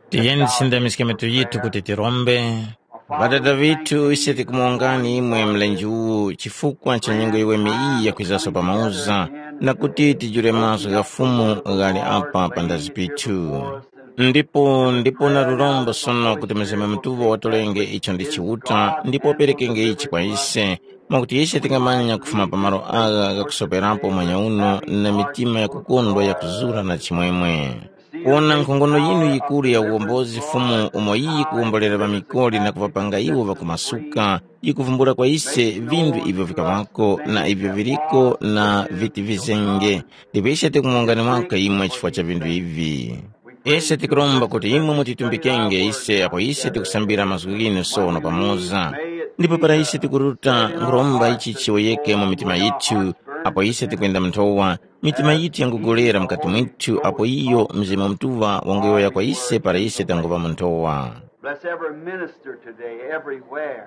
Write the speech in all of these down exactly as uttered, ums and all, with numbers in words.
Tiyeni tisindamiske mitu yithu kuti tirombe. Ŵadada ŵithu, ise tikumuwongani imwe mlenje uwu chifukwa cha nyengo yiweme iyi yakwizaso pamoza, na kuti tijule mazgu gha Fumu ghali apa pandazi pithu. Ndipo ndipo na lurombo sono kuti Mzimu Mutuŵa watolenge icho ndi Chiuta ndipo waperekenge ichi kwa ise, mwakuti ise tingamanya kufuma pa malo agha ghakusoperapo mwanya uno na mitima yakukondwa yakuzura na chimwemwe. Kuwona nkhongono yinu yikuru ya uwombozi Fumu umo iyi yikuwombolera ŵamikoli na kuŵapanga iwo ŵakumasuka, yikuvumbula kwa ise vinthu ivyo vikaŵako na ivyo viliko na viti vizenge. Ndipo ise tikumuwongani waka imwe chifukwa cha vinthu ivi. Ise tikuromba kuti imwe mutitumbikenge ise apo ise tikusambira mazgu ghinu sono pamoza. Ndipo para ise tikuruta nkhuromba ichi chiyowoyeke mu mitima yithu, apo ise tikwenda mu nthowa, mitima yithu yangugolera mukati mwithu apo iyo Mzimu Mutuŵa wanguyowoya kwa ise para ise tanguŵa mu nthowa. Bless every minister today, everywhere.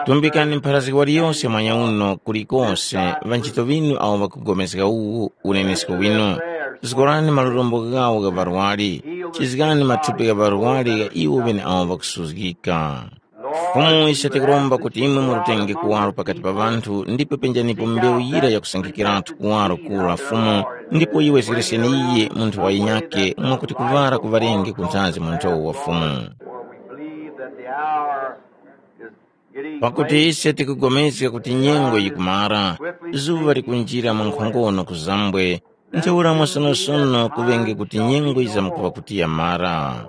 Tumbikani mpharazgi waliyose mwanya uno kulikose, ŵanchito ŵinu awo ŵakupulikana uwu unenesko winu. Zikorani malurombo ghawo gha ŵarwari, chizgani mathupi gha ŵarwari gha iwo ŵene awo ŵakusuzgika. Fumu ise tikuromba kuti imwe murutenge kuwaro pakati pa ŵanthu ndipo penjanipo mbewu yira yakusankhikiratu kuwaro kura Fumu, ndipo iwe zireseni iye munthu wa yinyake mwakuti kuŵara kuŵarenge kunthazi mu nthowa wa Fumu. For we believe that the hour is getting Pakuti late. Ise tikupulikana kuti nyengo yikumara, zuŵa likunjira mwa nkhongono kuzambwe, ntheura mwasonosono kuŵenge kuti nyengo yizamkuŵa kuti yamara.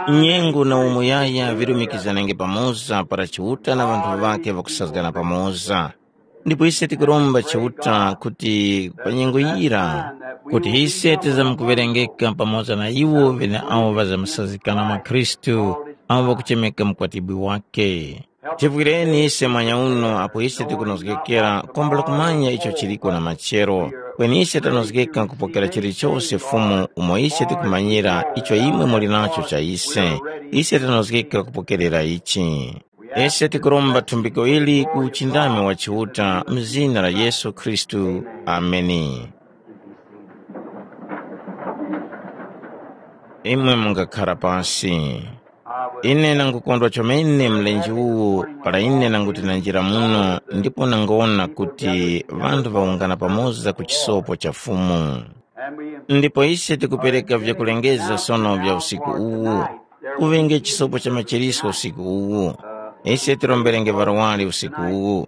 Nyengo na umuyaya vilumikizanenge pamoza para Chiuta na ŵanthu ŵakhe ŵakusazgana pamoza. Ndipo ise tikuromba Chiuta kuti pa nyengo yira, kuti ise tizamkuŵerengeka pamoza na iwo ŵeneawo ŵazamasazikana mwa Khristu, awo ŵakuchemeka mukwatibwi wake. Tivwireni ise mwanya uno apo ise tikunozgekera kwambula kumanya icho chiliko na machero, kweni ise tanozgeka kupokera chilichose Fumu umo ise tikumanyira icho imwe muli nacho cha ise. Ise tanozgeka kupokerera ichi. Ise tikuromba thumbiko ili ku uchindami wa Chiuta mu zina la Yesu Khristu. Ameni. Imwe mungakhara pasi. Ine nangukondwa chomene mlenje uwu para ine nanguti nanjira muno ndipo nangowona kuti ŵanthu ŵawungana pamoza ku chisopo cha Fumu. Ndipo ise tikupereka vyakulengeza sono vya usiku uwu, kuŵenge chisopo cha machiriso usiku uwu. Ise tiromberenge ŵarwari usiku uwu.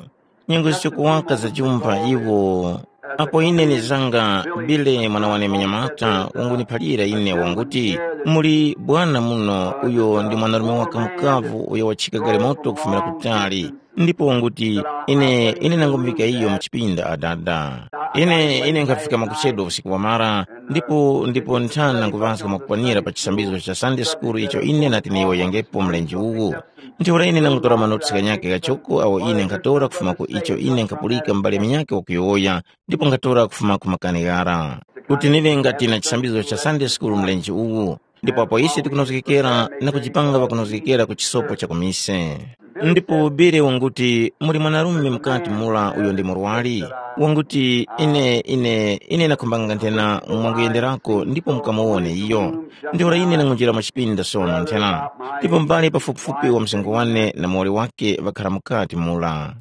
Nyengo zichokuwaka zajumpha iwo. Apo ine nizanga, Bile mwana wane munyamata wanguniphalira ine wanguti, muli bwana muno uyo ndi mwanarume waka mukavu uyo wachika galimoto kufumira kutali. Ndipo wanguti, ine ine nangumuvika iyo mu chipinda adada. Ine ine nkhafika mwakuchedwa usiku wamara, ndipo ndipo nthani nanguŵazga mwakukwanira pa chisambizo cha Sunday school icho ine nati niyowoyengepo mlenje uwu. Ntheura ine nangutora manotisi ghanyakhe ghachoko awo ine nkhatora kufuma ku icho ine nkhapulika m'bale munyakhe wakuyowoya, ndipo nkhatora kufuma ku makani ghara, kuti niŵe ngati na chisambizo cha Sunday school mlenje uwu. Ndipo apo ise tikunozgekera na kujipanga ŵakunozgekera ku chisopo cha ku mise. Ndipo Bere wanguti, muli mwanarume mukati mura uyo ndi murwari, wanguti, ine ine ine nakhumbanga nthena mwanguyenderako ndipo mukamuwone iyo. Ntheura ine nangunjira mu chipinda sono nthena, ndipo mbale pafupifupi wa msengo wane na muwoli wake ŵakhara mukati mura.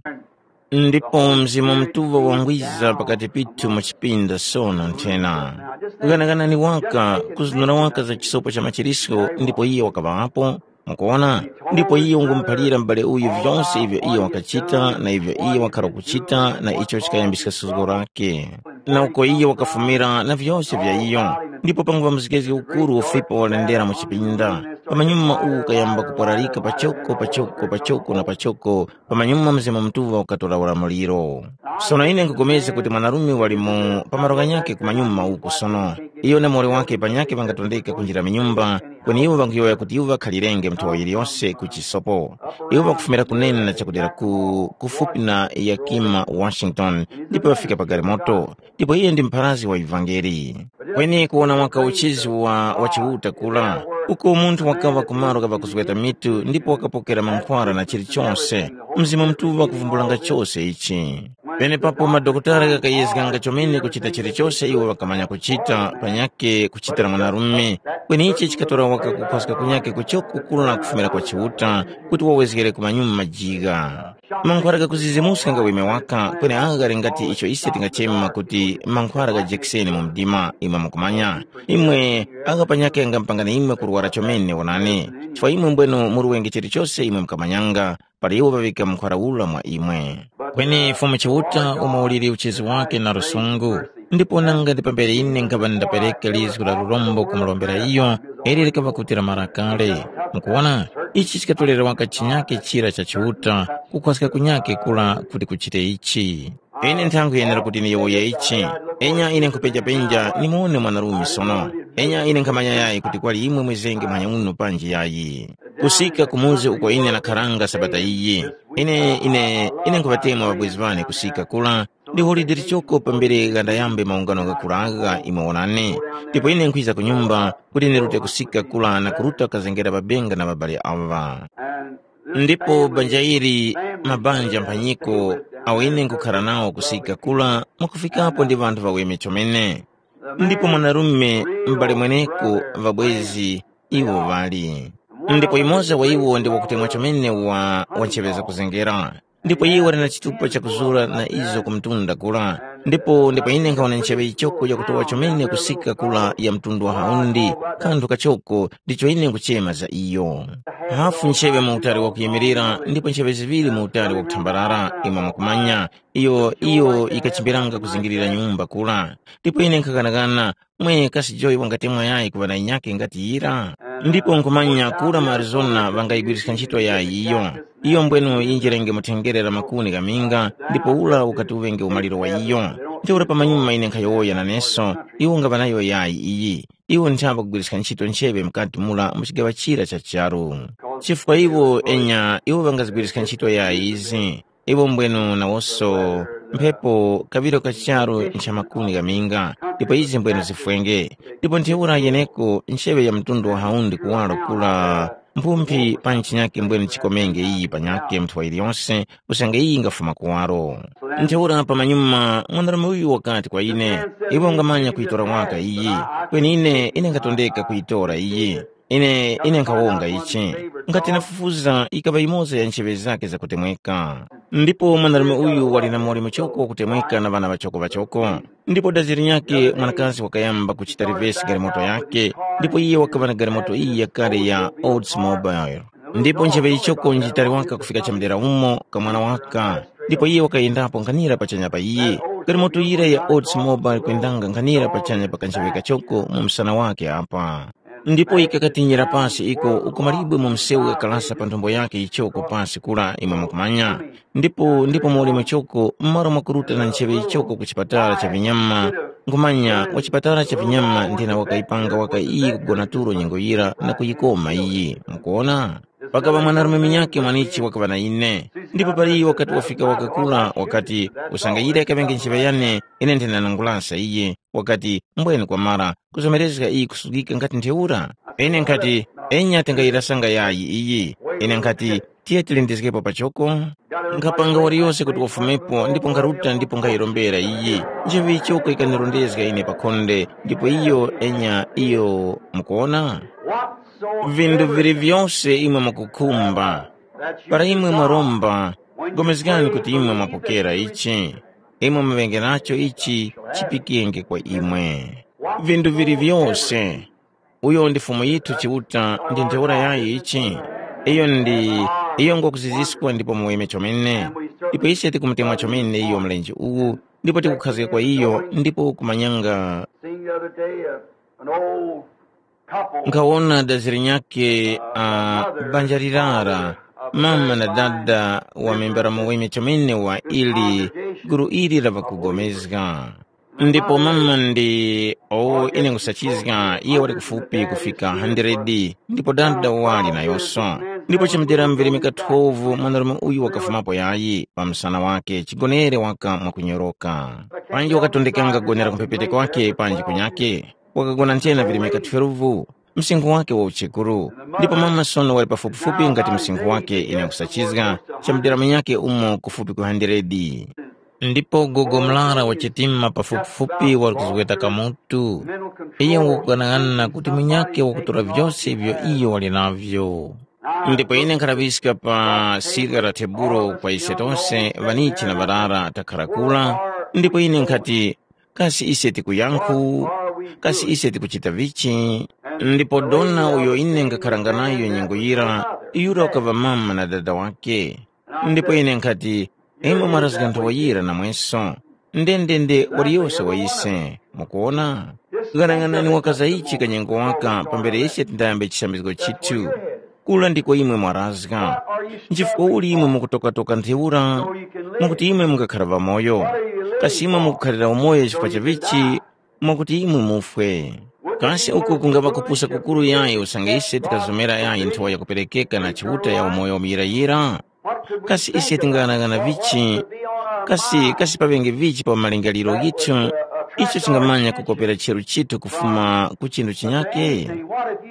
Ndipo Mzimu Mutuŵa wangwiza pakati pithu mu chipinda sono nthena. Ghanaghanani waka, kuzunura waka za chisopo cha machiriso ndipo iye wakaŵapo. Mukuona? Ndipo iye wangumuphalira m'bale uyu vyonse ivyo iye wakachita na ivyo iye wakhara kuchita na icho chikayambiska suzgo lake. Na uko iye wakafumira na vyose vya iyo. Ndipo panguŵa mzgezge ukuru ufipa walendera mu chipinda. Pamanyuma uwu ukayamba kuporarika pachoko pachoko pachoko na pachoko, pamanyuma Mzimu Mutuŵa ukatora ulamuliro. Sono ine nkupulikana kuti mwanarume wali mu pamalo ghanyakhe kumanyuma uku sono. Iyo na muwoli wake panyakhe ŵangatondeka kunjira mu nyumba, kweni iwo ŵankuyowoya kuti iwo ŵakhalirenge nthowa yiliyose ku chisopo. Iwo ŵakufumira kunene na chakudera ku kufupi na Yakima, Washington, ndipo ŵafika pa galimoto. Ndipo iye ndi mpharazi wa ivangeli. Kweni kuwona waka uchizi wa wa Chiuta kura, uko munthu wakaŵa ku malo gha ŵakuzgeta mitu ndipo wakapokera mankhwara na chilichonse, Mzimu Mutuŵa wakuvumbulanga chose ichi. Penepapo madokotala ghakayezganga chomene kuchita chilichose iwo ŵakamanya kuchita panyakhe kuchitira mwanarume. Kweni ichi chikatora waka kukhwaska kunyakhe kuchoko kula kufumira kwa Chiuta kuti wawezgere ku manyuma majigha. Mankhwara ghakuzizimuska nga weme waka, kweni agha ghali ngati icho ise tingachema kuti mankhwara gha jekiseni mu mdima imwe mukumanya. Imwe agha panyakhe ghamupangani imwe kurwara chomene wonani, chifukwa imwe mbwenu muli wengi chilichose imwe mukamanyanga, para iwo ŵaŵika mkhwara ura mwa imwe. Kweni Fumu Chiuta umo uliri uchizi wake na lusungu, ndipo nanga ndi pambere ine nkhaŵa ndapereka lizgu la lurombo kumurombera iyo, ili likaŵa kuti lamara kale. Mukuwona, ichi chikatorera waka chinyake chira cha Chiuta, kukhwaska kunyake kura kuti kuchite ichi. Ine nthankhu yenera kuti niyowoye ichi. Enya ine nkhupenjapenja nimuwone mwanarume sono. Enya ine nkhamanya yayi kuti kwali imwe mwizenge muhanya uno panji yayi. Kusika ku muzi uko ine nakharanga sabata iyi. Ine ine ine nkhuŵatemwa ŵabwezi ŵane kusika kula, ndi holide lichoko pambere ghandayambe maungano ghakuraga imwe wonani. Ndipo ine nkhwiza ku nyumba kuti ndirute kusika kula na kuruta kazengera ŵabenga na ŵabali awa. Ndipo banja ili, mabanja mphanyiko awo ine nkhukhara nawo kusika kula, mwakufikapo ndi ŵanthu ŵaweme chomene. Ndipo mwanarume m'bale mweneko, ŵabwezi iwo ŵali. Ndipo yumoza wa iwo ndi wakutemwa chomene wa wancheŵeza kuzengera. Ndipo iye wali na chitupa chakuzura na izo ku mtunda kula. Ndipo ndipo ine nkhawona ncheŵe yichoko yakutowa chomene kusika kula ya mtundu wa haundi, kanthu kachoko ndicho ine nkuchema za iyo. Hafu ncheŵe mu utali wakuyimirira ndipo ncheŵe ziŵiri mu utali wakuthambarara, imwe mwakumanya, iyo iyo yikachimbiranga kuzingirira nyumba kura. Ndipo ine nkhakanakana, mwe kasi Joy wangatemwa yayi kuŵa na yinyakhe ngati yira? Ndipo nkhumanya kura mu Arizona ŵangayigwiriska ntchito yayi iyo. Iyo mbwenu yinjirenge mu thengere la makuni ghaminga, ndipo ula ukati uŵenge umaliro wa iyo. Ntheura pamanyuma ine nkhayowoya naneso, iwo ngaŵa nayo yayi iyi. Iwo nthamba kugwiriska ntchito ncheŵe mukati mura mu chigaŵa chira cha charu. Chifukwa iwo enya iwo ŵangazigwiriska ntchito yayi izi. Iwo mbwenu nawoso mphepo kaŵiro ka charu ncha makuni ghaminga, ndipo izi mbwenu zifwenge. Ndipo ntheura yeneko ncheŵe ya mtundu wa haundi kuwaro kura, mphumphi pa ntchinyake mbwenu chikomenge iyi panyake mnthowa yiliyonse, usange iyi ingafuma kuwaro. Ntheura pamanyuma mwanarume uyu wakati kwa ine, iwe ungamanya kuyitora waka iyi, kweni ine ine nkhatondeka kuyitora iyi. Ine ine nkhawonga ichi. Ngati nafufuza ikaŵa yimoza ya ncheŵe zake zakutemweka. Ndipo mwanarume uyu wali na moli muchoko wakutemweka na ŵana ŵachoko ŵachoko. Ndipo dazi linyakhe mwanakazi wakayamba kuchita rivesi galimoto yakhe, ndipo iye wakaŵa na galimoto iyi yakale ya Oldsmobile. Ndipo ncheŵe yichoko njitali waka kufika chamdera umo kamwana waka, ndipo iye wakayendapo nkhanira pachanya pa iye. Galimoto yira ya Oldsmobile kwendanga nkhanira pachanya pa kancheŵe kachoko mu msana wake apa. Ndipo yikakatinyira pasi iko uko malibwe mu msewu ghakalasa pa nthombo yakhe yichoko pasi kura imwe mukumanya. Ndipo ndipo muli muchoko mmalo mwakuruta na ncheŵe yichoko ku chipatala cha vinyama, nkhumanya wa chipatala cha vinyama ndina wakayipanga waka iyi kugona tulo nyengo yira na kuyikoma iyi. Mukuona? Pakaŵa mwanarume munyakhe mwanichi wakaŵa na ine. Ndipo pali wakati wafika wakakura wakati, usanga yira yikaŵenge ncheŵe yane, ine ndinanangulasa iye. Wakati, mbweni kwamara kuzomerezga iyi kusugika ngati ntheura? Ine nkhati, enya tingayirasanga yayi iyi. Ine nkhati, tiye tilindizgepo pachoko. Nkhapanga waliyose kuti wafumepo ndipo nkharuta ndipo nkhayirombera iyi. Ncheŵe ichoko ikanirondezga ine pa khonde ndipo iyo enya iyo. Mukuona? Vindu vili vyose imwe mukukhumba, para imwe mwaromba, pulikana kuti imwe mwapokera ichi. Imwe muŵenge nacho ichi, chipikenge kwa imwe. Vindu vili vyose. Uyo ndi Fumu yithu Chiuta ndi ntheura yayi ichi. Iyo ndi iyo ngwakuziziskwa ndipo muweme chomene. Ndipo ise tikumutemwa chomene iyo mlenje uwu, ndipo tikukhazga kwa iyo ndipo kumanyanga. Seen the other day, uh, an old couple. Nkhawona dazi linyakhe, uh, banja lirara, mama na dada wa membera muweme chomene wa ili guru ili la ŵakugomezga. Ndipo mama ndi, o, ine nkusachizga, iye wali kufupi kufika hundred, ndipo dada wali nayonso. Ndipo chimutera mveremeka twelve mwanarume uyu wakafumapo yayi pa msana wake, chigonere waka mwakunyoroka. Panji wakatondekanga kugonera kumphepete kwake panji kunyake, wakagona nthena virimika twelve, msinkhu wake wa uchekuru. Ndipo mama sono wali pafupifupi ngati msinkhu wake ine nkusachizga, chamudera munyake umo kufupi ku hundred. Ndipo gogo murara wa chitima pafupifupi wali kuzgweta kamutu. Iyo wakughanaghanana kuti munyakhe wakutora vyose ivyo iyo wali navyo. Ndipo ine nkhalaŵiska pa sirya la tebulo kwa ise tose ŵanichi na ŵarara takhara kura, ndipo ine nkhati, kasi ise tikuyankhu? Kasi ise tikuchita vichi? Ndipo dona uyo ine ngakharanga nayo nyengo yira, yura wakaŵa mama na dada wake. Ndipo ine nkhati, imwe mwarazga nthowa yira namweso. Ndendende waliyose wa ise. Mukuona? Ghanaghanani wakaza ichi kanyengo waka pambere ise tindayambe chisambizgo chithu. Kula ndiko imwe mwarazga. Nchifukwa uli imwe mukutokatoka ntheura? Mwakuti imwe mungakhara ŵamoyo. Kasi imwe mukukhalira umoyo chifukwa cha vichi? Mwakuti imwe mufwe. Kasi uku kungaŵa kupusa kukuru yayi usange ise tikazomera yayi nthowa yakuperekeka na Chiuta ya umoyo muyirayira? Kasi ise tingaghanagana vichi? Kasi kasi paŵenge vichi pa malingaliro ghithu icho chingamanya kukopera cheru chithu kufuma ku chinthu chinyake?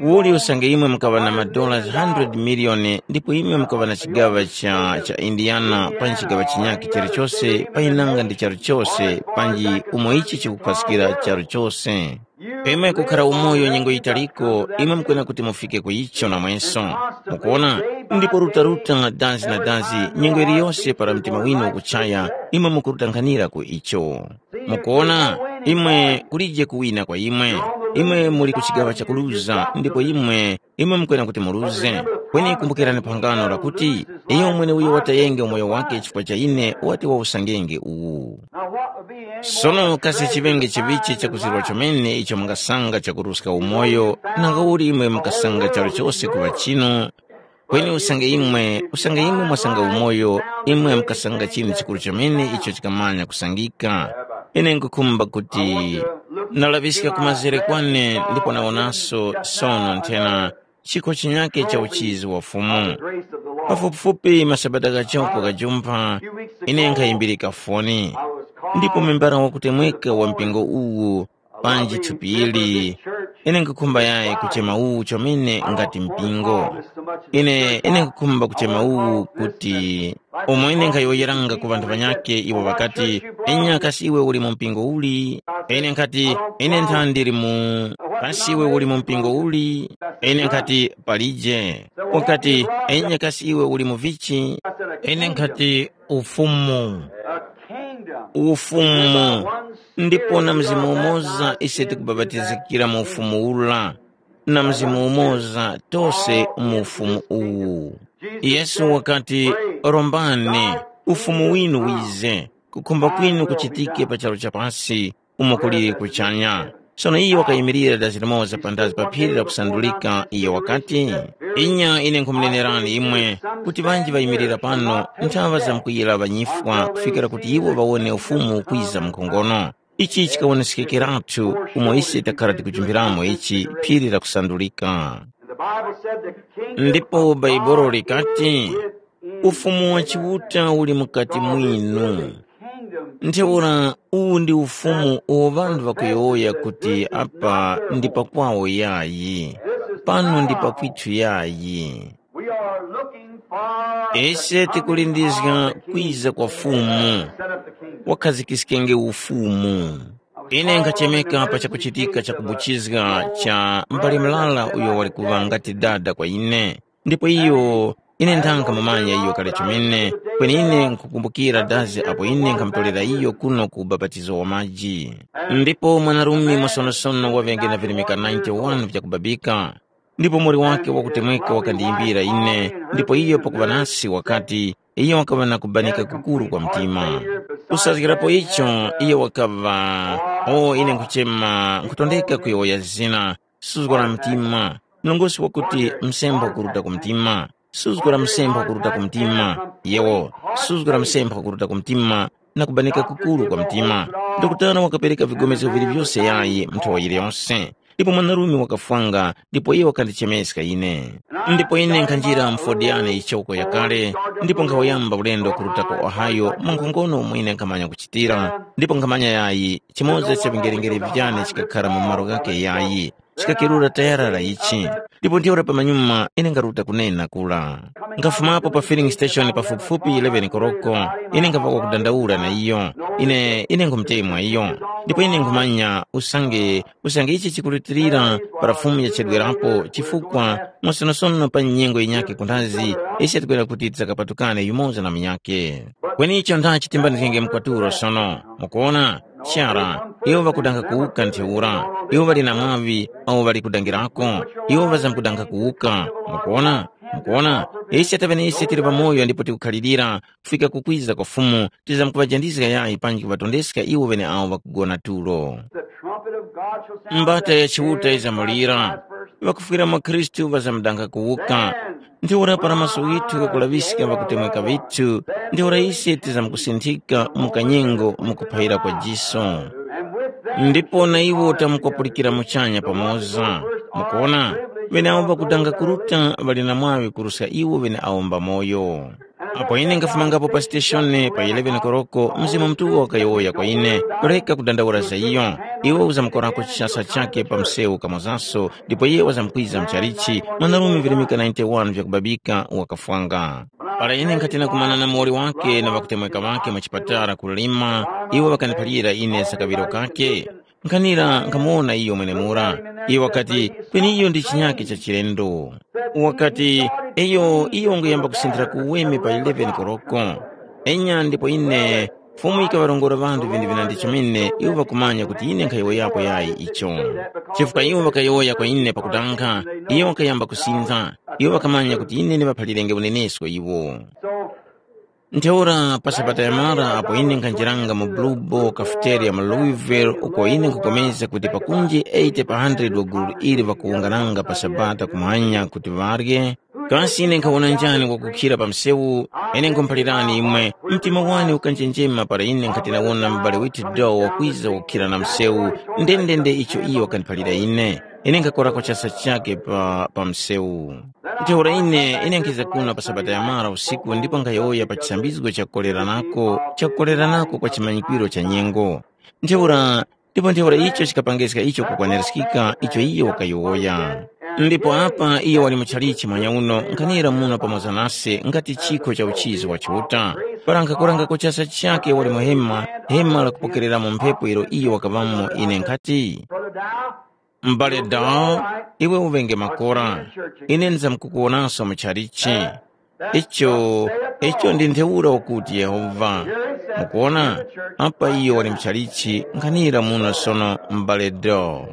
Uli usange imwe mukaŵa na madola one hundred miliyoni ndipo imwe mukaŵa na chigaŵa cha, cha Indiana panji chigaŵa chinyake chalichose pa inanga ndi charu chose panji umo ichi chikuphaskira charu chose. Imwe kukhara umoyo nyengo yitaliko, imwe mukwena kuti mufike ku icho namweso. Mukuona? Ndipo rutaruta dazi na dazi, nyengo iliyose para mtima winu ukuchaya, imwe mukurutanghanira ku icho. Mukuona? Imwe kulije kuwina kwa imwe. Imwe muli ku chigaŵa chakuluza, ndipo imwe imwe mukwena kuti muruze. Kweni kumbukirani phangano lakuti, iyo mweneuyo watayenge umoyo wake chifukwa cha ine wati wawusangenge uwu. Sono kasi chiŵenge chiŵichi chakuzirwa chomene icho mungasanga chakuruska umoyo, nanga uli imwe mukasanga charo chose kuŵa chinu? Kweni usange imwe usange imwe mwasanga umoyo, imwe mukasanga chinu chikuru chomene icho chikamanya kusangika. Ine nkukhumba kuti nalaŵiska ku mazere kwane ndipo nawonaso sono nthena chikho chinyakhe cha uchizi wa Fumu. Pafupifupi masabata ghachoko ghajumpha, ine nkhayimbirika foni, ndipo membara wakutemweka wa mpingo uwu panji thupi ili, ine nkhukhumba yayi kuchema uwu chomene ngati mpingo. Ine ine nkhukhumba kuchema uwu kuti umo ine nkhayowoyeranga ku ŵanthu ŵanyakhe iwo ŵakati, enya kasi iwe uli mu mpingo uli? Ine nkhati, ine ntha ndili mu. Kasi iwe uli mu mpingo uli? Ine nkhati, palije. Ukati, enya kasi iwe uli mu vichi? Ine nkhati, ufumu. Ufumu. Ndipo na mzimu umoza ise tikubapatizikira mu ufumu ula, na mzimu umoza tose mu ufumu uwu. Yesu wakati, rombani, ufumu winu wize, kukhumba kwinu kuchitike pa charu cha pasi umo kuliri kuchanya. Sono iyo wakayimilira dazi limoza panthazi pa phiri lakusandulika, iyo wakati, inya ine nkhumunenerani imwe, kuti ŵanji ŵayimilira pano nthaŵa zamkuyira ŵanyifwa kufikira kuti iwo ŵawone ufumu ukwiza mu nkhongono. Ichi chikawonesekeratu umo ise takhara tikujumpheramo ichi phiri lakusandulika. Ndipo Bhaibuli likati, ufumu wa Chiuta uli mukati mwinu. Ntheura uwu ndi ufumu uwo ŵanthu ŵakuyowoya kuti apa ndi pakwawo yayi, pano ndi pakwithu yayi. Ise tikulindizga kwiza kwa Fumu, wakhazikiskenge ufumu. Ine nkhachemeka pa chakuchitika cha kubuchizga cha mbale mlala uyo wali kuŵa ngati dada kwa ine, ndipo iyo ine ndanga mumanya iyo kale chomene, kweni ine nkhukumbukira dazi apo ine nkhamutolera iyo kuno ku ubapatizo wa maji. Ndipo mwanarume mwasonosono waŵenge na virimika ninety-one vyakubabika, ndipo muli wake wakutemweka wakandiyimbira ine, ndipo iyo pakuŵa nasi wakati, iyo wakaŵa na kubanika kukuru kwa mtima. Kusazgirapo icho, iyo wakaŵa, o ine nkhuchema, nkhutondeka kuyowoya zina, suzgo la mtima, mlongosi wakuti msemba ukuruta ku mtima, suzgo la msemba ukuruta ku mtima, yewo, suzgo la msemba ukuruta ku mtima, na kubanika kukuru kwa mtima. Dokotala wakapereka vigomezgo vili vyose yayi nthowa yiliyonse. Ndipo mwanarume wakafwanga, ndipo iye wakandichemeska ine. Ndipo ine nkhanjira mfodiyane ichoko yakale, ndipo nkhawuyamba ulendo kuruta ku Ohio mwa nkhongono umo ine nkhamanya kuchitira, ndipo nkhamanya yayi, chimoza cha vingerengere vyane chikakhara mu malo ghake yayi. chikakerura tayara la ichi. Ndipo ntheura pamanyuma ine ngaruta kunena kula. Nkhafumapo pa filling station pafupifupi eleven koroko. Ine nkhava wakudandaula na iyo. Ine ine nkhumutemwa iyo. Ndipo ine nkhumanya usange usange ichi chikurutilira para Fumu yachedwerapo, chifukwa mwasonosono pa nyengo yinyakhe kunthazi, ise tikwera kuti tisakapatukane yumoza na munyakhe. Kweni icho ndachi timbanizgenge mkwatulo sono. Mukuona? Chara, iwo ŵakudanga kuwuka ntheura. Iwo ŵali na mwaŵi awo ŵali kudangirako. Iwo ŵazamkudanga kuwuka. Mukuona? Mukuona? Ise taŵene ise tili pamoyo ndipo tikukhalirira kufika kukwiza kwa Fumu, tizamkuvajandizga yayi panji kuŵatondeska iwo ŵeneawo ŵakugona tulo. The trumpet of God shall sound. Mbata ya Chiuta izamulira. Ŵakufwira mwa Khristu ŵazamdanga kuwuka. Ntheura para maso ghithu ghakulaŵiska ŵakutemweka vithu, ntheura ise tizamkusinthika mu kanyengo mu kuphayira kwa jiso. Ndipo na iwo tamkupulikira muchanya pamoza. Mukuona, ŵeneawo ŵakudanga kuruta ŵali na mwaŵi kuruska iwo ŵeneawo mbamoyo. Apo ine nkhafumangapo pa siteshoni pa eleven koroko, Mzimu Mutuŵa wakayowoya kwa ine, “Reka kudandaula za iyo. Iwe uzamukorako chishasa chake pa msewu kamozaso, ndipo iye wazamkwiza mchalichi, mwanarume virimika ninety-one vyakubabika wakafwanga.” Para ine nkhati nakumana na muwoli wake na ŵakutemweka ŵake mu chipatala ku Lima, iwo ŵakaniphalira ine za kaŵiro kake. Nkhanira nkhamuwona iyo mwenemura. Iyo wakati, “Kweni iyo ndi chinyakhe cha chilendo.” Wakati, “Iyo, iyo wanguyamba kusinthira ku uweme pa eleven koroko.” Enya ndipo ine, Fumu yikaŵarongora ŵanthu vinthu vinandi chomene iwo ŵakumanya kuti ine nkhayowoyapo yayi icho. Chifukwa iwo ŵakayowoya kwa ine pakutanga, iyo wakayamba kusintha, iwo ŵakamanya kuti ine ndiŵaphalirenge unenesko iwo. Ntheura pa Sabata yamara apo ine nkhanjiranga mu Blue Ball Cafeteria mu Louisville uko ine nkhupulikana kuti pakunji eighty pa hundred wa gulu ili ŵakuwungananga pa Sabata kumanya kuti ŵarye, kasi ine nkhawona njani wakukhira pa msewu? Ine nkhumuphalirani imwe, mtima wane ukanjenjema para ine nkhati nawona m'bale withu Doe wakwiza wakukhira na msewu, ndendende icho iyo wakandiphalira ine. Ine nkhakorako chasa chakhe pa, pa msewu. Ntheura ine, ine nkhiza kuno pa Sabata yamara usiku ndipo nkhayowoya pa chisambizgo cha kukoleranako, cha kukoleranako kwa chimanyikwiro cha nyengo. Ntheura, ndipo ntheura icho chikapangiska icho kukwaniskika icho iyo wakayowoya. Ndipo apa iyo wali muchalichi mwanyauno nkhanira muno pamoza nase ngati chikho cha uchizi wa Chiuta. Para nkhakorangako chasa chakhe wali mu hema, hema lakupokereramo mphepo ilo iyo wakaŵamo ine nkhati, M'bale Dow, iwe uŵenge makora. Ine ndizamkukuwonanso mu chalichi. Icho, icho ndi ntheura ukuti Yehova. Mukuwona, apa iyo wali mu chalichi nkhanira muno sono, m'bale Dow.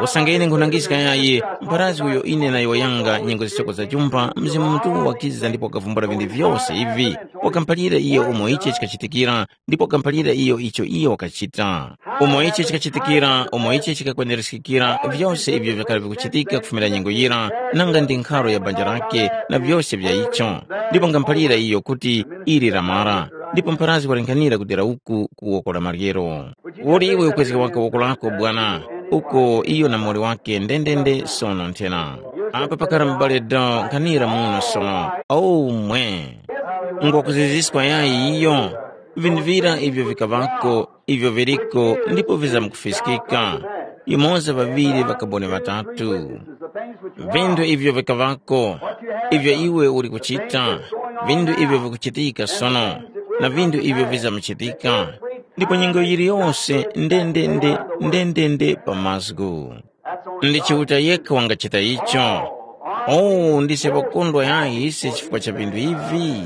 Usange ine nkhunangiska yayi, mpharazgi uyo ine nayowoyanga nyengo zisoko za chumba, Mzimu Mutuŵa wakiza ndipo wakavumbula vinthu vyose ivi. Wakamuphalira iyo umo ichi chikachitikira, ndipo wakamuphalira iyo icho iyo wakachita. Umo ichi chikachitikira, umo ichi chikakwendereskikira, vyose ivyo vyakali vikuchitika kufumira nyengo yira, nanga ndi nkharo ya banja lake, na vyose vya icho. Ndipo ngamuphalira iyo kuti ili lamara, ndipo mpharazgi walinganira kudera uku ku woko la maryero. Uli iwe ukwezge waka woko lako, bwana, uko iyo na muwoli wake ndendende sono nthena. Apa pakara m'bale Dow nkhanira muno sono. Omwe! Ngwakuziziskwa yayi iyo? Vinthu vira ivyo vikaŵako, ivyo viriko, ndipo vizamkufiskika. Yumoza ŵaŵiri ŵakaboni ŵatatu. Vinthu ivyo vikaŵako, ivyo iwe uli kuchita, vinthu ivyo vikuchitika sono, na vinthu ivyo vizamuchitika, ndipo nyengo yiliyose ndendende, ndendende pa mazgu. Ndi Chiuta yekha wangachita icho. Oh, ndise ŵakondwa yayi ise chifukwa cha vinthu ivi.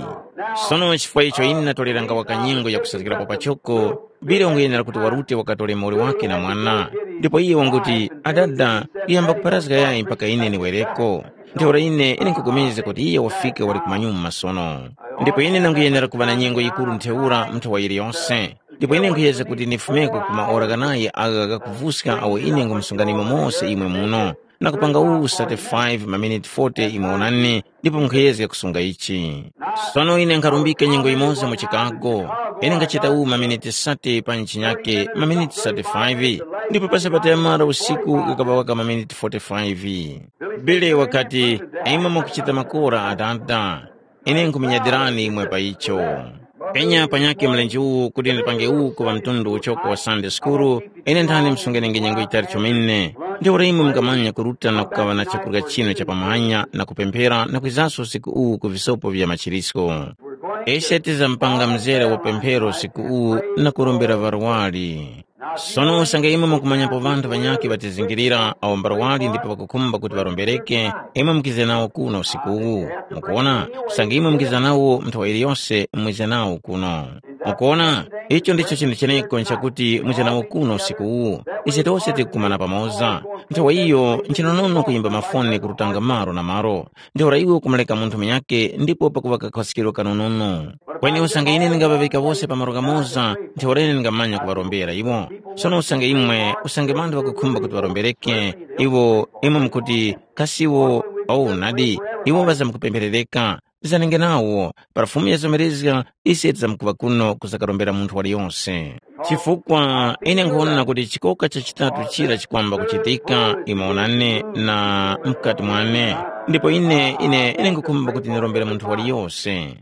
Sono chifukwa icho ine ndatoleranga waka nyengo yakusazgirapo pachoko, Billy wanguyenera kuti warute wakatore muwoli wake na mwana. Ndipo iye wanguti, adada, kuyamba kupharazga yayi mpaka ine niwereko. Ntheura ine, ine nkupulikana kuti iye wafika wali kumanyuma sono. Ndipo ine nanguyenera kuŵa na nyengo yikuru ntheura mu nthawa yiliyose. Ndipo ine nkhuyezga kuti ndifumeko ku maora ghanayi agha ghakuvuska awo ine ngumusunganimo mose imwe muno, na kupanga uwu sate five maminiti forty imwe onani, ndipo nkhuyezga kusunga ichi. Sono ine nkharumbika nyengo yimoza mu Chicago. Ine nkhachita uwu maminiti sate pa nchinyake maminiti sate five, ndipo pa sabata yamara usiku ghakaŵa waka maminiti forty-five. Billy wakati, imwe mukuchita makora, adada. Ine nkhumunyadilani imwe pa icho. Enya panyakhe mlenje uwu kuti ndipange uwu kuŵa mtundu uchoko wa Sande Sukuru, ine nthani msungirenge nyengo yitali chomene. Ntheura imwe mungamanya kuruta na kukaŵa na chakurya chinu cha pamanya na kupemphera na kwizanso usiku uwu ku visopo vya machirisko. Ise tizamupanga mzere wa pemphero usiku uwu na kurombera ŵarwari. Sono usange imwe mukumanyapo ŵanthu ŵanyakhe ŵatizingirira awo mbarwali ndipo ŵakukhumba kuti ŵarombereke, imwe mukize nawo kuno usiku uwu. Mukuwona, usange imwe mukiza nawo nthawa iliyose mwize nawo kuno. Mukuwona, icho ndicho chinthu cheneko nchakuti mwize nawo kuno usiku uwu. Ise tose tikukumana pamoza. Nthawa iyo nchinonono kuyimba mafoni kurutanga malo na malo. Ntheura iwe ukumureka munthu munyakhe ndipo pakuŵa kakhoskero kanonono. Kweni usange ine ndingaŵaŵika wose pa malo ghamoza, ntheura ine ndingamanya kuŵarombera iwo. Sono usange imwe, usange ŵanthu ŵakukhumba kuti ŵarombereke, iwo imwe mukuti, kasi iwo, oh nadi, iwo ŵazamkupempherereka. Zanenge nawo, para Fumu yazomerezga, ise tizamkuŵa kuno kuzakarombera munthu waliyose. Chifukwa ine nkhuwona kuti chikoka cha chitatu chira chikwamba kuchitika imo unane na mukati mwane, ndipo ine ine ine nkhukhumba kuti ndirombere munthu waliyose.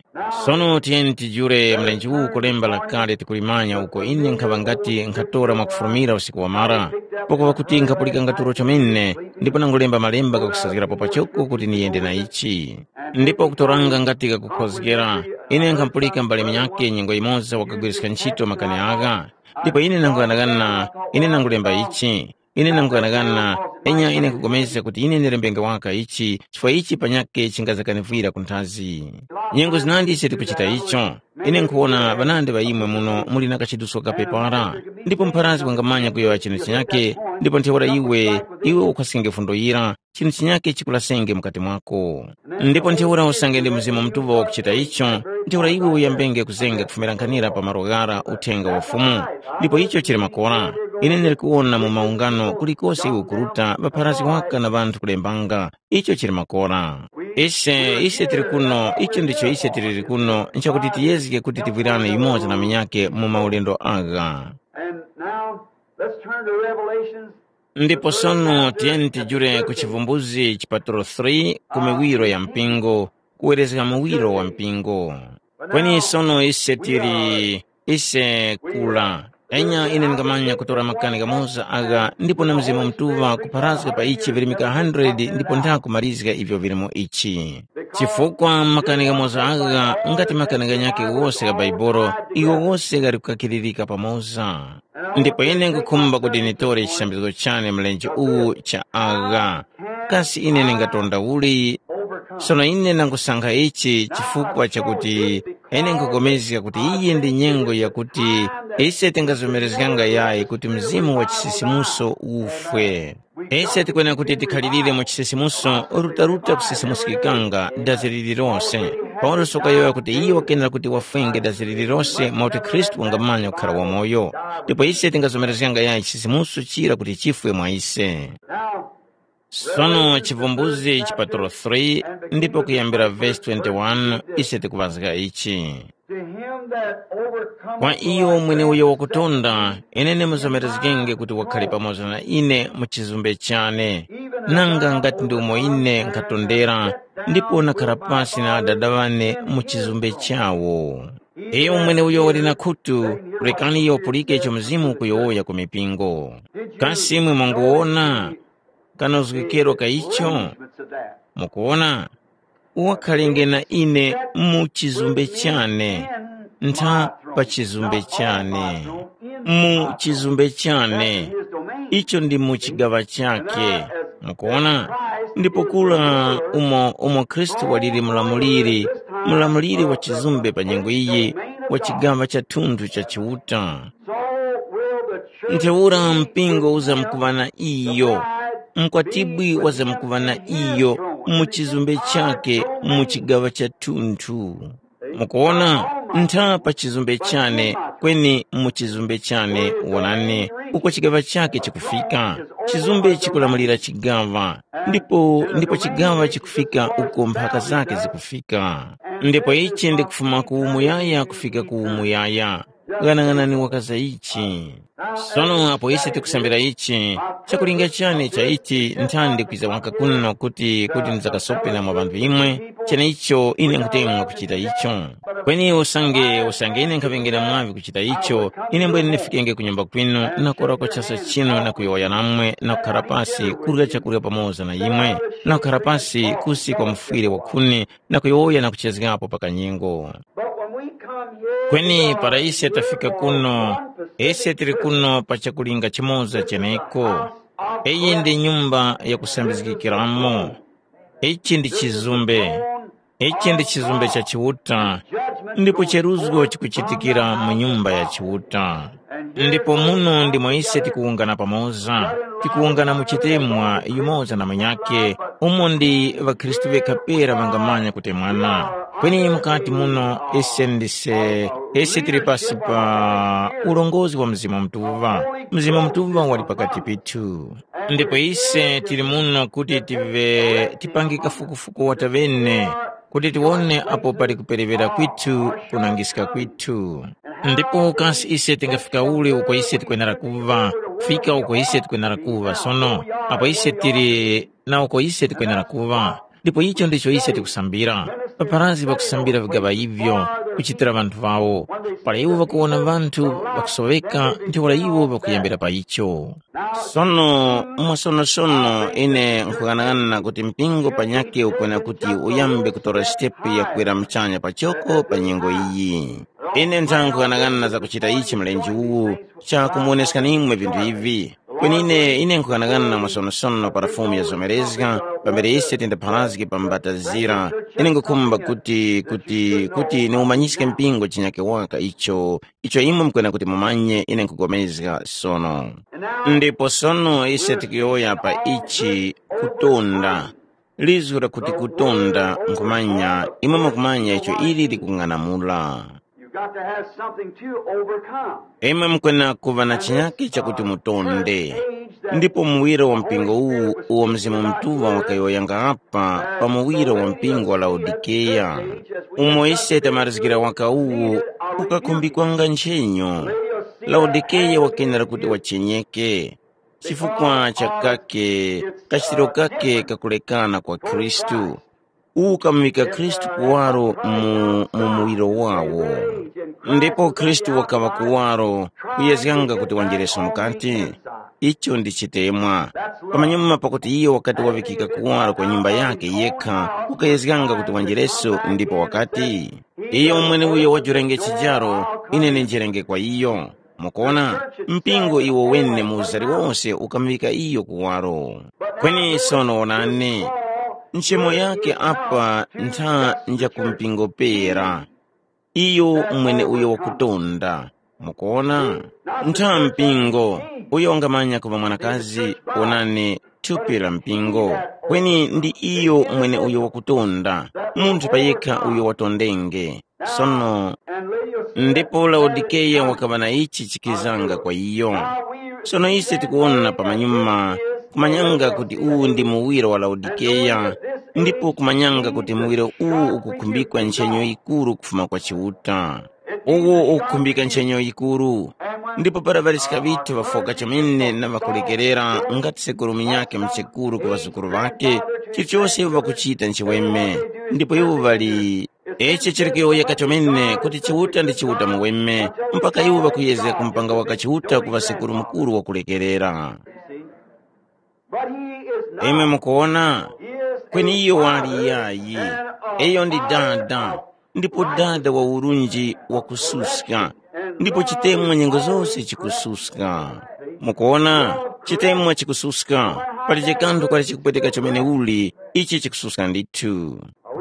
Sono tiyeni tijule mlenje uwu ku lemba lakale tikulimanya uko ine nkhaŵa ngati nkhatora mwakufulumira usiku wamara, pakuŵa kuti nkhapulikanga tulo chomene, ndipo nangulemba malemba ghakusazgirapo pachoko kuti niyende na ichi. Ndipo kutoranga ngati ghakukhozgera, ine nkhampulika mbale munyakhe nyengo yimoza wakagwiriska ntchito makani agha. Ndipo ine nanguyanaghana, ine nangulemba ichi. Ine nanguyanaghana, enya ine nkupulikana kuti ine ndilembenge waka ichi, chifukwa ichi panyakhe chingazakanivwira ku nthazi. Nyengo zinandi ise tikuchita icho. Ine nkhuwona ŵanandi ŵa imwe muno muli na kachiduso kapepara, ndipo mpharazgi wangamanya kuyowoya chinthu chinyakhe, ndipo ntheura iwe, iwe ukhwaskenge fundo yira, chinthu chinyakhe chikulasenge mukati mwako. Ndipo ntheura usange ndi Mzimu Mutuŵa wakuchita icho, ntheura iwe uyambenge kuzenga kufumira nkhanira pa malo ghara uthenga wa Fumu. Ndipo icho chili makora. Ine ndili kuwona mu maungano kulikose iwe ukuruta ŵapharazgi waka na ŵanthu kulembanga. Icho chili makora. Ise, ise tili kuno, icho ndicho ise tiliri kuno, nchakuti tiyezge kuti tivwirane yumoza na munyakhe mu maulendo agha. And now, let's turn to Revelations. Ndipo sono tiyeni tijule ku Chivumbuzi chipatulo three ku miwiro ya mpingo, kuwerezga muwiro wa mpingo. Kweni sono ise tili, ise kula. Enya ine ndingamanya kutora makani ghamoza agha ndipo na Mzimu Mutuŵa kupharazga pa ichi virimika hundred ndipo nthakumalizga ivyo vili mu ichi. Chifukwa makani ghamoza agha ngati makani ghanyakhe wose gha Bhaibuli, iwo wose ghali kukakiririka pamoza. Ndipo ine nkhukhumba kuti nitore chisambizgo chane mlenje uwu cha agha. Kasi ine ndingatonda uli? Sono ine ndangusankha ichi chifukwa chakuti ine nkhupulikana kuti iyi ndi nyengo yakuti ise tingazomerezganga yayi kuti mzimu wa chisisimuso ufwe. Ise tikwenera kuti tikhalirire mu chisisimuso rutaruta kusisimuskikanga dazi lililose. Paulosi wakayowoya kuti iye wakenera kuti wafwenge dazi lililose mwakuti Khristu wangamanya kukhara wamoyo. Ndipo ise tingazomerezganga yayi chisisimuso chira kuti chifwe mwa ise. Sono Chivumbuzi chipatulo three ndipo kuyambira vesi twenty-one ise tikuŵazga ichi. To him that overcometh Kwa will iyo I mwene grant uyo wakutonda, ine ndimuzomerezgenge kuti wakhale pamoza na ine mu chizumbe chane, nanga ngati ndi umo ine nkhatondera, ndipo nakhara pasi na Adada wane mu chizumbe chawo. Iyo mwene uyo wali na khutu, rekani iyo wapulike icho Mzimu ukuyowoya ku mipingo. Kasi imwe mwanguwona? Kanozgekero ka icho? Mukuwona? Wakhalenge na ine mu chizumbe chane, ntha pa chizumbe chane, mu chizumbe chane, icho ndi mu chigaŵa chake. Mukuwona? Ndipo kula umo umo Khristu waliri mulamuliri, mulamuliri wa chizumbe pa nyengo iyi, wa chigaŵa cha thunthu cha Chiuta. Ntheura mpingo uzamkuŵa na iyo, mkwatibwi wazamkuŵa na iyo mu chizumbe chake mu chigaŵa cha thunthu. Mukuwona, ntha pa chizumbe chane, kweni mu chizumbe chane wonani, uko chigaŵa chake chikufika. Chizumbe chikulamulira chigaŵa, ndipo ndipo chigaŵa chikufika uko mphaka zake zikufika. Ndipo ichi ndi kufuma ku umuyaya kufika ku umuyaya. Ghanaghanani wakaza ichi. Sono apo ise tikusambira ichi, chakulinga chane cha ichi nthandi kwiza waka kuno kuti kuti ndizakasope na mwa ŵanthu imwe, cheneicho ine nkhutemwa kuchita icho. Kweni usange usange ine nkhaŵengera mwaŵi kuchita icho, ine mbwene ndifikenge ku nyumba kwinu na kurako chasa chinu na kuyowoya namwe na kukhara pasi kurya chakurya pamoza na imwe, na kukhara pasi kusi kwa mufwire wakhuni na kuyowoya na kuchezgapo pa kanyengo. But when we come here, kweni para ise tafika kuno, ise tili kuno pa chakulinga chimoza cheneko. Iyi ndi nyumba yakusambizgikiramo. Ichi ndi chizumbe. Ichi ndi chizumbe cha Chiuta, ndipo cheruzgo chikuchitikira mu nyumba ya Chiuta. Ndipo muno ndimo ise tikuwungana pamoza, tikuwungana mu chitemwa yumoza na munyakhe, umo ndi ŵakhristu ŵekha pera ŵangamanya kutemwana. Kweni mukati muno ise ndise, ise tili pasi pa ulongozi wa Mzimu Mutuŵa. Mzimu Mutuŵa wali pakati pithu. Ndipo ise tili muno kuti tive tipange kafukufuku watavene, kuti tiwone apo pali kuperewera kwithu kunangiska kwithu. Ndipo kasi ise tingafika uli uko ise tikwenera kuva, kufika uko ise tikwenera kuva sono, apo ise tili na uko ise tikwenera kuva. Ndipo icho ndicho ise tikusambira. Paparazi pakusambira vigaŵa ivyo kuchitira ŵanthu ŵawo. Para iwo ŵakuwona ŵanthu ŵakusoweka, ntheura iwo ŵakuyambira pa icho. Sono mwasonosono ine nkhughanaghana kuti mpingo panyakhe ukwena kuti uyambe kutora sitepu ya kwera muchanya pachoko pa nyengo iyi. Ine ntha nkhughanaghana za kuchita ichi mlenje uwu, chakumuwoneskani imwe vinthu ivi. Kweni ine ine nkhughanaghana mwasonosono para Fumu yazomerezga, pambere ise tindapharazge pa mbatazira. Ine nkhukhumba kuti kuti kuti niumanyiske mpingo chinyake waka icho icho imwe mukwena kuti mumanye ine nkhugomezga sono. Ndipo sono ise tikuyowoya pa ichi, kutonda. Lizgu lakuti kutonda nkhumanya, imwe mukumanya icho ili likung'anamula. You've got to have something to overcome. Imwe mukwena kuva na chinyakhe chakuti mutonde. Ndipo muwiro wa mpingo uwu uwo Mzimu Mutuŵa wakayowoyanga apa pa muwiro wa mpingo wa Laodikeya, umo ise tamarizgira waka uwu ukakhumbikanga nchenyo. Laodikeya wakenera kuti wachenyeke chifukwa cha kake kachitiro kake kakulekana kwa Khristu. Uwu ukamuŵika Khristu kuwaro mu, mu muwiro wawo. Ndipo Khristu wakaŵa kuwaro kuyezganga kuti wanjereso mukati. Icho ndi chitemwa. Pamanyuma pakuti iyo wakati waŵikika kuwaro kwa nyumba yakhe yekha, ukayezganga kuti wanjereso ndipo wakati, iyo mweneuyo wajurenge chijaro, ine ninjerenge kwa iyo. Mukuona, mpingo iwo wene mu uzari wose ukamuŵika iyo kuwaro. Kweni sono wonani, nchemo yake apa ntha nja ku mpingo pera. Iyo mwene uyo wakutonda. Mukuona, ntha mpingo uyo wangamanya kuva mwanakazi, wonani, thupi la mpingo. Kweni ndi iyo mwene uyo wakutonda, munthu payekha uyo watondenge. Sono ndipo Laodikeya wakaŵa na ichi chikizanga kwa iyo. Sono ise tikuwona pamanyuma, kumanyanga kuti uwu ndi muwiro wa Laodikeya, ndipo kumanyanga kuti muwiro uwu ukukhumbikwa nchenyo yikuru kufuma kwa Chiuta. Uwo ukukhumbika nchenyo yikuru. Ndipo para ŵaliska ŵithu ŵafoka chomene na ŵakulekerera ngati sekuru munyakhe mchekuru ku ŵazukuru ŵakhe, chilichose iwo ŵakuchita nchiweme. Ndipo iwo ŵali Ichi chili kuyowoyeka chomene kuti Chiuta ndi Chiuta muweme, mpaka iwo ŵakuyezga kumupanga waka Chiuta kuŵa sekuru mukuru wakulekerera. But he is not. Imwe mukuwona? He is kweni a iyo wali father yayi. And a iyo ndi father dada, of ndipo dada wa urunji wakususka. Ndipo chitemwa nyengo zose chikususka. Mukuwona, chitemwa chikususka. Pali chikanthu kwali chikupweteka chomene uli, ichi chikususka ndithu.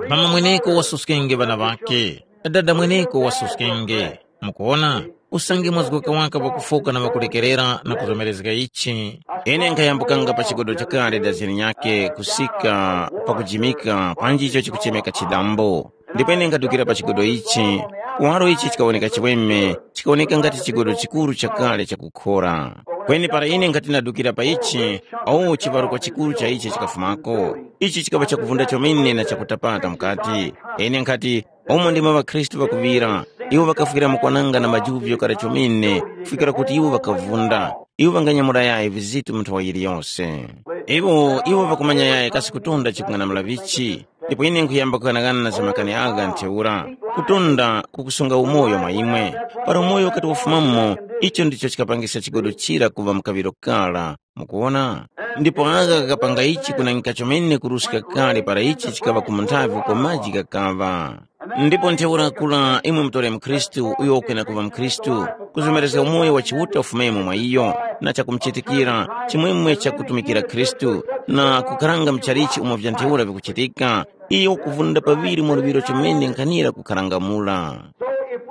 Mama mweneko wasuskenge ŵana ŵakhe, dada mweneko wasuskenge. Mukuwona, usange mwazgoka waka pakufoka na pakulekerera na kuzomerezga ichi. Ine nkhayambukanga pa chigodo chakale dazini nyakhe kusika pakujimika panji icho chikuchemeka chidambo. Ndipo ine nkadukira pa chigodo ichi, kuwaro ichi chikawoneka chiweme, chikawoneka ngati chigodo chikuru chakale chakukhora. Kweni para ine nkhati nadukira pa ichi, o chivaruko chikuru cha ichi chikafumako. Ichi chikaŵa chakuvunda chomene na chakutapata mukati. Ine nkhati, umo ndimo ŵakhristu ŵakuŵira, iwo ŵakafwira mukwananga na majuvyo kale chomene, kufikira kuti iwo ŵakavunda. Iwo ŵanganyamula yayi vizitu mu nthowa yiliyose. Iwo iwo ŵakumanya yayi kasi kutunda chikung'anamula vichi. Ndipo ine nkhuyamba kughanagana na za makani agha ntheura, kutunda kukusunga umoyo mwa imwe. Para umoyo ukati wafumamo, icho ndicho chikapangisa chigodo chira kuŵa mkaŵiro kara. Mukuwona? Ndipo agha kakapanga ichi kunangika chomene kuruska kale para ichi chikaŵa ku munthavi uko maji ghakaŵa. Ndipo ntheura kula imwe mutore mkhristu uyo ukwena kuŵa mkhristu, kuzomerezga umoyo wa Chiuta ufumemo mwa iyo, na chakumuchitikira, chimwemwe chakutumikira Khristu, na kukaranga mchalichi umo vya ntheura vikuchitika, iyo ukuvunda paŵiri mu luŵiro chomene nkhanira kukharangamula.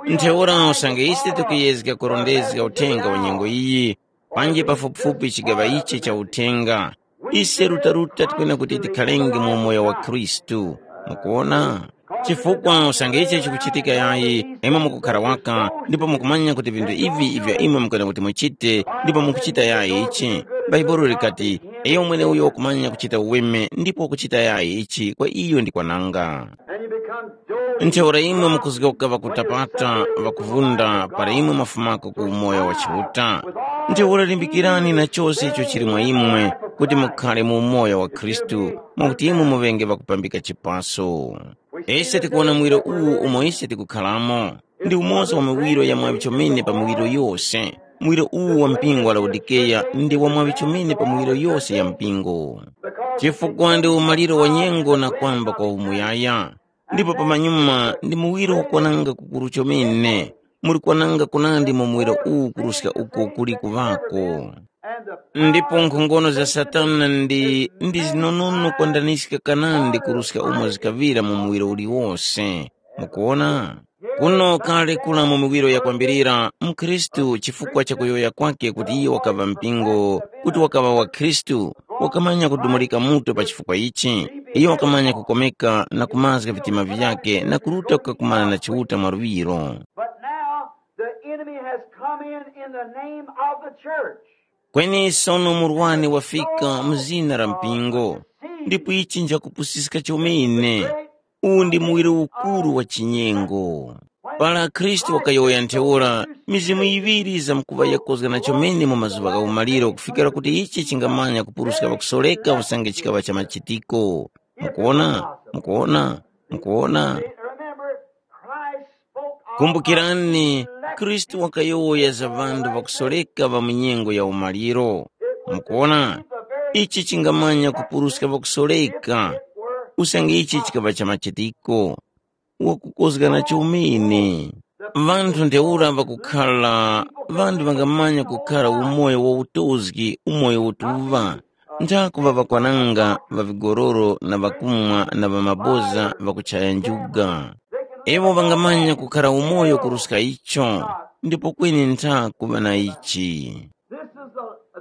Ntheura usange ise tikuyezga kurondezga uthenga wa nyengo iyi, panji pafupifupi chigaŵa ichi cha uthenga, ise rutaruta tikwena kuti tikhalenge mu umoyo wa Khristu. Mukuwona? Chifukwa usange ichi chikuchitika yayi, imwe mukukhara waka, ndipo mukumanya kuti vinthu ivi ivyo imwe mukwena kuti muchite, ndipo mukuchita yayi ichi. Bhaibuli likati, iyo mwene uyo wakumanya kuchita uweme ndipo wakuchita yayi ichi kwa iyo ndi kwananga. Ntheura imwe mukuzgoka ŵakutapata, ŵakuvunda para imwe mwafumako ku umoyo wa Chiuta. Ntheura limbikirani na chose icho chili mwa imwe, kuti mukhale mu umoyo wa Khristu, mwakuti imwe muŵenge ŵakupambika chipaso. Ise tikuwona muwiro uwu umo ise tikukharamo. Ndi umoza wa miwiro ya mwaŵi chomene pa miwiro yose. Muwiro uwu wa mpingo wa Laodikeya ndi wa mwaŵi chomene pa miwiro yose ya mpingo. Chifukwa ndi umaliro wa nyengo na kwamba kwa umuyaya. Ndipo pamanyuma ndi muwiro ukwananga kukuru chomene, muli kwananga kunandi mu muwiro uwu kuruska uko kuli kuŵako. Ndipo nkhongono za Satana ndi ndi zinonono kwandaniska kanandi kuruska umo zikaŵira mu muwiro uliwose. Mukuwona? Kuno kale kula mu miwiro yakwambirira, mkhristu chifukwa cha kuyowoya kwake kuti iyo wakaŵa mpingo, kuti wakaŵa wa Khristu, wakamanya kudumulika mutu pa chifukwa ichi. Iyo wakamanya kukomeka na kumazga vitima vyakhe na kuruta kukakumana na Chiuta mwaluŵiro. But now the enemy has come in in the name of the church. Kweni sono murwani wafika mu zina la mpingo, ndipo ichi njakupusiska chomene. Uwu ndi muwiro ukuru wa chinyengo. Para Khristu wakayowoya ntheura, mizimu yiŵiri zamkuŵa yakozgana chomene mu mazuŵa gha umaliro kufikira kuti ichi chingamanya kupuruska ŵakusoreka usange chikaŵa cha machitiko. Mukuwona? Mukuwona? Mukuwona? Remember, Christ spoke of Kumbukirani, Khristu wakayowoya za ŵanthu ŵakusoreka ŵa mu nyengo ya umaliro. Mukuwona? Ichi chingamanya kupuruska ŵakusoreka, usange ichi chikaŵa cha machitiko. Wakukozgana chomene. Ŵanthu ntheura ŵakukhala, ŵanthu ŵangamanya kukhala umoyo wa utozgi, umoyo utuŵa. Nthakuŵa ŵakwananga, ŵa vigororo na ŵakumwa na ŵa maboza ŵakuchaya njuga. Iwo ŵangamanya kukhara umoyo kuruska icho, ndipo kweni ntha kuŵa na ichi.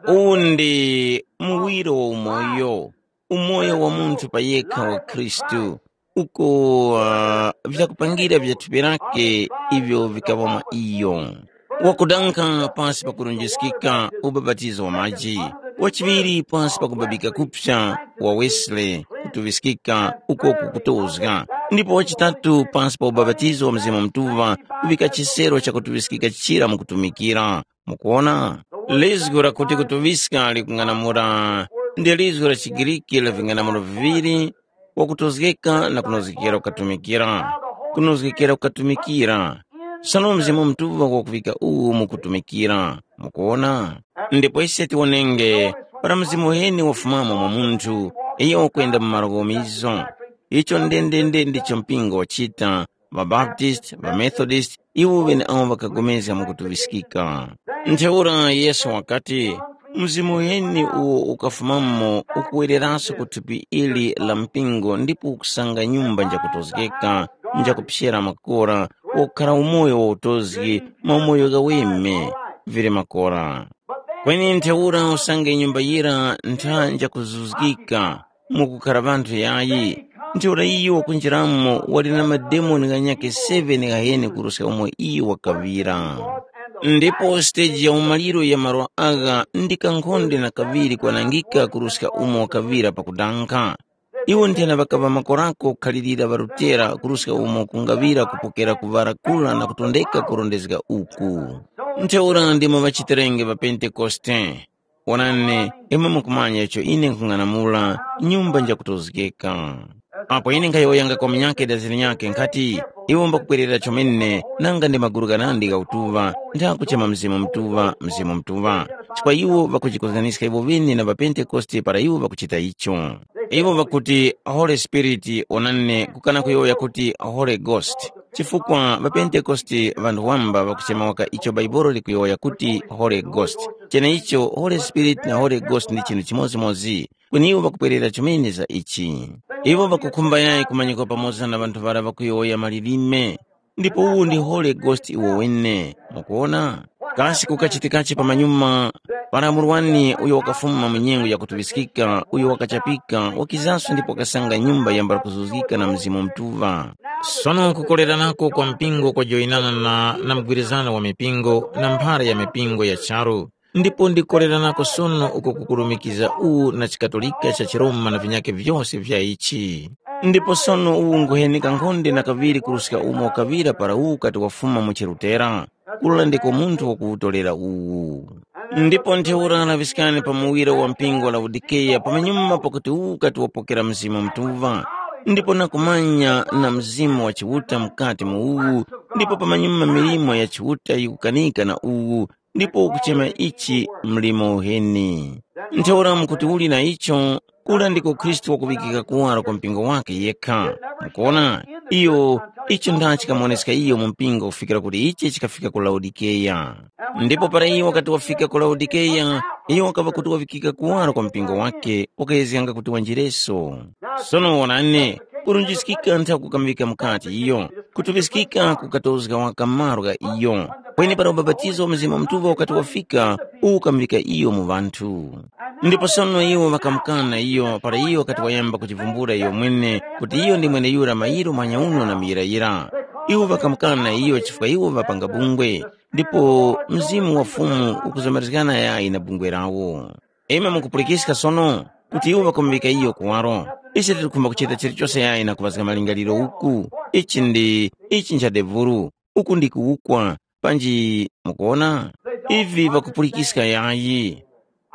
Uwu ndi muwiro wa umoyo, umoyo wa munthu pa yekha wa Khristu, uko uh, vyakupangira vya thupi lake ivyo vikaŵa mwa iyo. Wakudankha pasi pa kurunjiskika ubapatizo wa maji, wachiŵiri pasi pa kubabika kupsa wa Wesley kutuŵiskika uko kukutozga, ndipo wachitatu pasi pa ubapatizo wa Mzimu Mutuŵa kuvika chisero cha kutuŵiskika chira mu kutumikira. Mukuwona? Lizgu lakuti kutuŵiska likung'anamula ndi lizgu la chiGriki la ving'anamulo viŵiri, wakutozgeka na kunozgekera kukatumikira. Kunozgekera kukatumikira. Sono Mzimu Mutuŵa wakuŵika uwu mu kutumikira. Mukuwona? Ndipo ise tiwonenge, para Mzimu uheni wafumamo mwa munthu, iyo wakwenda mu malo ghomizo. Icho ndendende ndicho mpingo wachita, ŵaBaptist, ŵaMethodist, iwo ŵeneawo ŵakagomezga mwakutuŵiskika. Ntheura Yesu wakati, mzimu uheni uwo ukafumamo ukuwereraso ku thupi ili la mpingo ndipo ukusanga nyumba njakutozgeka, njakuphyera makora, wakukhara umoyo wa utozgi, maumoyo ghaweme, vili makora. Kweni ntheura usange nyumba yira ntha njakuzuzgika, mukukhara ŵanthu yayi, Ntheura iyo wakunjiramo wali na mademoni ghanyakhe seven ghaheni kuruska umo iyo wakaŵira. Ndipo siteji ya umaliro ya malo agha ndi kankhonde na kaŵiri kwanangika kuruska umo wakaŵira pakudankha. Iwo nthena ŵakaŵa makorako kukhalirira ŵarutera kuruska umo kungaŵira kupokera kuŵara kura na kutondeka kurondezga uku. Ntheura ndimo ŵachitirenge ŵa Pentekoste. Onani, imwe mukumanya icho ine nkhung'anamula, nyumba njakutozgeka. Apo ine nkhayowoyanga kwa munyakhe daziri nyakhe nkhati, iwo mbakupwerera chomene nanga ndi maguru ghanandi gha utuŵa, ntha kuchema Mzimu Mutuŵa, Mzimu Mutuŵa. Chifukwa iwo ŵakujikozganiska iwo ŵene na ŵaPentekoste para iwo ŵakuchita icho. Iwo ŵakuti Holy Spirit, onani kukana kuyowoya kuti Holy Ghost. Chifukwa ŵaPentekoste ŵanthu wamba ŵakuchema waka icho Bhaibuli likuyowoya kuti Holy Ghost. Cheneicho Holy Spirit na Holy Ghost ndi chinthu chimodzimodzi. Kweni iwo ŵakupwerera chomene za ichi. Iwo ŵakukhumba yayi kumanyikwa pamoza na ŵanthu ŵara ŵakuyowoya malilime. Ndipo uwu ndi Holy Ghost iwo wene. Mukuona? Kasi kukachitikachi pamanyuma para murwani uyo wakafuma mu nyengo yakutuŵiskika, uyo wakachapika, wakizanso ndipo wakasanga nyumba yambala kuzuzgika na Mzimu Mutuŵa. Sono kukoleranako kwa mpingo kwajoyinana na, na mgwirizano wa mipingo na mphara ya mipingo ya charu. Ndipo ndikoleranako sono uko kukurumikiza uwu na chikatolika cha chiRoma na vinyakhe vyose vya ichi. Ndipo sono uwu nguhenika nkhonde na kaŵiri kuruska umo kaŵira para uwu kati wafuma mu chirutera, kula ndiko munthu wakuwutolera uwu. Ndipo ntheura laŵiskani pa muwiro wa mpingo wa Laodikeya pamanyuma pakuti uwu kati wapokera Mzimu Mutuŵa, ndipo nakumanya na Mzimu wa Chiuta mukati mu uwu, ndipo pamanyuma milimo ya Chiuta yikukanika na uwu, ndipo ukuchema ichi mlimo uheni. Ntheura mukuti uli na icho, kula ndiko Khristu wakuŵikika kuwaro kwa mpingo wakhe yekha. Mukuona, iyo icho ndachi chikamuwoneska iyo mu mpingo kufikira kuti ichi chikafika ku Laodikeya. Ndipo para iyo wakati wafika ku Laodikeya, iyo wakaŵa kuti waŵikika kuwaro kwa mpingo wakhe, wakayezganga kuti wanjireso. Sono wonani, kurunjiskika ntha kukamuvika mukati iyo, kutuŵiskika kukatozga waka malo gha iyo. Kweni para ubapatizo wa Mzimu Mutuŵa ukati wafika, uwu ukamuvika iyo mu ŵanthu. Ndipo sono iwo ŵakamukana iyo para iyo wakati wayamba kuchivumbula iyo mwene kuti iyo ndi mweneyura mayiro manyauno na muyirayira. Iwo ŵakamukana iyo chifukwa iwo ŵapanga bungwe, ndipo Mzimu wa Fumu ukuzomerezgana yayi na bungwe lawo. Imwe mukupulikiska sono kuti iwo ŵakamuŵika iyo kuwaro. Ise tikukhumba kuchita chilichose yayi na kuŵazga malingaliro uku. Ichi ndi ichi ncha devulu, uku ndi kuwukwa, panji mukuwona? Ivi ŵakupulikiska yayi,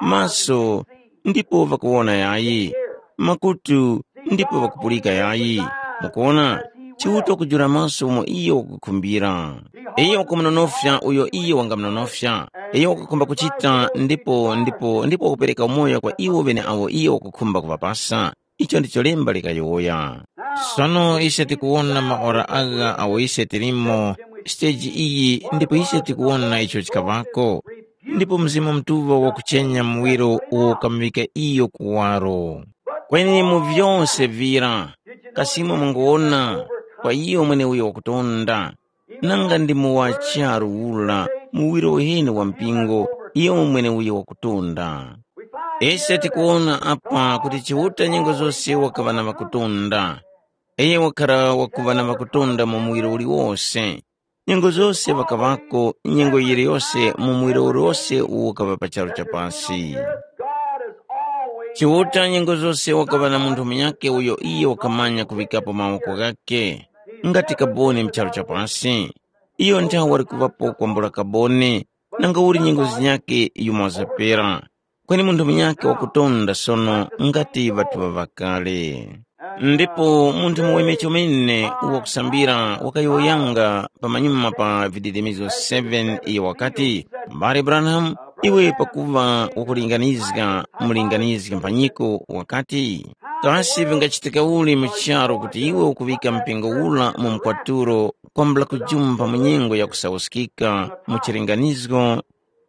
maso ndipo ŵakuwona yayi, makutu ndipo ŵakupulika yayi. Mukuwona? Chiuta wakujula maso umo iyo wakukhumbira. Iyo wakumunonofya uyo iyo wangamunonofya. Iyo wakukhumba kuchita ndipo ndipo ndipo wakupereka umoyo kwa iwo ŵeneawo iyo wakukhumba kuŵapasa. Icho ndicho lemba likayowoya. Sono ise tikuwona maora agha awo ise tilimo, siteji iyi ndipo ise tikuwona icho chikaŵako. Ndipo Mzimu Mutuŵa wakuchenya muwiro uwo ukamuŵika iyo kuwaro. Kweni mu vyose vira, kasimo munguwona kwa iyo mweneuyo wakutonda, nanga ndi mu wa charu ura muwiro uheni wa mpingo, iyo mweneuyo wakutonda. Ise tikuwona apa kuti Chiuta nyengo zose wakaŵa na ŵakutonda. Iyo wakhara wakuŵa na ŵakutonda mu muwiro uliwose. Nyengo zose ŵakaŵako nyengo yiliyose mu muwiro uliwose uwo ukaŵa pa charu cha pasi. Chiuta nyengo zose wakaŵa na munthu munyakhe uyo iyo wakamanya kuŵikapo mawoko ghakhe, ngati kaboni mu charu cha pasi. Iyo nthawe wali kuŵapo kwambula kaboni, nanga uli nyengo zinyakhe yumo wazapera. Kweni munthu munyakhe wakutonda sono ngati ŵathu ŵa ŵakale. Ndipo munthu muweme chomene wakusambira wakayowoyanga pamanyuma pa vididimizo seven iyo wakati, Mbale Branham, iwe pakuva wakulinganizga mulinganizgi mphanyiko wakati, kasi vingachitika uli mu charu kuti iwe ukuŵika mpingo ula mu mkwaturo kwambula kujumpha mu nyengo yakusawuskika mu chilinganizgo?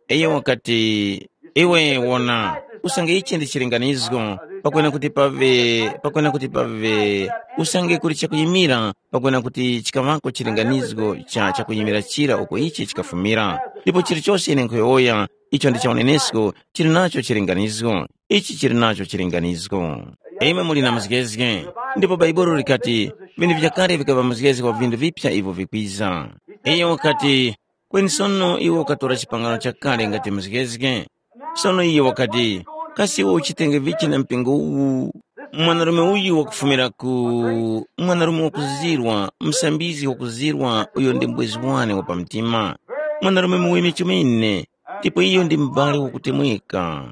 Iyo wakati, iwe wona, usange ichi ndi chilinganizgo, pakwena kuti pave, pakwena kuti pave, usange kuli chakuyimira, pakwena kuti chikaŵako chilinganizgo cha chakuyimira chira uko ichi chikafumira. Ndipo chilichose ine nkhuyowoya, icho ndi cha unenesko, chili nacho chilinganizgo. Ichi chili nacho chilinganizgo. Imwe muli na muzgezge, ndipo Bhaibuli likati, vinthu vyakale vikaŵa muzgezge wa vinthu vipya ivyo vikwiza. Iyo wakati, kweni sono iwe ukatora chipangano chakale ngati muzgezge. Sono iyo wakati, kasi iwe uchitenge vichi na mpingo uwu? Mwanarume uyu wakufumira ku mwanarume wakuzirwa, msambizgi wakuzirwa, uyo ndi mbwezi wane wa pamtima. Mwanarume muweme chomene, ndipo iyo ndi m'bale wakutemweka.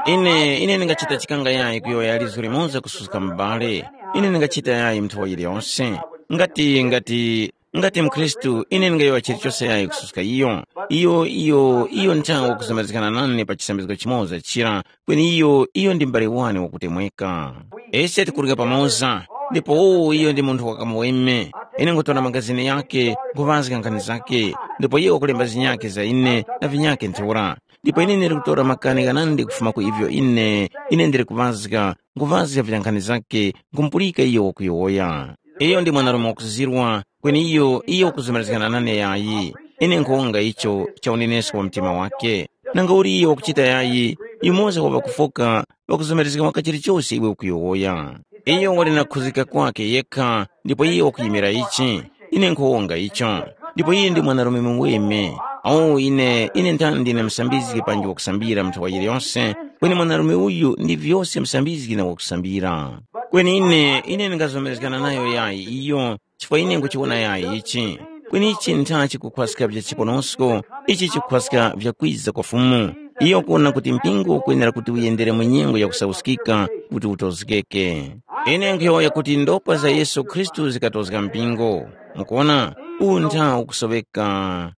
Ine ine ndingachita chikanga yayi kuyowoya lizu limoza kususka m'bale. Ine ndingachita yayi mnthawi yiliyonse. Ngati ngati ngati mkhristu ine ndingayowoya chilichose yayi kususka iyo. Iyo iyo iyo nthawi wakuzomerezgana nane pa chisambizgo chimoza chira, kweni iyo iyo ndi m'bale wane wakutemweka. Ise tikurya pamoza, ndipo uwu iyo ndi munthu wakamuweme. Ine ngutora magazini yake, nguŵazga nkhani zake, ndipo iye wakulemba zinyakhe za ine na vinyakhe ntheura. Ndipo ine ndili kutora makani ghanandi kufuma ku ivyo ine ine ndili kuŵazga, nguŵazga vya nkhani zake, nkhumupulika iyo wakuyowoya. Iyo ndi mwanarume wakuzirwa, kweni iyo iyo wakuzomerezgana nane yayi. Ine nkhuwonga icho cha unenesko wa mtima wake. Nanga uli iyo wakuchita yayi, yumoza wa ŵakufoka ŵakuzomerezga waka chilichose iwe ukuyowoya. Iyo wali na kukhuzika kwake yekha, ndipo iyo wakuyimira ichi. Ine nkhuwonga icho. Ndipo iye ndi mwanarume muweme. Awo ine ine nthani ndine msambizgi panji wakusambira mnthawa yiliyonse, kweni mwanarume uyu ndi vyose msambizgi na wakusambira. Kweni ine ine ndingazomerezgana nayo yayi iyo, chifukwa ine nkuchiwona yayi ichi. Kweni ichi ntha chikukhwaska vya chiponosko, ichi chikukhwaska vyakwiza kwa Fumu. Iyo ukuwona kuti mpingo ukwenera kuti uyendere mu nyengo yakusauskika kuti utozgeke. Ine nkhuyowoya kuti ndopwa za Yesu Khristu zikatozga mpingo. Mukuwona, uwu ntha ukusoŵeka.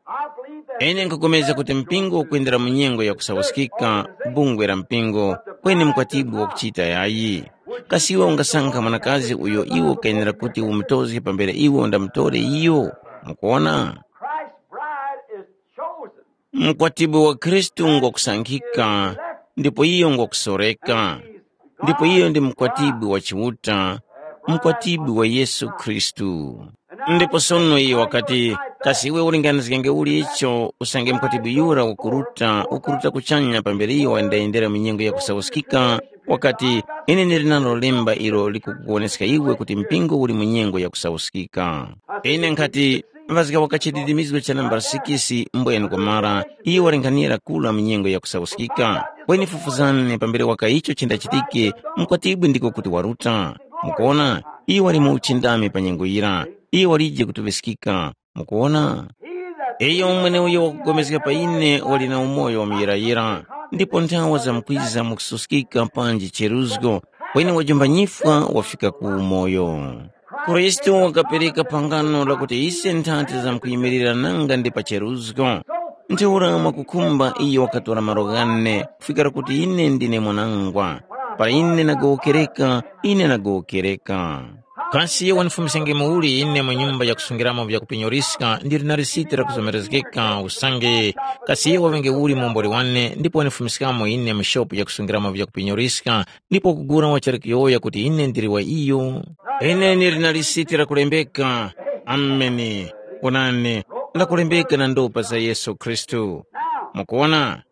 Ine nkhupulikana kuti mpingo ukwendera mu nyengo yakusauskika, bungwe la mpingo, kweni mkwatibwi wakuchita yayi. Kasi iwe ungasankha mwanakazi uyo iwe ukenera kuti umutozge pambere iwe undamutore iyo? Mukuwona? Christ's bride is chosen. Mkwatibwi wa Khristu ngwakusankhika, ndipo iyo ngwakusoreka. Ndipo iyo ndi mkwatibwi wa Chiuta, mkwatibwi wa Yesu Khristu. Ndipo sono iyo wakati, kasi iwe ulinganizgenge uli icho usange mkwatibwi yura ukuruta ukuruta kuchanya pambere iyo wayendayendera mu nyengo yakusauskika? Wakati, ine ndili nalo lemba ilo likukuwoneska iwe kuti mpingo uli mu nyengo yakusauskika. Ine nkhati, ŵazga wakachitidimizgo cha nambala sikisi mbwenu kumara, iyo walinghanira kula mu nyengo yakusauskika. Kweni fufuzani pambere waka icho chindachitike, mkwatibwi ndiko kuti waruta. Mukuona, iyo wali mu uchindami pa nyengo yira, iyo walije kutuŵiskika. Mukuona? Iyo mweneuyo wakupulikana pa ine wali na umoyo wa muyirayira, ndipo nthawa zamkwiza mukususkika panji cheruzgo, kweni wajumbanyifwa wafika ku umoyo. Khristu wakapereka phangano lakuti ise nthati zamkuyimirira nanga ndi pa cheruzgo. Ntheura mwakukhumba iyo wakatora malo ghane kufikira kuti ine ndine mwanangwa. Para ine nagowokereka, ine nagowokereka. Kasi iyo wanifumiskenge muuli ine mu nyumba yakusungiramo vyakupinyoliska ndili na lisiti lakuzomerezgeka usange? Kasi iyo waŵenge uli muomboli wane ndipo wanifumiskamo ine mu shopu yakusungiramo vyakupinyoliska ndipo kugula wachali kuyowoya kuti ine ndili wa iyo? Ine ndili na lisiti lakulembeka. Ameni. Onani, lakulembeka na ndopa za Yesu Khristu. Mukuona?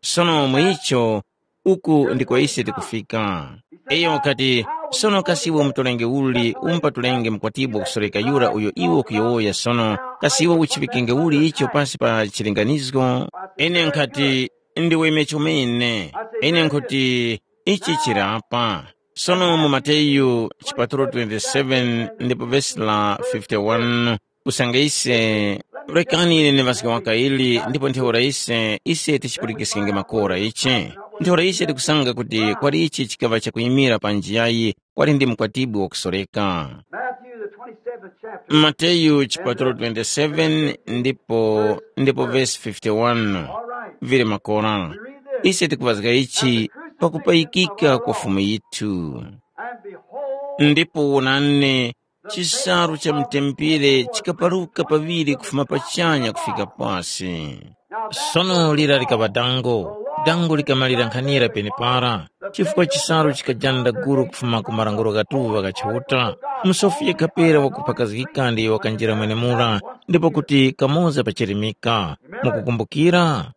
Sono mu icho, uku ndiko ise tikufika. Iyo wakati, sono kasi iwe umutolenge uli, umupatulenge mkwatibwi wakusoreka yura uyo iwe ukuyowoya sono, kasi iwe uchiŵikenge uli icho pasi pa chilinganizgo? Ine nkhati, ndiwe imecho mene. Ine nkhuti, ichi chili apa. Sono mu Mateyu chipatulo twenty-seven ndipo vesi la fifty-one, usange ise, rekani ine ndiŵazge waka ili ndipo ntheura ise, ise tichipulikiskenge makora ichi. Ntheura ise tikusanga kuti kwali ichi chikaŵa chakuyimira pa njiyayi, kwali ndi mkwatibwi wakusoreka. Matthew, the twenty-seventh chapter. Mateyu chipatulo twenty-seven ndipo ndipo vesi fifty-one. All right. Vili makora. We read this. Ise tikuŵazga ichi pakupayikika kwa Fumu yithu. And behold, ndipo wonani, chisalu cha mtempere chikaparuka paŵiri kufuma pachanya kufika pasi. Sono lira likaŵa dango, dango likamalira nkhanira penepara, chifukwa chisalu chikajanda guru kufuma ku marango ghatuŵa gha Chiuta. Musofi yekha pera wakuphakazgika ndiyo wakanjira mwenemura, ndipo kuti kamoza pachirimika. Mukukumbukira?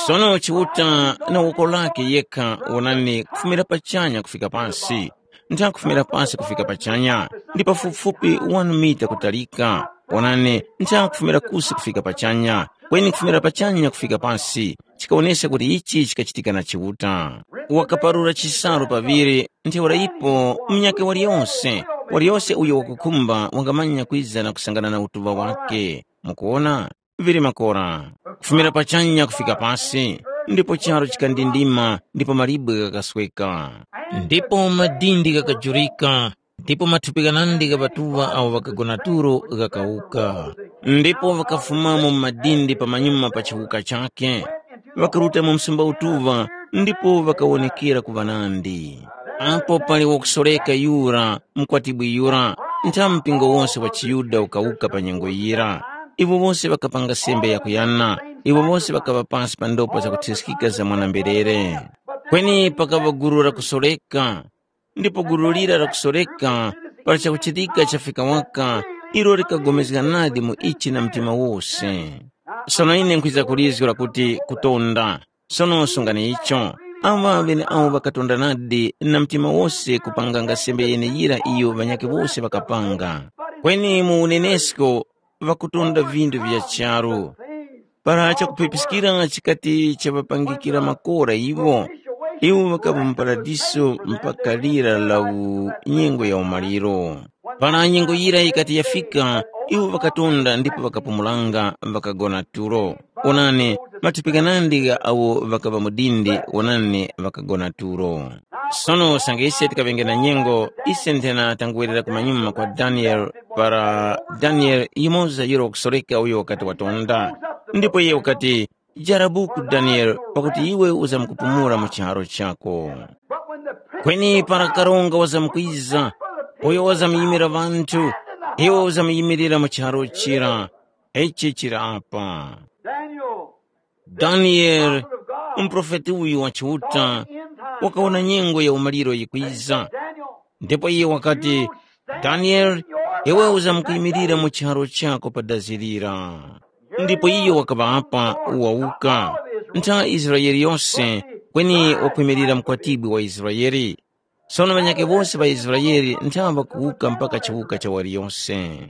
Sono Chiuta na woko lake yekha wonani kufumira pachanya kufika pansi. ntha kufumira pasi kufika pachanya, ndi pafupifupi wani mita kutalika. Onani, ntha kufumira kusi kufika pachanya, kweni kufumira pachanya kufika pasi, chikawoneska kuti ichi chikachitika na Chiuta. Wakaparura chisalu paŵiri, ntheura ipo munyakhe waliyose, waliyose uyo wakukhumba wangamanya kwiza na kusangana na utuŵa wake. Mukuwona? Vili makora, kufumira pachanya kufika pasi, ndipo charu chikandindima ndipo malibwe ghakasweka. Ndipo madindi ghakajurika, ndipo mathupi ghanandi gha ŵatuŵa awo ŵakagona tulo ghakawuka. Ndipo ŵakafumamo mu madindi pamanyuma pa chiwuka chakhe, ŵakaruta mu msumba utuŵa, ndipo ŵakawonekera ku ŵanandi. Apo pali wakusoreka yura, mukwatibwi yura, ntha mpingo wose wa chiYuda ukawuka pa nyengo yira. Iwo wose ŵakapanga sembe yakuyana, iwo wose ŵakaŵa pasi pa ndopa zakuthyeskika za mwana-mberere. Kweni pakaŵa gulu la kusoreka, ndipo gulu lira la kusoreka, para chakuchitika chafika waka, ilo likapulikana nadi mu ichi na mtima wose. Sono ine nkhwiza kulizgu lakuti kutonda. Sono sungani icho. Awa ŵeneawo ŵakatonda nadi na mtima wose kupanganga sembe yeneyira iyo ŵanyakhe wose ŵakapanga. Kweni mu unenesko ŵakutonda vindu vya charu. Para chakuphepiskira chikati chaŵapangikira makora iwo, iwo ŵakaŵa mu paradiso mpaka lira la u-, nyengo ya umaliro. Para nyengo yira yikati yafika, iwo ŵakatonda ndipo ŵakapumulanga, ŵakagona tulo. Onani, mathupi ghanandi gha awo ŵakaŵa mu dindi, onani, ŵakagona tulo. Sono usange ise tikaŵenge na nyengo, ise nthena tanguwerera kumanyuma kwa Daniele, para Daniele yumoza yura wakusoreka uyo wakati watonda. Ndipo iye wakati, “Jara buku Daniele, pakuti iwe uzamkupumula mu chiharo chako.” Kweni para karonga wazamkwiza, uyo wazamyimira ŵanthu, iwe uzamyimirira mu chiharo chira. Ichi chili apa. Daniel, Daniele, muprofeti uyu wa Chiuta, wakawona nyengo ya umaliro yikwiza. Ndipo iye wakati, “Daniele, iwe uzamkuyimirira mu chiharo chako pa dazi lira.” Ndipo iyo wakaŵa apa, wawuka, ntha Israele yose, kweni wakwimirira mukwatibwi wa Israele. Sono ŵanyakhe wose ŵa Israele ntha ŵakuwuka mpaka chiwuka cha waliyose.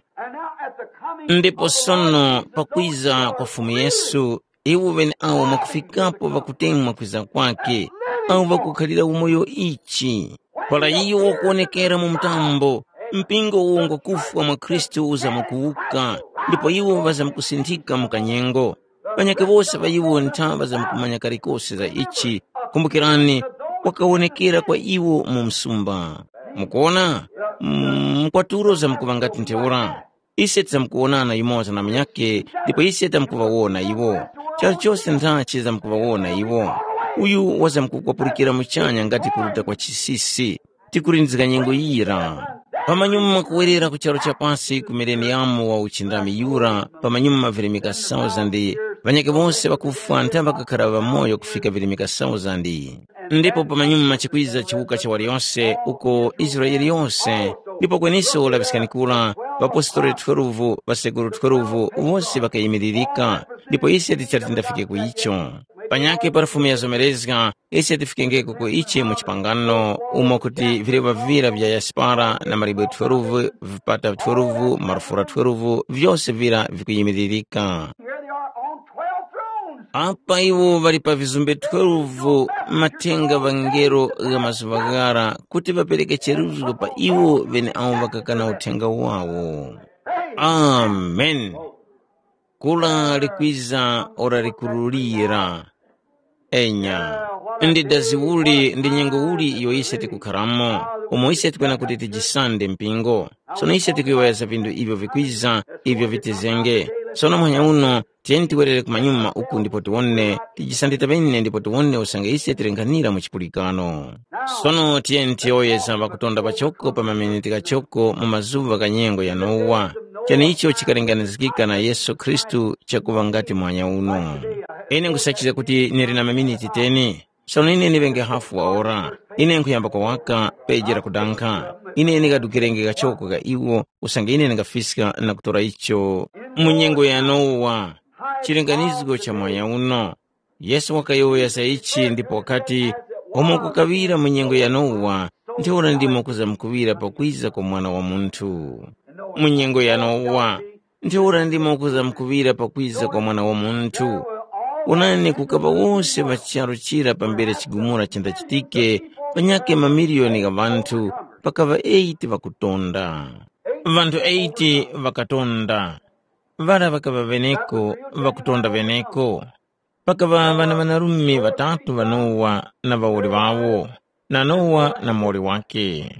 Ndipo sono pakwiza kwa Fumu Yesu, iwo ŵeneawo mwakufikapo ŵakutemwa kwiza kwake, awo ŵakukhalira umoyo ichi. Para iyo wakuwonekera mu mtambo, mpingo uwo ngwakufwa mwa Khristu uzamkuwuka, ndipo iwo ŵazamkusinthika mu kanyengo. Ŵanyakhe wose ŵa iwo ntha ŵazamkumanya kalikose za ichi. Kumbukirani, wakawonekera kwa iwo mu msumba. Mukuwona? Mm, mkwatulo zamkuŵa ngati ntheura. Ise tizamkuwonana yumoza na munyakhe, ndipo ise tamkuŵawona iwo. Chalichose ntha chizamkuŵawona iwo. Uyu wazamkukwapurikira muchanya ngati kuruta kwa chisisi. Tikulindizga nyengo yira. Pamanyuma kuwerera ku charu cha pasi ku mileniyamu wa uchindami yura, pamanyuma virimika thousand, ŵanyakhe wose ŵakufwa ntha ŵakakhara ŵamoyo kufika virimika thousand. Ndipo pamanyuma chikwiza chiwuka cha waliyose uko Israele yose, ndipo kweniso laŵiskani kura, ŵapostoli twelve, ŵasekuru twelve, wose ŵakayimiririka, ndipo ise tichali tindafike ku icho. Panyakhe pa Fumu yazomerezga, ise tifikengeko ku ichi mu chipangano, umo kuti vileŵa vira vya yasipara na malibwe twelve, vipata twelve, marufura twelve, vyose vira vikuyimiririka. Here they are on twelve thrones. Apa iwo ŵali pa vizumbe twelve, mathenga ŵangelo gha mazuŵa ghara, kuti ŵapereke cheruzgo pa iwo ŵeneawo ŵakakana uthenga wawo. Amen. Kula likwiza ora likululira. Enya. Ndi dazi uli ndi nyengo uli iyo ise tikukharamo, umo ise tikwena kuti tijisande mpingo. Sono ise tikuyowoyeza vinthu ivyo vikwiza, ivyo vitizenge. Sono muhanya uno, tiyeni tiwerere kumanyuma uku ndipo tiwone, tijisande taŵene ndipo tiwone usange ise tilenkhanira mu chipulikano. Sono tiyeni tiyowoyeza ŵakutonda pachoko pa maminiti ghachoko mu mazuŵa gha nyengo ya Nowa. Cheneicho chikalinganizgika na Yesu Khristu chakuŵa ngati muhanya uno. Ine nkhusachizga kuti nili na maminiti teni. Sono ine ndiŵenge hafu wa ora. Ine nkhuyamba kwa waka peji la kudankha. Ine ndingadukirenge kachoko ka iwo usange ine ndingafiska na kutora icho mu nyengo ya Nowa. Chilinganizgo cha mwanya uno. Yesu wakayowoya za ichi ndipo wakati, Umo kukaŵira mu nyengo ya Nowa, ntheura ndimo kuzamkuŵira pakwiza kwa Mwana wa Munthu. Mu nyengo ya Nowa, ntheura ndimo kuzamkuŵira pakwiza kwa Mwana wa Munthu. Wonani, kukaŵa wose ŵa charu chira pambere chigumula chindachitike, panyakhe mamiliyoni gha ŵanthu, pakaŵa eight ŵakutonda. Ŵanthu eight ŵakatonda. Ŵara ŵakaŵa ŵeneko, ŵakutonda ŵeneko. Pakaŵa ŵana ŵanarume ŵatatu ŵa Nowa na ŵawoli ŵawo, na Nowa na muwoli wakhe.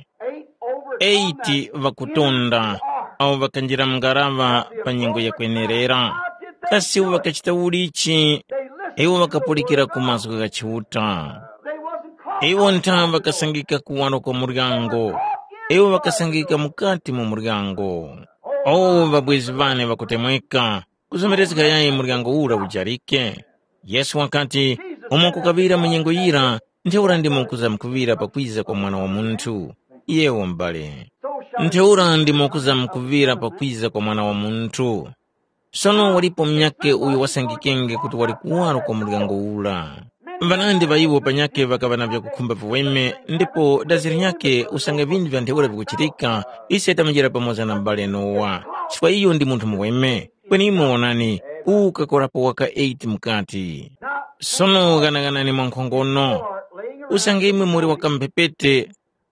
Eight ŵakutonda awo ŵakanjira mu ngaraŵa pa nyengo yakwenerera. Kasi iwo ŵakachita ulichi? Iwo ŵakapulikira ku mazgu gha Chiuta. Iwo ntha ŵakasangika kuwaro kwa muryango. Iwo ŵakasangika mukati mu muryango. O ŵabwezi ŵane ŵakutemweka, kuzomerezga yayi muryango ura ujarike? Yesu wakati, umo kukaŵira mu nyengo yira, ntheura ndimo kuzamkuŵira pakwiza kwa Mwana wa Munthu. Yewo m'bale, ntheura ndimo kuzamkuŵira pakwiza kwa Mwana wa Munthu. Sono walipo munyakhe uyo wasangikenge kuti wali kuwaro kwa muryango ura. Ŵanandi ŵa iwo panyakhe ŵakaŵa na vyakukhumba viweme, ndipo dazi linyakhe usange vinthu vya ntheura vikuchitika, ise tamachera pamoza na m'bale Nowa, chifukwa iyo ndi munthu muweme. Kweni imwe wonani, uwu ukakorapo waka eight mukati. Sono ghanaghanani mwankhongono, usange imwe muli wakamphepete,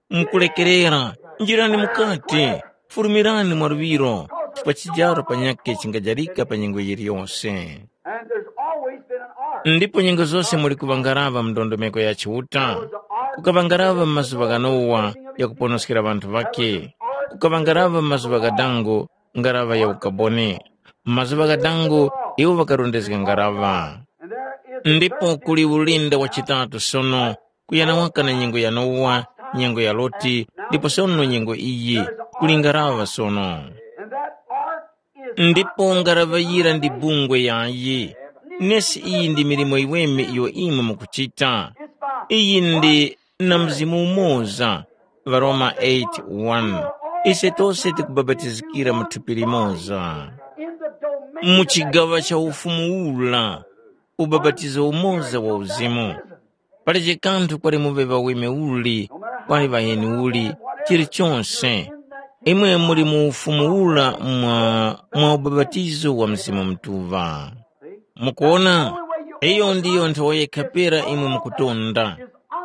mukulekerera, njirani mukati, fulumirani mwaluŵiro, chifukwa chijaro panyakhe chingajarika pa nyengo yiliyose. And there's always been an ark. Ndipo nyengo zose muli kuŵangaraŵa mu ndondomeko ya Chiuta. Kukaŵangaraŵa mu mazuŵa gha Nowa yakuponoskera ŵanthu ŵakhe. Kukaŵangaraŵa mu mazuŵa gha dango ngaraŵa ya ukaboni. Mu mazuŵa gha dango iwo ŵakarondezga ngaraŵa. Ndipo kuli ulinda wa chitatu sono, kuyana waka na nyengo ya Nowa, nyengo ya Loti, ndipo sono nyengo iyi, kuli ngaraŵa sono. Ndipo ngaraŵa yira ndi bungwe yayi. Nesi iyi ndi milimo yiweme iyo imwe mukuchita. Iyi ndi na mzimu umoza. Varoma eight one. Ise tose tikubapatizikira mu thupi limoza. Mu chigaŵa cha ufumu ula, ubapatizo umoza wa uzimu. Palibe kanthu kwali muŵe ŵaweme uli, kwali ŵaheni uli, chilichonse. Imwe muli mu ufumu ula mwa, mwa ubapatizo wa Mzimu Mutuŵa. Mukuona, iyo ndiyo nthowa yekha pera imwe mukutonda.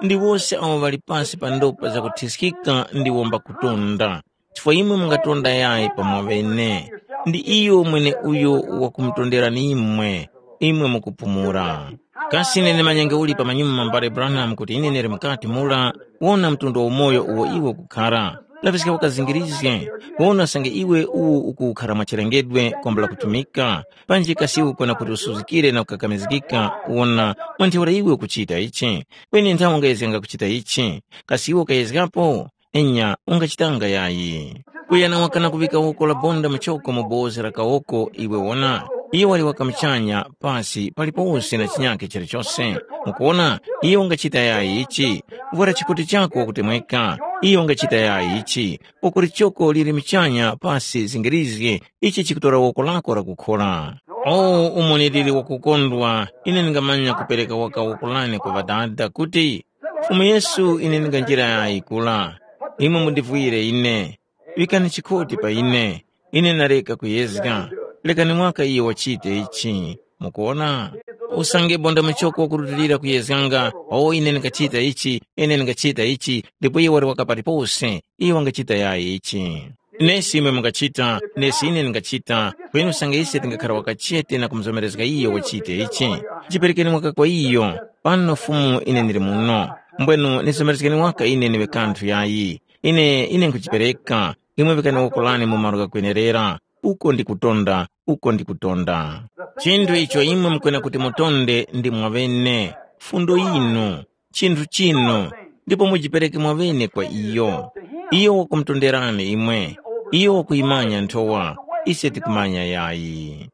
Ndi wose awo ŵali pasi pa ndopa zakuthiskika ndiwo mbakutonda. Chifukwa imwe mungatonda yayi pa mwaŵene, ndi iyo mweneuyo wakumutonderani imwe, imwe mukupumula. Kasi ine ndimanyenge uli pamanyuma mbale Branham kuti ine ndili mukati mura? Wona mtundu wa umoyo uwo iwe ukukhara. Laŵiska wakazingirizge, wona usange iwe uwu ukukhara mwa chilengedwe kwambula kutumika, panji kasi iwe ukona kuti usuzgikire na kukakamizgika, wona mwa ntheura iwe ukuchita ichi. Kweni nthawi ungayezganga kuchita ichi, kasi iwe ukayezgapo? Enya, ungachitanga yayi. Kuyana wakana kuŵika woko la bonda muchoko mu bozi la kawoko, iwe wona, iyo wali waka muchanya, pasi, palipose na chinyakhe chilichose. Mukuwona, iyo ungachita yayi ichi, kuvwara chikoti chako wakutemweka, iyo ungachita yayi ichi, woko lichoko lili muchanya, pasi, zingirizge, ichi chikutora woko lako la kukhora. O, umo nilili wakukondwa, ine ndingamanya kupereka waka woko lane kwa Ŵadada kuti, Fumu Yesu, ine ndinganjira yayi kula. Imwe mundivwire ine. Ŵikani chikoti pa ine. Ine nareka kuyezga. Lekani mwaka iyo wachite ichi. Mukuwona? Usange bonda muchoko wakurutilira kuyezganga, o ine ndingachita ichi, ine ndingachita ichi, ndipo iye wali waka palipose, iye wangachita yayi ichi. Nesi imwe mungachita, nesi ine ndingachita, kweni usange ise tingakhara wakachete na kumuzomerezga iyo wachite ichi, chiperekeni mwaka kwa iyo, pano Fumu ine ndili muno. Mbwenu nizomerezgeni waka ine ndiwe kanthu yayi. Ine, ine nkhuchipereka, imwe vikani woko lane mu malo ghakwenerera, uko ndi kutonda, uko ndi kutonda. Chinthu icho imwe mukwena kuti mutonde ndi mwaŵene, fundo yinu, chinthu chinu, ndipo mujipereke mwaŵene kwa iyo. Iyo wakumutonderani imwe, iyo wakuyimanya nthowa, ise tikumanya yayi.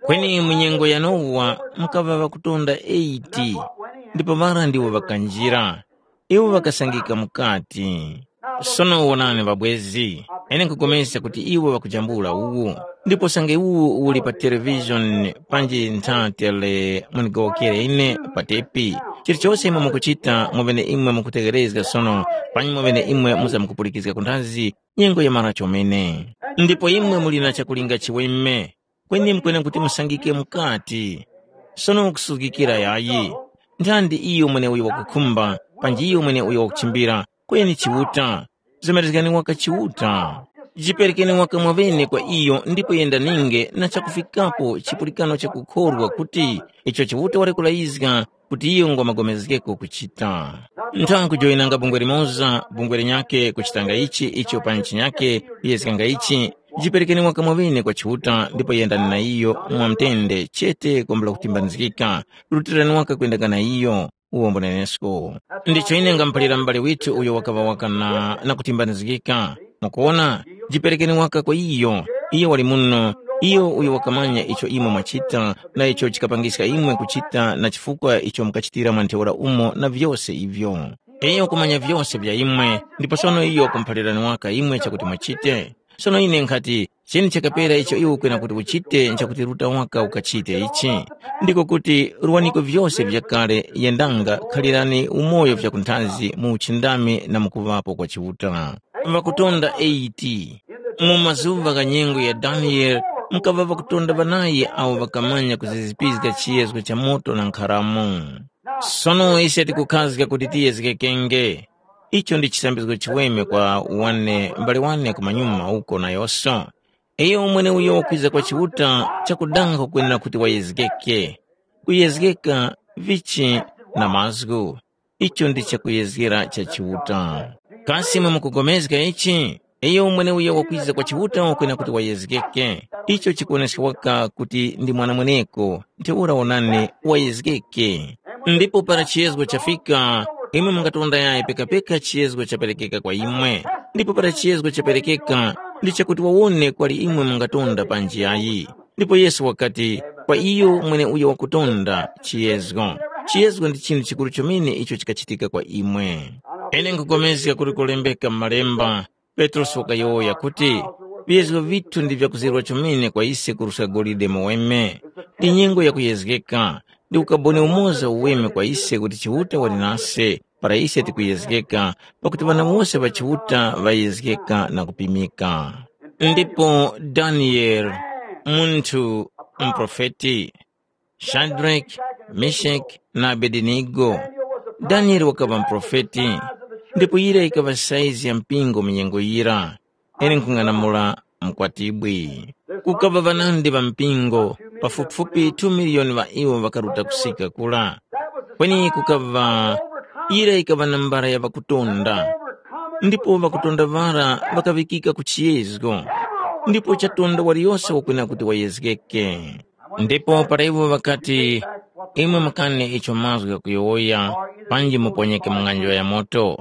Kweni mu nyengo ya Nowa mukaŵa ŵakutonda eighty, ndipo ŵara ndiwo ŵakanjira. Iwo ŵakasangika mukati. Sono wonani ŵabwezi, Ine nkupulikana kuti iwo ŵakujambula uwu. Ndipo usange uwu uli pa televizhoni panji ntha tele mundigowokere ine pa tepi. Chilichose imwe mukuchita muŵene imwe mukutegherezga sono, panyi muŵene imwe muzamkupulikizga kunthazi nyengo yamara chomene. Ndipo imwe muli na chakulinga chiweme, kweni mukwene kuti musangike mukati. Sono kusuzgikira yayi. Nthandi iyo mweneuyo wakukhumba, panji iyo mweneuyo wakuchimbira, kweni Chiuta. Zemerezgani waka Chiuta. Jiperekeni waka mwaŵene kwa iyo ndipo yendaninge na chakufikapo chipulikano chakukhorwa kuti icho Chiuta wali kulayizga kuti iyo ngwamagomezgeko kuchita. Nthankhu joyinanga bungwe limoza, bungwe linyakhe kuchitanga ichi icho pa ntchi nyakhe kuyezganga ichi, jiperekeni waka mwaŵene kwa Chiuta ndipo yendani na iyo mwamtende chete kwambula kutimbanizgika, rutirani waka kwendanga na iyo. Uwo mbunenesko. Ndicho ine ngamuphalira m'bale withu uyo wakaŵa waka na, na kutimbanizgika. Mukuwona, jiperekeni waka kwa iyo. Iyo wali muno, iyo uyo wakamanya icho imwe mwachita na icho chikapangiska imwe kuchita na chifukwa icho mukachitira mwa ntheura umo na vyose ivyo. Iyo wakumanya vyose vya imwe, ndipo sono iyo wakumuphalirani waka imwe chakuti muchite. Sono ine nkhati, cheni chakapera icho iwe ukwena kuti uchite nchakuti ruta waka ukachite ichi. Ndiko kuti ruwaniko vyose vyakale yendanga khalirani umoyo vyakunthazi mu uchindami na mukuŵapo kwa Chiuta. Ŵakutonda eighty. Mu mazuŵa gha nyengo ya Daniyele, mukaŵa ŵakutonda ŵanayi awo ŵakamanya kuzizipizga chiyezgo cha moto na nkharamu. Sono ise tikukhazga kuti tiyezgekenge. Icho ndi chisambizgo chiweme kwa wane mbali wane kumanyuma uko na yoso. Iyo mweneuyo wakwiza kwa Chiuta chakudanga kukwenera kuti wayezgeke. Kuyezgeka vichi na mazgu. Icho ndi chakuyezgera cha Chiuta. Kasi imwe mukugomezga ichi? Iyo mweneuyo wakwiza kwa Chiuta wakwena kuti wayezgeke. Icho chikuwoneska waka kuti ndi mwana mweneko, ntheura wonani wayezgeke. Ndipo para chiyezgo chafika, imwe mungatonda yayi pekapeka chiyezgo chaperekeka kwa imwe. Ndipo para chiyezgo chaperekeka, ndi chakuti wawone kwali imwe mungatonda panji yayi. Ndipo Yesu wakati, kwa iyo mweneuyo wakutonda chiyezgo. Chiyezgo ndi chinthu chikuru chomene icho chikachitika kwa imwe. Ine nkupulikana kuti kulembeka m'Malemba, Petrosi wakayowoya kuti, viyezgo vithu ndi vyakuzirwa chomene kwa ise kuruska golide muweme. Ndi nyengo yakuyezgeka, ndi ukaboni umoza uweme kwa ise kuti Chiuta wali nase, para ise tikuyezgeka, pakuti ŵana wose ŵa Chiuta ŵayezgeka na kupimika. Ndipo Daniyeli, munthu muprofeti, Shadraki, Meshaki na Abedenigo. Daniyeli wakaŵa muprofeti, ndipo yira yikaŵa saizi ya mpingo mu nyengo yira. Ine nkhung'anamula mkwatibwi. Kukaŵa ŵanandi ŵa mpingo, pafupifupi two miliyoni ŵa iwo ŵakaruta kusika kura. Kweni kukaŵa yira yikaŵa nambara ya ŵakutonda, ndipo ŵakutonda ŵara ŵakaŵikika ku chiyezgo, ndipo chatonda waliyose wakwena kuti wayezgeke. Ndipo para iwo ŵakati, imwe mukane icho mazgu ghakuyowoya, panji muponyeke mu ng'anjo ya moto.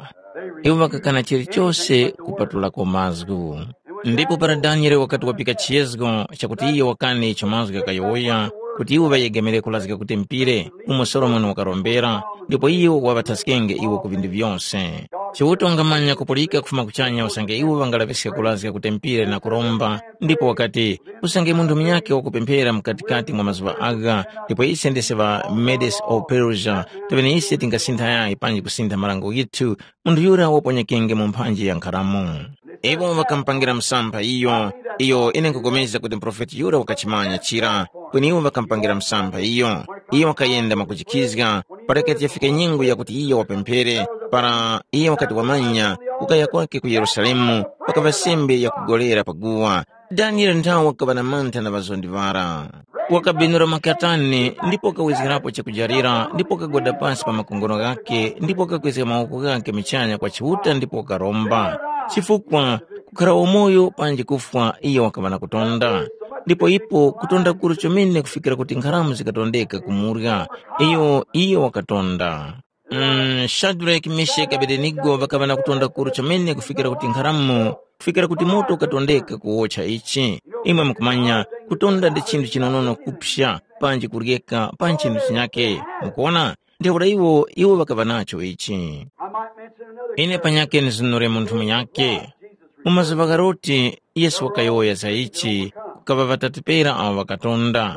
Iwo ŵakakana chilichose kupatulako mazgu. Ndipo para Daniele wakati wapika chiyezgo chakuti iyo wakane icho mazgu ghakayowoya, kuti iwo ŵayegemere kulazga kutempire umo Solomoni wakarombera, ndipo iyo waŵathaskenge iwo ku vindu vyose. Chiuta wangamanya kupulika kufuma kuchanya usange iwo ŵangalaŵiske kulazga kutempire na kuromba, ndipo wakati, usange munthu munyakhe wakupemphera mukatikati mwa mazuŵa agha, ndipo ise ndise ŵa Medes o Persia, teŵene ise tingasintha yayi panji kusintha marango ghithu, munthu yura waponyekenge mu mphanji ya nkharamu. Iwo ŵakamupangira msampha iyo, iyo ine nkupulikana kuti muprofeti yura wakachimanya chira, kweni iwo ŵakamupangira msampha iyo. Iyo wakayenda mwakujikhizga, para yikati yafika nyengo yakuti iyo wapemphere, para iyo wakati wamanya kukaya kwake ku Yerusalemu, pakaŵa sembe yakugolera pa guwa. Daniele nthawe wakaŵa na mantha na ŵazondi ŵara. Wakabenura makatani ndipo wakawizgirapo chakujarira ndipo wakagwada pasi pa makongono ghakhe ndipo wakakwezga mawoko ghakhe muchanya kwa Chiuta ndipo wakaromba. Chifukwa kukhara wamoyo panji kufwa iyo wakaŵa na kutonda. Ndipo ipo kutonda kukuru chomene kufikira kuti nkharamu zikatondeka kumurya, iyo iyo wakatonda. Mm, Shadraki, Meshaki, Abedenigo ŵakaŵa na kutonda kukuru chomene kufikira kuti nkharamu, kufikira kuti moto ukatondeka kuwotcha ichi. Imwe mukumanya, kutonda ndi chinthu chinonono kupsa, panji kuryeka, pa nchinthu chinyake. Mukuona? Ntheura iwo, iwo ŵakaŵa nacho ichi. Ine panyakhe ndizunure munthu munyakhe. Mu mazuŵa gha Loti, Yesu wakayowoya za ichi, kukaŵa ŵatatu pera awo ŵakatonda,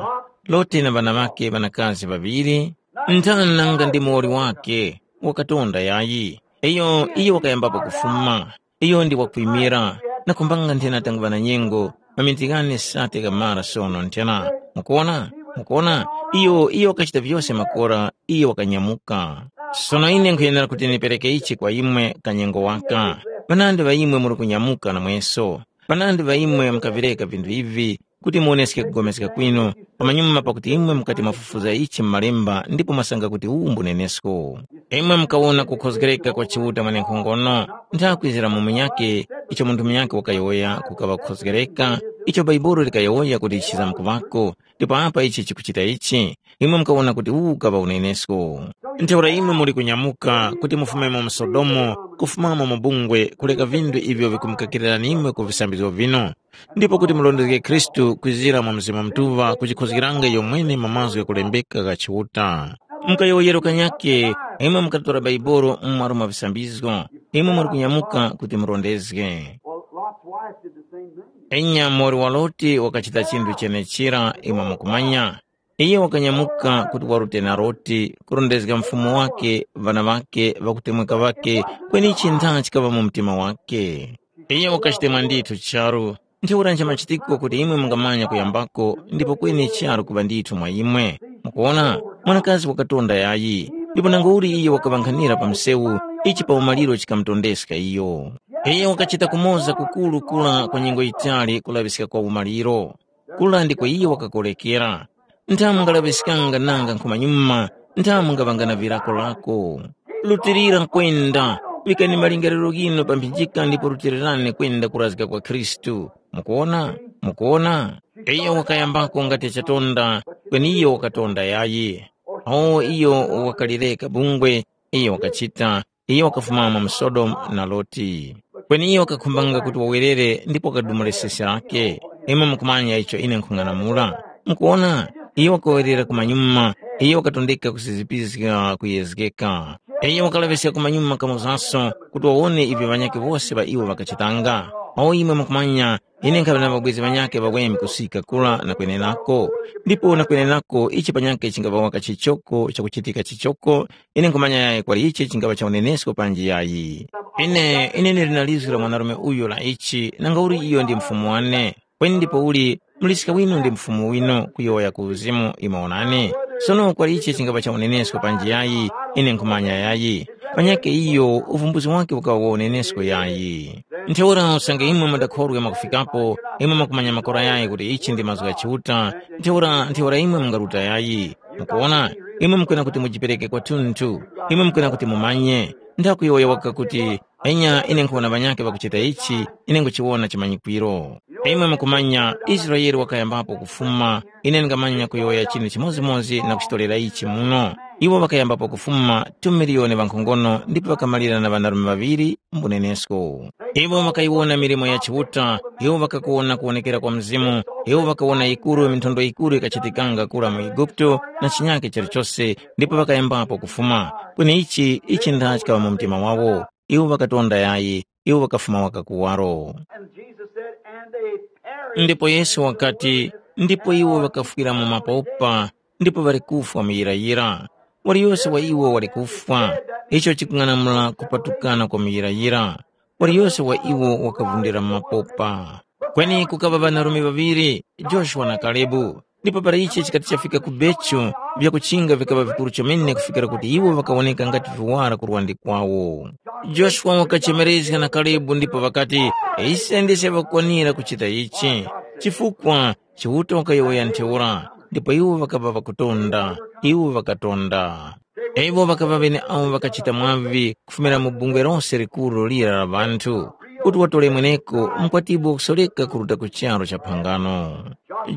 Loti na ŵana ŵakhe ŵanakazi ŵaŵiri. Nthani nanga ndi muwoli wakhe wakatonda yayi? Iyo, iyo wakayambapo kufuma. Iyo ndi wakwimira, nakhumbanga nthena tanguŵa na nyengo, maminzi ghane sate ghamara sono nthena. Mukuwona? Mukuwona? Iyo, iyo wakachita vyose makora, iyo wakanyamuka. Sono ine nkhuyenera kuti ndipereke ichi kwa imwe kanyengo waka. Ŵanandi ŵa imwe muli kunyamuka namweso. Ŵanandi ŵa imwe mukavireka vinthu ivi, kuti muwoneske kupulikana kwinu, pamanyuma pakuti imwe mukati mwafufuza ichi mu Malemba ndipo mwasanga kuti uwu mbunenesko. Imwe mukawona kukhozgereka kwa Chiuta mwenenkhongono, ntha kwizira mu munyakhe, icho munthu munyakhe wakayowoya kukaŵa kukhozgereka, icho Bhaibuli likayowoya kuti chichizamkuvako, ndipo apa ichi chikuchita ichi, imwe mukawona kuti uwu ukaŵa unenesko. Ntheura imwe muli kunyamuka kuti mufumemo mu Sodomu, kufumamo mu bungwe, kuleka vinthu ivyo vikumukakirirani imwe ku visambizgo vinu, ndipo kuti murondezge Khristu kwizira mwa Mzimu Mutuŵa kuchikhozgeranga iyo mwene mu mazgu ghakulembeka gha Chiuta. Mukayowoyero kanyakhe, imwe mukatora Baibolo mu malo mwa visambizgo, imwe muli kunyamuka kuti murondezge. Well, Lot's wife did the same thing. Enya muwoli wa Loti wakachita chinthu chenechira imwe mukumanya. Iye wakanyamuka kuti warute na Loti, kurondezga mfumu wake, ŵana ŵakhe, ŵakutemweka ŵakhe, kweni ichi ntha chikaŵa mu mtima wakhe. Iye wakachitemwa ndithu charu. Ntheura nchamachitikiko kuti imwe mungamanya kuyambako ndipo kweni charu kuŵa ndithu mwa imwe. Mukuwona, mwanakazi wakatonda yayi, ndipo nangauli iyo wakaŵankhanira pa msewu, ichi pa umaliro chikamutondeska iyo. Iye wakachita kumoza kukuru kura kwa nyengo yitali kulaŵiska kwa umaliro. Kura ndiko iye wakakorekera. Nthamu ngalaŵiskanga nanga nkhumanyuma, nthamu ngaŵanga na virako lako. Rutilira kwenda, vikani malingaliro ghinu pa mphinjika ndipo rutirirani kwenda kurazga kwa Khristu. Mukuwona? Mukuwona? Iyo wakayambako ngati chatonda, kweni iyo wakatonda yayi. Awo iyo wakalireka bungwe, iyo wakachita, iyo wakafumamo mu Sodomu na Loti. Kweni iyo wakakhumbanga kuti wawerere ndipo wakadumula sesi lake. Imwe mukumanya icho ine nkhung'anamula. Mukuwona, iyo wakawerera kumanyuma, iyo wakatondeka kusizipizga kuyezgeka. Iyo wakalaŵiska kumanyuma kamozaso kuti wawone ivyo ŵanyakhe wose ŵa iwo ŵakachitanga. Awo imwe mukumanya, ine nkhaŵa na ŵabwezi ŵanyakhe ŵaweme kusika kura na kwenenako. Ndipo na kwenenako ichi panyakhe chingaŵa waka chichoko chakuchitika chichoko, ine nkhumanya yayi kwali ichi chingaŵa cha unenesko panji yayi. Ine, ine ndili na lizgu la mwanarume uyu la ichi, nangauli iyo ndi mfumu wane. Kweni ndipouli, muliska winu ndi mfumu winu kuyowoya ku uzimu, imwe wonani. Sono kwali ichi chingaŵa cha unenesko panji yayi, ine nkhumanya yayi. Panyakhe iyo, uvumbuzi wakhe ukaŵa wa unenesko yayi. Ntheura usange imwe mudakhorwe mwakufikapo, imwe mwakumanya makora yayi kuti ichi ndi mazgu gha Chiuta, ntheura, ntheura imwe mungaruta yayi. Mukuwona, imwe mukwena kuti mujipereke kwathunthu, imwe mukwena kuti mumanye. Nthakuyowoya waka kuti, enya ine nkhuwona ŵanyakhe ŵakuchita ichi, ine nkhuchiwona chimanyikwiro. Imwe mukumanya, Israele wakayambapo kufuma, ine ndingamanya kuyowoya chinthu chimodzimodzi na kuchitorera ichi muno. Iwo ŵakayambapo kufuma tumiliyoni ŵankhongono ndipo ŵakamalira na ŵanarume ŵaŵiri mbunenesko. Iwo ŵakayiwona milimo ya Chiuta, iwo ŵakakuwona kuwonekera kwa Mzimu, iwo ŵakawona yikuru minthondo yikuru yikachitikanga kura mu Eguputu na chinyakhe chalichose, ndipo ŵakayambapo kufuma. Kweni ichi, ichi ndha chikaŵa mu mtima wawo. Iwo ŵakatonda yayi, iwo ŵakafuma waka kuwaro. And Jesus said, "And they perished." Ndipo Yesu wakati, ndipo iwo ŵakafwira mu mapopa, ndipo ŵali kufwa muyirayira. Waliyose wa iwo wali kufwa, icho chikung'anamula kupatukana kwa muyirayira. Waliyose wa iwo wakavundira mu mapopa. Kweni kukaŵa ŵanarume ŵaŵiri, Joshua na Kalebu. Ndipo para ichi chikati chafika ku Bechu, vyakuchinga vikaŵa vikuru chomene kufikira kuti iwo ŵakawoneka ngati viwara ku lwandi kwawo. Joshua wakachemerezga na Kalebu ndipo ŵakati, ise ndise ŵakukwanira kuchita ichi, chifukwa Chiuta wakayowoya ntheura, ndipo iwo ŵakaŵa ŵakutonda, iwo ŵakatonda. Iwo ŵakaŵa ŵeneawo ŵakachita mwavi kufumira mu bungwe lose likuru lira la ŵanthu, kuti watore mweneko mkwatibwi wakusoreka kuruta ku charu cha phangano.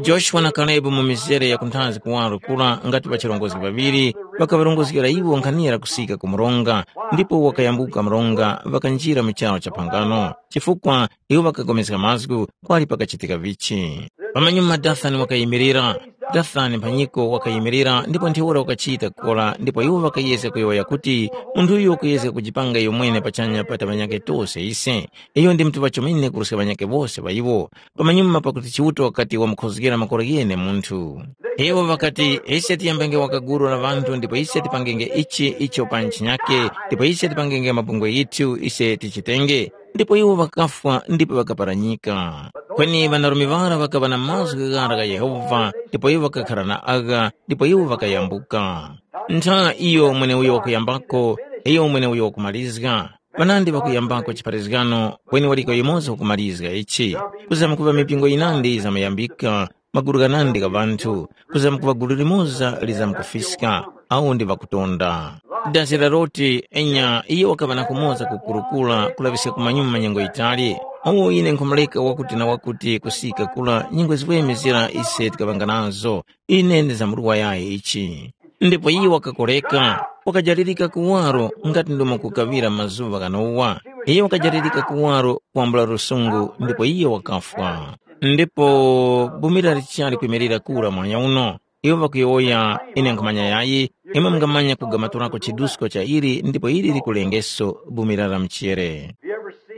Joshua na Kalebu mu mizere ya kunthazi kuwaro kura ngati ŵachirongozgi ŵaŵiri, ŵakaŵarongozgera iwo nkhanira kusika ku mronga, ndipo wakayambuka mronga ŵakanjira mu charu cha phangano, chifukwa iwo ŵakapulikana mazgu kwali pakachitika vichi. Pamanyuma Dathani wakayimirira, Tathani mphanyiko wakayimirira ndipo ntheura wakachita kukora ndipo iwo ŵakayezga kuyowoya kuti, “Munthu uyu wakuyezga kujipanga iyo mwene pachanya pa ŵanyakhe tose ise. Iyo ndi mutuŵa chomene kuruska ŵanyakhe wose ŵa iwo, pamanyuma pakuti Chiuta wakati wamukhozgera makora ghene munthu.” Iwo ŵakati, “Ise tiyambenge wakaguru la ŵanthu ndipo ise tipangenge ichi icho pa ntchinyake, ndipo ise tipangenge mabungwe yithu ise tichitenge.” Ndipo iwo ŵakafwa ndipo ŵakaparanyika. Kweni ŵanarume ŵara ŵakaŵa na mazgu ghara gha Yehova, ndipo iwo ŵakakhara na agha, ndipo iwo ŵakayambuka. Ntha iyo mweneuyo wakuyambako, iyo mweneuyo wakumalizga. Ŵanandi ŵakuyambako chipharazgano, kweni waliko yumoza wakumalizga ichi. Kuzamkuŵa mipingo yinandi yizamuyambika, magulu ghanandi gha ŵanthu, kuzamkuŵa gulu limoza lizamkufiska, awo ndi ŵakutonda. Dazi la Loti, enya iyo wakaŵa na kumoza kukurukura kulaŵiska kumanyuma nyengo yitali. Awo ine nkhumuleka wakuti na wakuti kusika kula nyengo ziweme zira ise tikaŵanga nazo, ine ndizamurwa yayi ichi. Ndipo iyo wakakoreka, wakajalirika kuwaro ngati ndomo kukaŵira mazuŵa gha Nowa. Iyo wakajalirika kuwaro kwambula lusungu ndipo iyo wakafwa. Ndipo bumira lichali kwimirira kura mwanya uno. Iwo ŵakuyowoya, ine nkhumanya yayi, imwe mungamanya kugamaturako chidusko cha ili ndipo ili likulengeso bumira la mchere.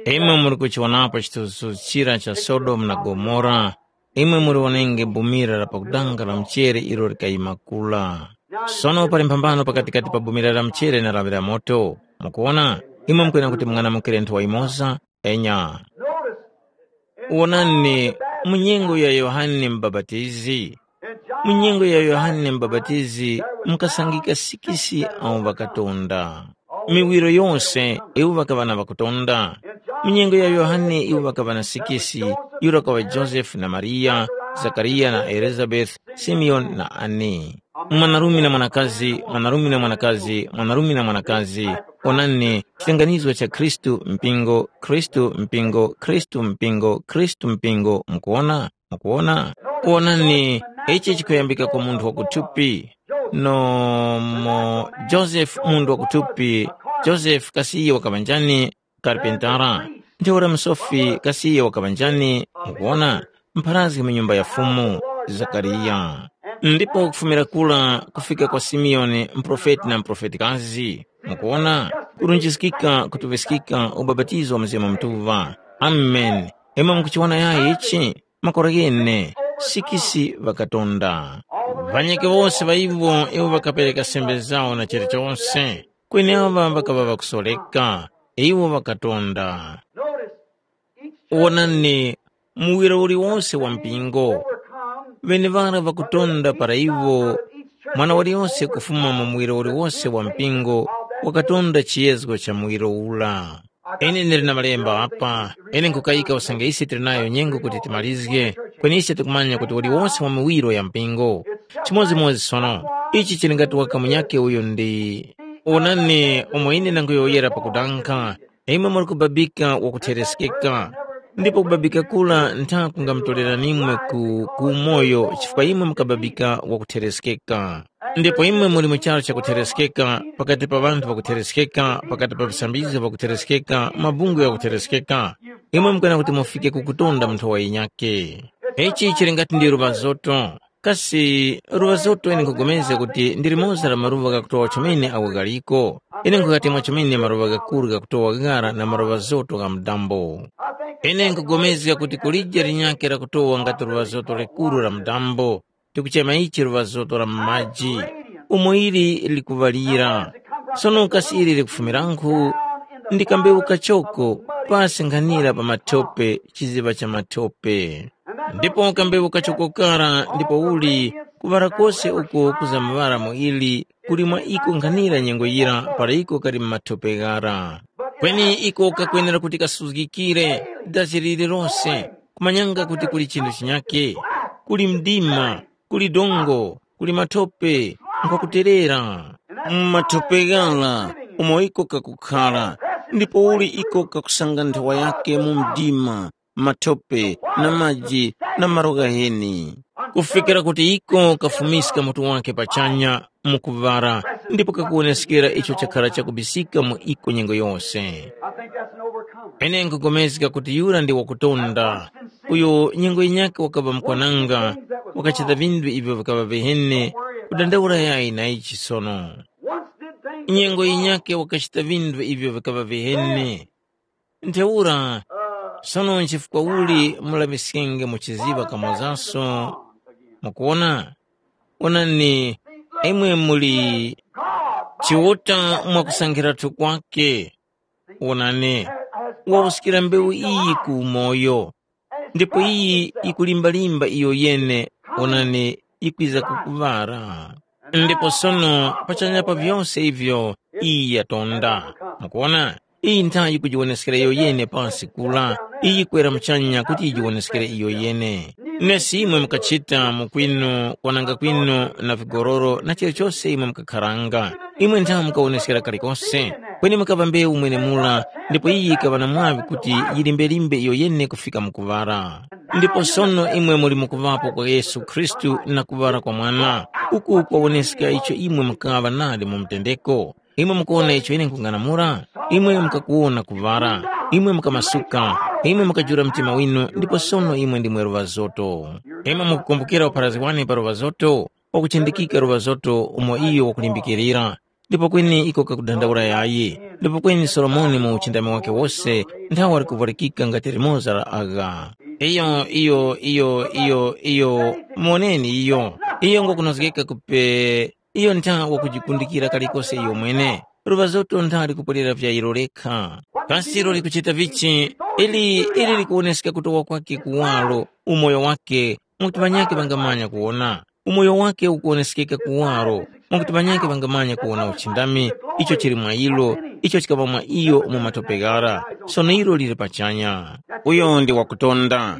Imwe muri kuchiwonapo chithunzithunzi chira cha Sodomu na Gomora, imwe muliwonenge bumira la pakudanga la mchere ilo likayima kula. Sono pali mphambano pakatikati pa bumira la mchere na lawi la moto. Mukuwona, imwe mukwena kuti mung'anamukire nthowa yimoza, enya. Wonani, mu nyengo ya Yohane Mubapatizi, mu nyengo ya Yohane Mubapatizi mukasangika sikisi awo ŵakatonda. Miwiro yose iwo ŵakaŵa na ŵakutonda. Mu nyengo ya Yohane iwo ŵakaŵa na sikisi, yura kaŵa Josefe na Mariya, Zakariya na Elizabeti, Simeoni na Ani. Mwanarume na mwanakazi, mwanarume na mwanakazi, mwanarume na mwanakazi, onani, chilinganizo cha Khristu mpingo, Khristu mpingo, Khristu mpingo, Khristu mpingo, mukuwona? Mukuwona? Wonani, ichi chikuyambika kwa munthu wakuthupi. Nomo Josefe munthu wakuthupi, Josefe kasi iyo wakaŵa njani? Karpentara. Ntheura msofi kasi iyo wakaŵa njani? Mukuwona? Mpharazgi mu nyumba ya Fumu, Zakariya. Ndipo kufumira kura kufika kwa Simeoni, muprofeti na muprofetikazi. Mukuwona? Kurunjiskika, kutuŵiskika, ubapatizo wa Mzimu Mutuŵa. Ameni. Imwe mukuchiwona yayi ichi? Makora ghene, sikisi ŵakatonda. Ŵanyakhe wose ŵa iwo, iwo ŵakapereka sembe zawo na chilichose, kweni aŵa ŵakaŵa ŵakusoreka, iwo ŵakatonda. Wonani, muwiro uliwose wa mpingo, ŵeneŵara ŵakutonda para iwo, mwana waliyose kufuma mu muwiro uliwose wa mpingo wakatonda chiyezgo cha muwiro ura. Ine ndili na malemba apa, ine nkukayika usange ise tili nayo nyengo kuti timalizge, kweni ise tikumanya kuti uliwose wa miwiro ya mpingo. Chimodzimodzi sono, ichi chili ngati waka munyakhe uyo ndi, wonani umo ine ndanguyowoyera pakudanga, imwe muli kubabika wakuthereskeka, ndipo kubabika kura ntha kungamutoreranimwe ku, ku umoyo chifukwa imwe mukababika wakuthereskeka. Ndipo imwe muli mu charu chakuthereskeka, pakati pa ŵanthu ŵakuthereskeka, pakati pa visambizgo vakuthereskeka, mabungwe ghakuthereskeka, imwe mukwena kuti mufike ku kutonda mu nthowa yinyakhe. Ichi chili ngati ndi luŵa zoto. Kasi luŵa zoto ine nkhupulikana kuti ndi limoza la maluŵa ghakutowa chomene agho ghaliko? Ine nkhughati mwa chomene maluŵa ghakuru ghakutowa ghara na maluŵa zoto gha mudambo. Ine nkhupulikana kuti kulije linyakhe lakutowa ngati luŵa zoto likuru la mudambo, tikuchema ichi luŵa zoto la mu maji, umo ili likuŵalira. Sono kasi ili likufumirankhu? Ndi kambewu kachoko, pasi nkhanira pa mathope, chiziŵa cha mathope. Ndipo kambewu kachoko kara ndipo uli kuŵala kose uko kuzamaŵala mu ili kuli mwa iko nkhanira nyengo yira para iko kali mu mathope ghara. Kweni iko kakwenera kuti kasuzgikire dazi lililose, kumanyanga kuti kuli chinthu chinyakhe, kuli mdima, kuli dongo, kuli mathope, nkwakuterera. Mu mathope ghara umo iko kakukhara, ndipo uli iko kakusanga nthowa yakhe mu mdima, mathope, na maji, na malo ghaheni, kufikira kuti iko kafumiska mutu wake pachanya mu kuŵala, ndipo kakuwoneskera icho chakhara chakubisika mu iko nyengo yose. I think that's an overcomer. Ine nkupulikana kuti yura ndi wakutonda, uyo nyengo yinyakhe wakaŵa mukwananga, wakachita vinthu ivyo vikaŵa viheni, kudandaula yayi na ichi sono. Nyengo yinyakhe wakachita vinthu ivyo vikaŵa viheni. Ntheura, sono nchifukwa uli mulaŵiskenge muchiziŵa kamozaso? Mukuwona? Wonani, imwe muli Chiuta mwakusankhiratu kwake. Wonani, wawuskira mbewu iyi ku umoyo, ndipo iyi yikulimbalimba iyo yene, wonani, yikwiza kukuŵara. Ndipo sono pachanya pa vyose ivyo iyi yatonda. Mukuwona? Iyi nthawi yikujiwoneskera iyo yene pansi kula, iyi yikwera muchanya kuti yijiwoneskere iyo yene. Nesi imwe mukachita mu kwinu kwananga kwinu na vigororo na chilichose imwe mukakharanga, imwe nthawe mukawoneskera kalikose, kweni mukaŵa mbewu mwenemura, ndipo iyi yikaŵa na mwaŵi kuti yilimbelimbe iyo yene kufika mu kuŵara. Ndipo sono imwe muli mukuŵapo kwa Yesu Khristu na kuŵara kwa Mwana, uku kwawoneska icho imwe mukaŵa nadi mu mtendeko. Imwe mukuwona icho ine nkhung'anamula? Imwe mukakuwona kuŵala. Imwe mukamasuka. Imwe mukajula mtima winu ndipo sono imwe ndimwe luŵazoto. Imwe mukukumbukira upharazgi wane pa luŵazoto, wakuchindikika luŵazoto umo iyo wakulimbikirira. Ndipo kweni iko kakudandaula yayi. Ndipo kweni Solomoni mu uchindami wake wose nthawe wali kuvwalikika ngati limoza la agha. Iyo, iyo, iyo, iyo, iyo, muwoneni iyo. Iyo ngokunozgeka kupe Iyo ntha wakujikundikira kalikose iyo mwene, luŵazoto ntha likupwerera vya ilo lekha. Kasi ilo likuchita vichi? Ili ili likuwoneska kutowa kwake kuwaro, umoyo wake, mwakuti ŵanyakhe ŵangamanya kuwona. Umoyo wake ukuwoneskeka kuwaro, mwakuti ŵanyakhe ŵangamanya kuwona uchindami, icho chili mwa ilo, icho chikaŵa mwa iyo mu matope ghara, sono ilo lili pachanya. Uyo ndi wakutonda.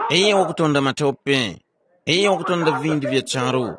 Iye wakutonda matope. Iyo wakutonda vindu vya charu,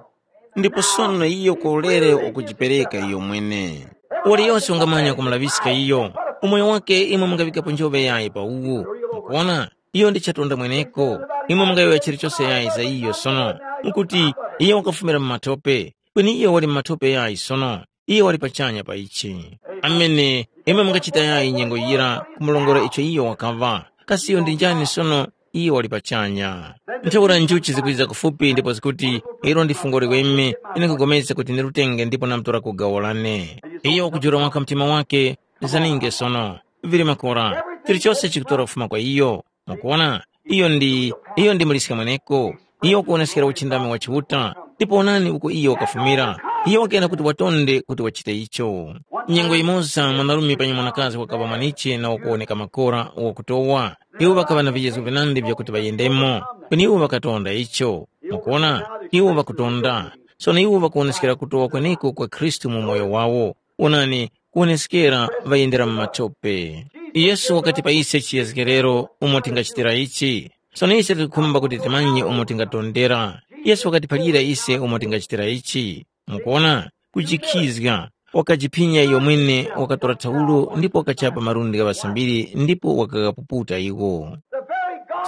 ndipo sono iyo kwa ulere wakujipereka iyo mwene. Waliyose wangamanya kumulaŵiska iyo, umoyo wake imwe mungaŵikapo njoŵe yayi pa uwu. Mukuwona, iyo ndi chatonda mweneko. Imwe mungayowoya chilichose yayi za iyo sono, mukuti, iyo wakafumira mu matope, kweni iyo wali mu matope yayi sono. Iye wali pachanya pa ichi. Amene imwe mungachita yayi nyengo yira kumulongora icho iyo wakaŵa. Kasi iyo ndi njani sono? Iye wali pachanya. Ntheura njuchi zikwiza kufupi ndipo zikuti, ilo ndi fungo liweme, ine nkugomezga kuti ndirutenge ndipo namtora ku gawo lane. Iyo wakujula waka mtima wake, lizaninge sono. Vili makora, chilichose chikutora kufuma kwa iyo. Mukuwona, iyo ndi iyo ndi muliska mweneko. Iyo wakuwoneskera uchindami wa Chiuta, ndipo wonani uko iyo wakafumira. Iyo wakuyana kuti watonde kuti wachite icho. Nyengo yimoza mwanarume panyi mwanakazi wakaŵa mwaniche na wakuwoneka makora wakutowa. Iwo ŵakaŵa na vijezo vinandi vyakuti ŵayendemo, kweni iwo ŵakatonda icho. Mukuwona, iwo ŵakutonda. Sono iwo ŵakuwoneskera kutowa kweneko kwa Khristu mu moyo wawo. Wonani, kuwoneskera ŵayendera mu matope. Yesu wakati pa ise chiyezgerero umo tingachitira ichi. Sono ise tikukhumba kuti timanye umo tingatondera. Yesu wakatiphalira ise umo tingachitira ichi. Mukuona, kujikhizga, wakajiphinya iyo mwene, wakatora thaulo ndipo wakachapa malundi gha ŵasambiri ndipo wakaghapuputa iwo.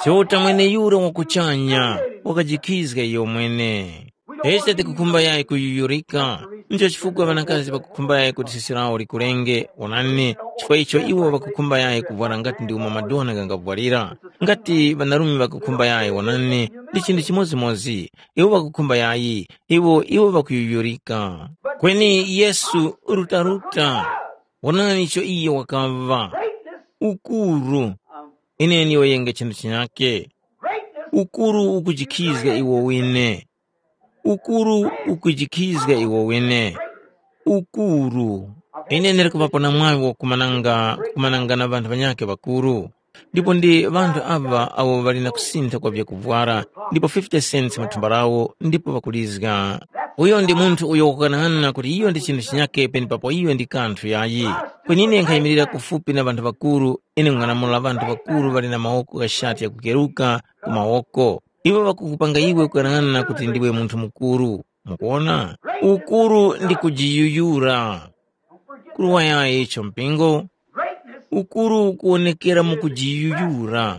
Chiuta mweneyura wakuchanya wakajikhizga iyo mwene. Ise tikukhumba yayi kuyuyurika. Ndicho chifukwa ŵanakazi ŵakukhumba yayi kuti sisi lawo likurenge. Onani, chifukwa icho iwo ŵakukhumba yayi kuvwara ngati ndi umo madona ghangavwarira. Ngati ŵanarume ŵakukhumba yayi, onani, ndi chinthu chimodzimodzi. Iwo ŵakukhumba yayi, iwo iwo ŵakuyuyurika. Kweni Yesu rutaruta, onani icho iye wakaŵa. Ukuru. Ine ndiyoyenge chinthu chinyake. Ukuru ukujikhizga iwo wine. Ukuru ukujikhizga iwo wene. Ukuru. Ine ndili kuŵapo na mwaŵi wakumananga kumananga na ŵanthu ŵanyakhe ŵakuru. Ndipo ndi ŵanthu aŵa awo ŵali na kusintha kwa vyakuvwara ndipo fifty cents mu thumba lawo ndipo ŵakulizga. Uyo ndi munthu uyo wakukanaana kuti iyo ndi chinthu chinyakhe penepapo iyo ndi kanthu yayi. Kweni ine nkhayimirira kufupi na ŵanthu ŵakuru, ine nkung'anamula ŵanthu ŵakuru ŵali na mawoko gha shati yakukeruka ku mawoko. Iwo ŵakukupanga iwe kuyang'ana kuti ndiwe munthu mukuru. Mukuona? Ukuru ndi kujiyuyura. Kuruwa yayi icho mpingo. Ukuru ukuwonekera mu kujiyuyura.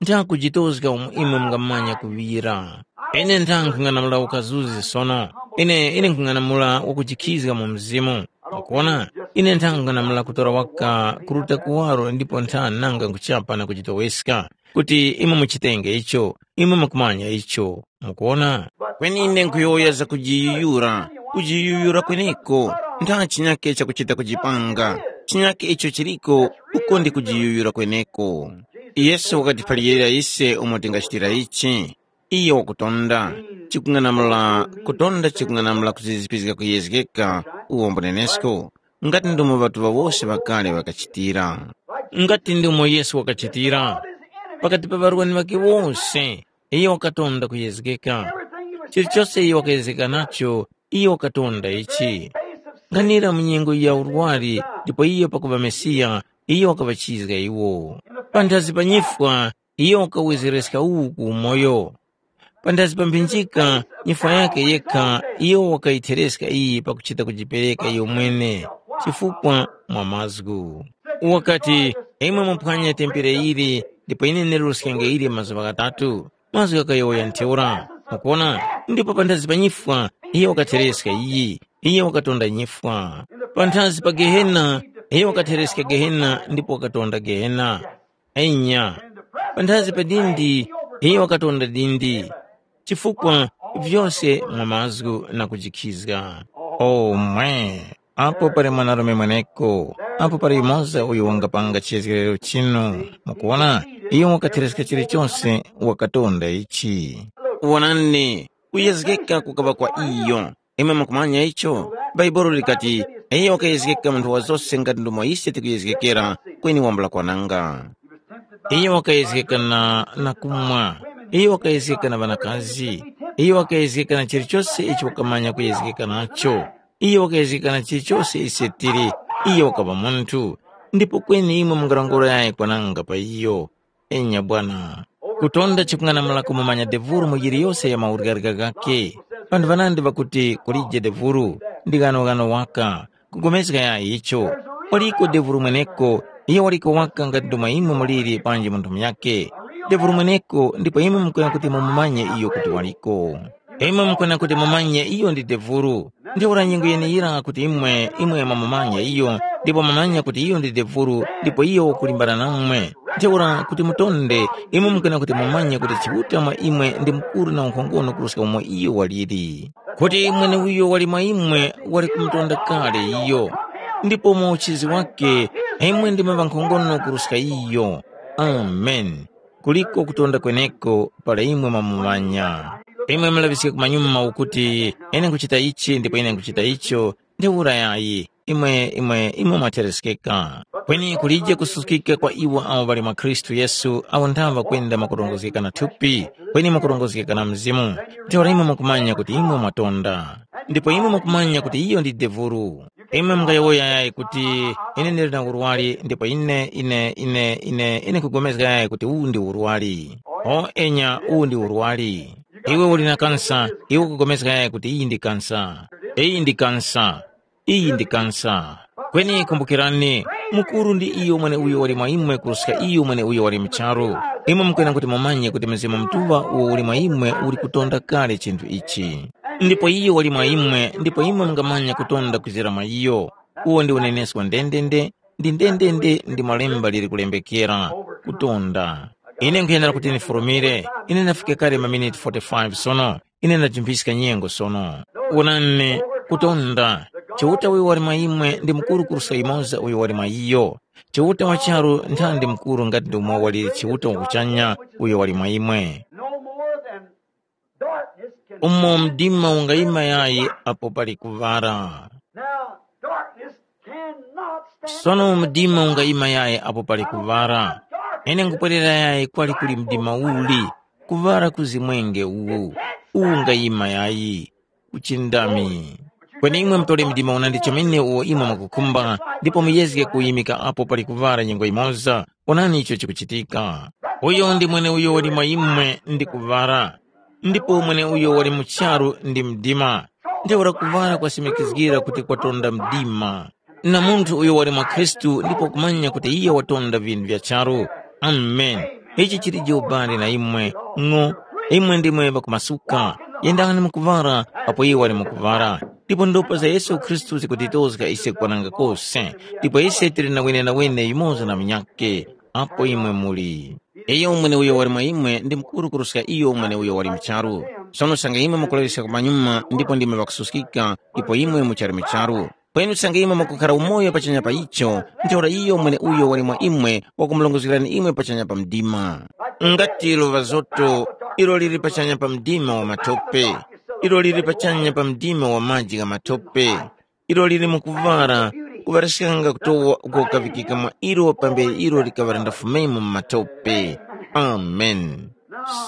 Nthakujitozga umo imwe mungamanya kuŵira. Ine ntha nkhung'anamula ukazuzi sono. Ine ine nkhung'anamula wakujikhizga mu mzimu. Mukuona? Ine ntha nkhung'anamula kutora waka kuruta kuwaro ndipo ntha nanga nkuchapa na kujitoweska. Kuti imwe muchitenge icho. Imwe mukumanya icho, mukuona? Kweni ine nkhuyowoya za kujiyuyura, kujiyuyura kweneko, ntha chinyake chakuchita kujipanga, chinyake icho chiliko, uko ndi kujiyuyura kweneko. Yesu wakatiphalirira ise umo tingachitira ichi. Iyo wakutonda, chikung'anamula, kutonda chikung'anamula kuzizipizga kuyezgeka, uwombo nenesko, ngati ndomo ŵatuŵa wose ŵakale ŵakachitira. Ngati ndomo Yesu wakachitira, pakati pa ŵarwani ŵakhe wose, iyo wakatonda kuyezgeka. Chilichose iyo wakayezgeka nacho, iyo wakatonda ichi. Nkhanira mu nyengo ya urwari, ndipo iyo pakuŵa Mesiya, iyo wakaŵachizga iwo. Panthazi pa nyifwa, iyo wakawezereska uwu ku umoyo. Panthazi pa mphinjika, nyifwa yakhe yekha, iyo wakayithereska iyi pakuchita kujipereka iyo mwene, chifukwa mwa mazgu. Wakati, imwe muphwanye tempere ili, ndipo ine ndiruskenge ili mazuŵa ghatatu. Mazgu ghakayowoya ntheura. Mukuona? Ndipo panthazi pa nyifwa, iyo wakathereska iyi, iyo wakatonda nyifwa. Panthazi pa Gehena, iyo wakathereska Gehena, ndipo wakatonda Gehena. Enya, panthazi pa dindi, iyo wakatonda dindi, chifukwa vyose mwa mazgu na kujikhizga. O mwe, apo pali mwanarume mweneko, apo pali yumoza uyo wangapanga chizgerero chinu. Mukuona, iyo wakathereska chilichonse, wakatonda ichi. Wonani, kuyezgeka kukaŵa kwa iyo. Imwe mukumanya icho? Bhaibuli likati, iyo wakayezgeka munthu wa zose ngati ndomo ise tikuyezgekera, kweni wambula kwananga. Iyo wakayezgeka na, na kumwa. Iyo wakayezgeka na ŵanakazi. Iyo wakayezgeka na chilichose icho wakamanya kuyezgeka nacho. Iyo wakayezgeka na chilichose ise tili. Iyo wakaŵa munthu. Ndipo kweni imwe mungarongora yayi kwananga pa iyo. Enya bwana. Kutonda chikung'anamula kumumanya devuru mu yiliyose ya mawurgarika ghakhe. Panthu ŵanandi ŵakuti kulije devuru, ndi ghanoghano waka. Kugomezga ya icho, waliko devuru mweneko, iyo waliko waka ngati ndomwe imwe muliri panji munthu munyakhe. Devuru mweneko ndipo imwe mukwena kuti mumumanye iyo kuti waliko. Imwe mukwena kuti mumanye iyo ndi devuru. Ntheura nyengo yeneyira kuti imwe imwe mwamumanya iyo, ndipo mwamanya kuti iyo ndi devuru, ndipo iyo wakulimbana namwe. Ntheura kuti mutonde, imwe mukwena kuti mumanye kuti Chiuta mwa imwe ndi mukuru na unkhongono kuruska umo iyo waliri. Kuti mweneuyo wali mwa imwe wali kumutonda kale iyo, ndipo mu uchizi wake imwe ndimwe ŵankhongono kuruska iyo. Amen. Kuliko kutonda kweneko para imwe mwamumanya. Imwe mulaŵiske kumanyuma ukuti, ine nkuchita ichi ndipo ine nkuchita icho, ntheura yayi, imwe imwe imwe mwatereskeka. Kweni kulije kususkika kwa iwo awo ŵali mwa Khristu Yesu awo nthaŵa kwenda mwakurongozgeka na thupi, kweni mwakurongozgeka na Mzimu. Ntheura imwe mwakumanya kuti imwe mwatonda. Ndipo imwe mwakumanya kuti iyo ndi devuru. Imwe mungayowoya yayi kuti, ine ndili na urwari ndipo ine ine ine ine ine nkugomezga yayi kuti uwu ndi urwari. O enya, uwu ndi urwari. Iwe uli na kansa, iwe ukugomezga yayi kuti iyi ndi kansa. Iyi ndi kansa. Iyi ndi kansa. Kweni kumbukirani, mukuru ndi iyo mwene uyo wali mwa imwe kuruska iyo mwene uyo wali mu charu. Imwe mukwena kuti mumanye kuti Mzimu Mutuŵa uwo uli mwa imwe uli kutonda kale chinthu ichi. Ndipo iyo wali mwa imwe, ndipo imwe mungamanya kutonda kwizira mwa iyo. Uwo ndi unenesko ndendende, ndi ndendende ndi malemba liri kulembekera, kutonda. Ine nkhuyenera kuti ndifurumire, ine ndafika kale maminiti forty-five sono, ine ndajimbiska nyengo sono. Wonani, kutonda, Chiuta uyo wali mwa imwe ndi mukuru kuruska yumoza uyo wali mwa iyo. Chiuta wa charu nthandi mukuru ngati ndi umo wali Chiuta wa kuchanya uyo wali mwa imwe. No more than darkness can umo mdima ungayima yayi apo pali kuŵala. Now, darkness cannot stand. Sono mdima ungayima yayi apo pali kuŵala. Ine nkupwerera yayi kwali kuli mdima uli, kuŵala kuzimwenge uwu, uwu ungayima yayi. Uchindami. Kweni imwe mutole mdima unandi chomene uwo imwe mwakukhumba, ndipo muyezge kuyimika apo pali kuŵala nyengo yimoza. Onani icho chikuchitika. Uyo ndi mweneuyo wali mwa imwe ndi kuŵala, ndipo mweneuyo wali mu charu ndi mdima. Ntheura kuŵala kwasimikizgira kuti kwatonda mdima. Na munthu uyo wali mwa Khristu ndipo kumanya kuti iye watonda vinthu vya charu. Amen. Ichi chilije ubali na imwe, ng'o. Imwe ndimwe ŵakumasuka. Yendani mu kuŵala apo iye wali mu kuŵala. Ndipo ndopa za Yesu Khristu zikutitozga ise kwananga kose. Ndipo ise tili na wenenawene yumoza na munyakhe apo imwe muli. Iyo mweneuyo wali mwa imwe ndi mukuru kuruska iyo mweneuyo wali mu charu. Sono sanga imwe mukulaŵiska kumanyuma ndipo ndimwe ŵakususkika, ipo imwe muchali mu charu. Kweni sanga imwe mukukhara umoyo pachanya pa icho, ntheura iyo mweneuyo wali mwa imwe wakumurongozgerani imwe pachanya pa mdima. Ngati luŵa zoto, ilo lili pachanya pa mdima wa matope, ilo lili pachanya pa mdima wa maji gha matope. Ilo lili mu kuvara, kuvaraskanga kutowa uko kaŵikika mwa ilo pambere ilo likaŵa lindafumemo mu matope. Amen.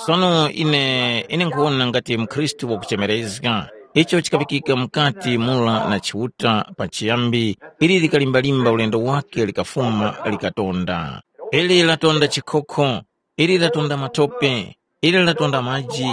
Sono ine ine nkhuwona ngati mkhristu wakuchemerezga. Icho chikaŵikika mukati mura na Chiuta pachiyambi, ili likalimbalimba ulendo wake likafuma likatonda. Ili latonda chikhokho, ili latonda matope, ili latonda maji,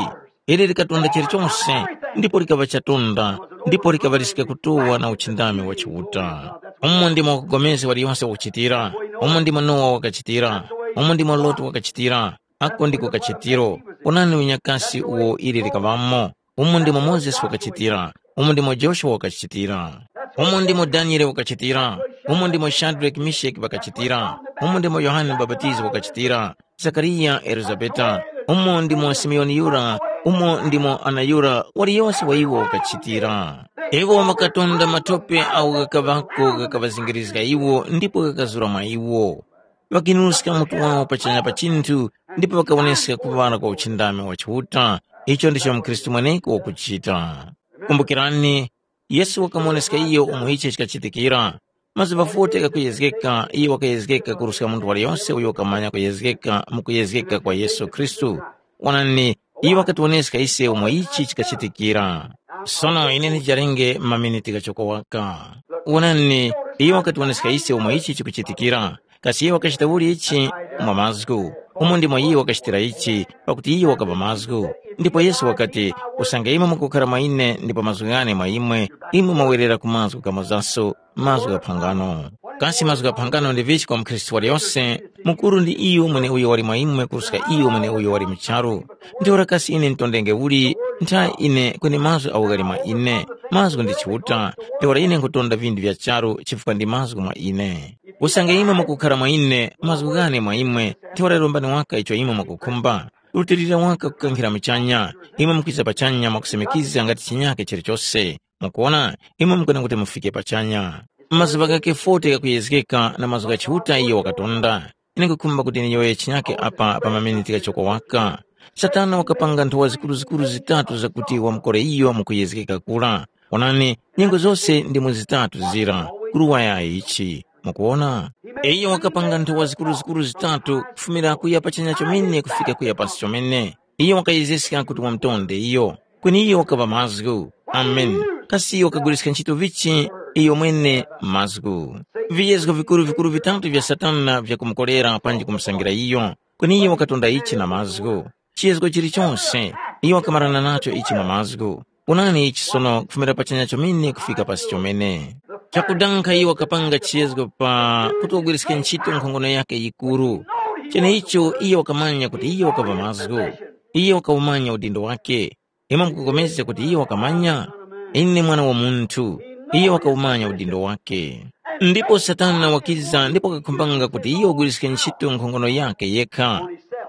ili likatonda chilichonse, ndipo likaŵa chatonda, ndipo likaŵaliska kutuwa na uchindami wa Chiuta. Umo ndimo wakugomezga waliyonse wakuchitira, umo ndimo Nowa wakachitira, umo ndimo Loti wakachitira, ako ndiko kachitiro. Onani unyakasi uwo ili likaŵamo, umo ndimo Mozesi wakachitira, umo ndimo Joshua wakachitira, umo ndimo Daniele wakachitira, umo ndimo Shadraki Misheki wakachitira, umo ndimo Yohane Mubapatizi wakachitira, Zakariya, Elizabeta, umo ndimo Simeoni yura, umo ndimo Ana yura, waliyose wa iwo wakachitira. Iwo ŵakatonda matope agho ghakaŵako ghakaŵazingirizga iwo ndipo ghakazura mwa iwo. Ŵakinuska mutu wawo pachanya pa chinthu ndipo ŵakawoneska kuŵala kwa uchindami wa Chiuta. Icho ndicho mkhristu mweneko wakuchita. Kumbukirani, Yesu wakamuwoneska iyo umo ichi chikachitikira. Mazuŵa forty ghakuyezgeka, iyo wakayezgeka kuruska munthu waliyose uyo wakamanya kuyezgeka mu kuyezgeka kwa Yesu Khristu. Wonani, iyo wakatiwoneska ise umo ichi chikachitikira. Sono ine ndijarenge maminiti ghachoko waka. Wonani, iyo wakatiwoneska ise umo ichi chikuchitikira. Kasi iyo wakachita uli ichi? Mwa mazgu. Umo ndimo iyo wakachitira ichi, pakuti iyo wakapa mazgu. Ndipo Yesu wakati, usange imwe mukukhara mwa ine ndipo mazgu ghane mwa imwe, imwe mwawerera ku mazgu ghamozaso, mazgu gha phangano. Kasi mazgu gha phangano ndi vichi kwa mukhristu waliyose? Mukuru ndi iyo mweneuyo wali mwa imwe kuruska iyo mweneuyo wali mu charu. Ntheura kasi ine ntondenge uli? Ntha ine kweni mazgu agho ghali mwa ine. Mazgu ndi Chiuta. Ntheura ine nkhutonda vinthu vya charu chifukwa ndi mazgu mwa ine. Usange imwe mukukhara mwa ine, mazgu ghane mwa imwe, ntheura rombani waka icho imwe mwakukhumba. Rutilira waka kukankhira muchanya, imwe mukwiza pachanya mwakusimikiza ngati chinyake chilichose. Mukuwona, imwe mukwenera kuti mufike pachanya. Mazuŵa ghake forty ghakuyezgeka na mazgu gha Chiuta iyo wakatonda. Ine nkhukhumba kuti ndiyowoye chinyake apa pa maminiti ghachoko waka. Satana wakapanga nthowa zikuruzikuru zitatu zakuti wamukore iyo mukuyezgeka kura. Onani, nyengo zose ndimo zitatu zira, kuruwaya ichi. Mukuwona? Iyo wakapanga nthowa zikuruzikuru zitatu kufumira kuya pachanya chomene kufika kuya pasi chomene. Iyo wakayezeska kuti wamutonde iyo. Kweni iyo wakaŵa mazgu. Amen. Kasi iyo wakagwiriska ntchito vichi? Iyo mwene mazgu. Viyezgo vikuru-vikuru vitatu vya Satana vyakumukorera panji kumusangira iyo. Kweni iyo wakatonda ichi na mazgu. Chiyezgo chilichonse, iyo wakamarana nacho ichi mwa mazgu. Onani ichi sono kufumira pachanya chomene kufika pasi chomene. Chakudanga iyo wakapanga chiyezgo pa kuti wagwiriske ntchito nkhongono yake yikuru. Cheneicho iyo wakamanya kuti iyo wakaŵa mazgu. Iyo wakawumanya udindo wake. Imwe mukupulikana kuti iyo wakamanya? Ine mwana wa munthu, iyo wakawumanya udindo wake. Ndipo Satana wakiza ndipo wakakhumbanga kuti iyo wagwiriske ntchito nkhongono yakhe yekha,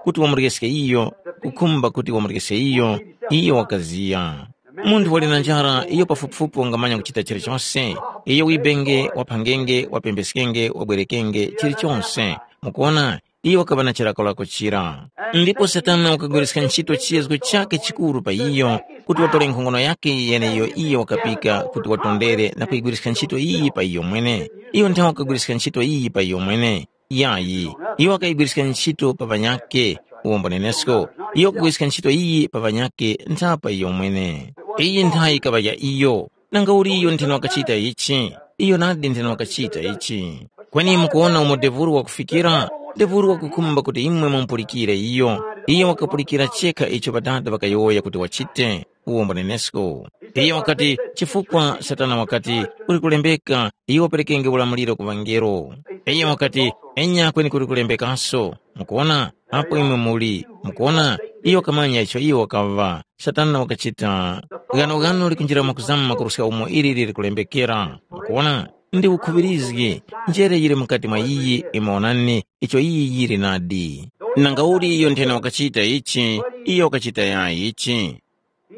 kuti wamuryezge iyo, kukhumba kuti wamuryezge iyo, iyo wakaziya. Munthu wali na njara, iyo pafupifupi wangamanya kuchita chilichonse. Iyo wibenge, waphangenge, wapembeskenge, wabwerekenge, chilichonse. Mukuona, iyo wakaŵa na chilakolako chira. Ndipo Satana wakagwiriska ntchito chiyezgo chakhe chikuru pa iyo, kuti watore nkhongono yakhe yeneiyo iyo wakapika kuti watondere na kuyigwiriska ntchito iyi pa iyo mwene. Iyo nthawe wakagwiriska ntchito iyi pa iyo mwene. Yayi, iyo wakayigwiriska ntchito pa ŵanyakhe, uwombo nenesko. Iyo wakagwiriska ntchito iyi pa ŵanyakhe ntha pa iyo mwene. Iyi ntha yikaŵa ya iyo. Nanga uli iyo ntheno wakachita ichi? Iyo nadi ntheno wakachita ichi. Kweni mukuwona umo devuru wakufikira? Devuru wakukhumba kuti imwe mumupulikire iyo. Iyo wakapulikira chekha icho Ŵadada ŵakayowoya kuti wachite. Uwombo nenesko. Iyo wakati, chifukwa Satana wakati, kuli kulembeka, iyo waperekenge ulamuliro ku ŵangelo. Iyo wakati, enya kweni kuli kulembekaso. Mukuona? Apo imwe muli. Mukuona? Iyo wakamanya icho iyo wakaŵa. Satana wakachita. Ghanoghano likunjira mwakuzama kuruska umo ili lili kulembekera. Mukuona? Ndi ukhuŵirizgi. Njere yili mukati mwa iyi, imwe onani, icho iyi yili nadi. Nangauli iyo nthena wakachita ichi, iyo wakachita yayi ichi.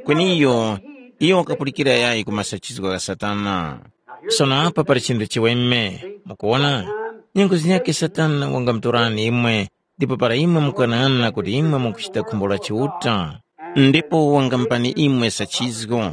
Kweni iyo, iyo wakapulikira yayi ku masachizgo gha Satana. Sono apa pali chinthu chiweme, mukuwona? Nyengo zinyakhe Satana wangamutorani imwe, ndipo para imwe mukanang'ana kuti imwe mukuchita khumbo la Chiuta, ndipo wangamupani imwe sachizgo,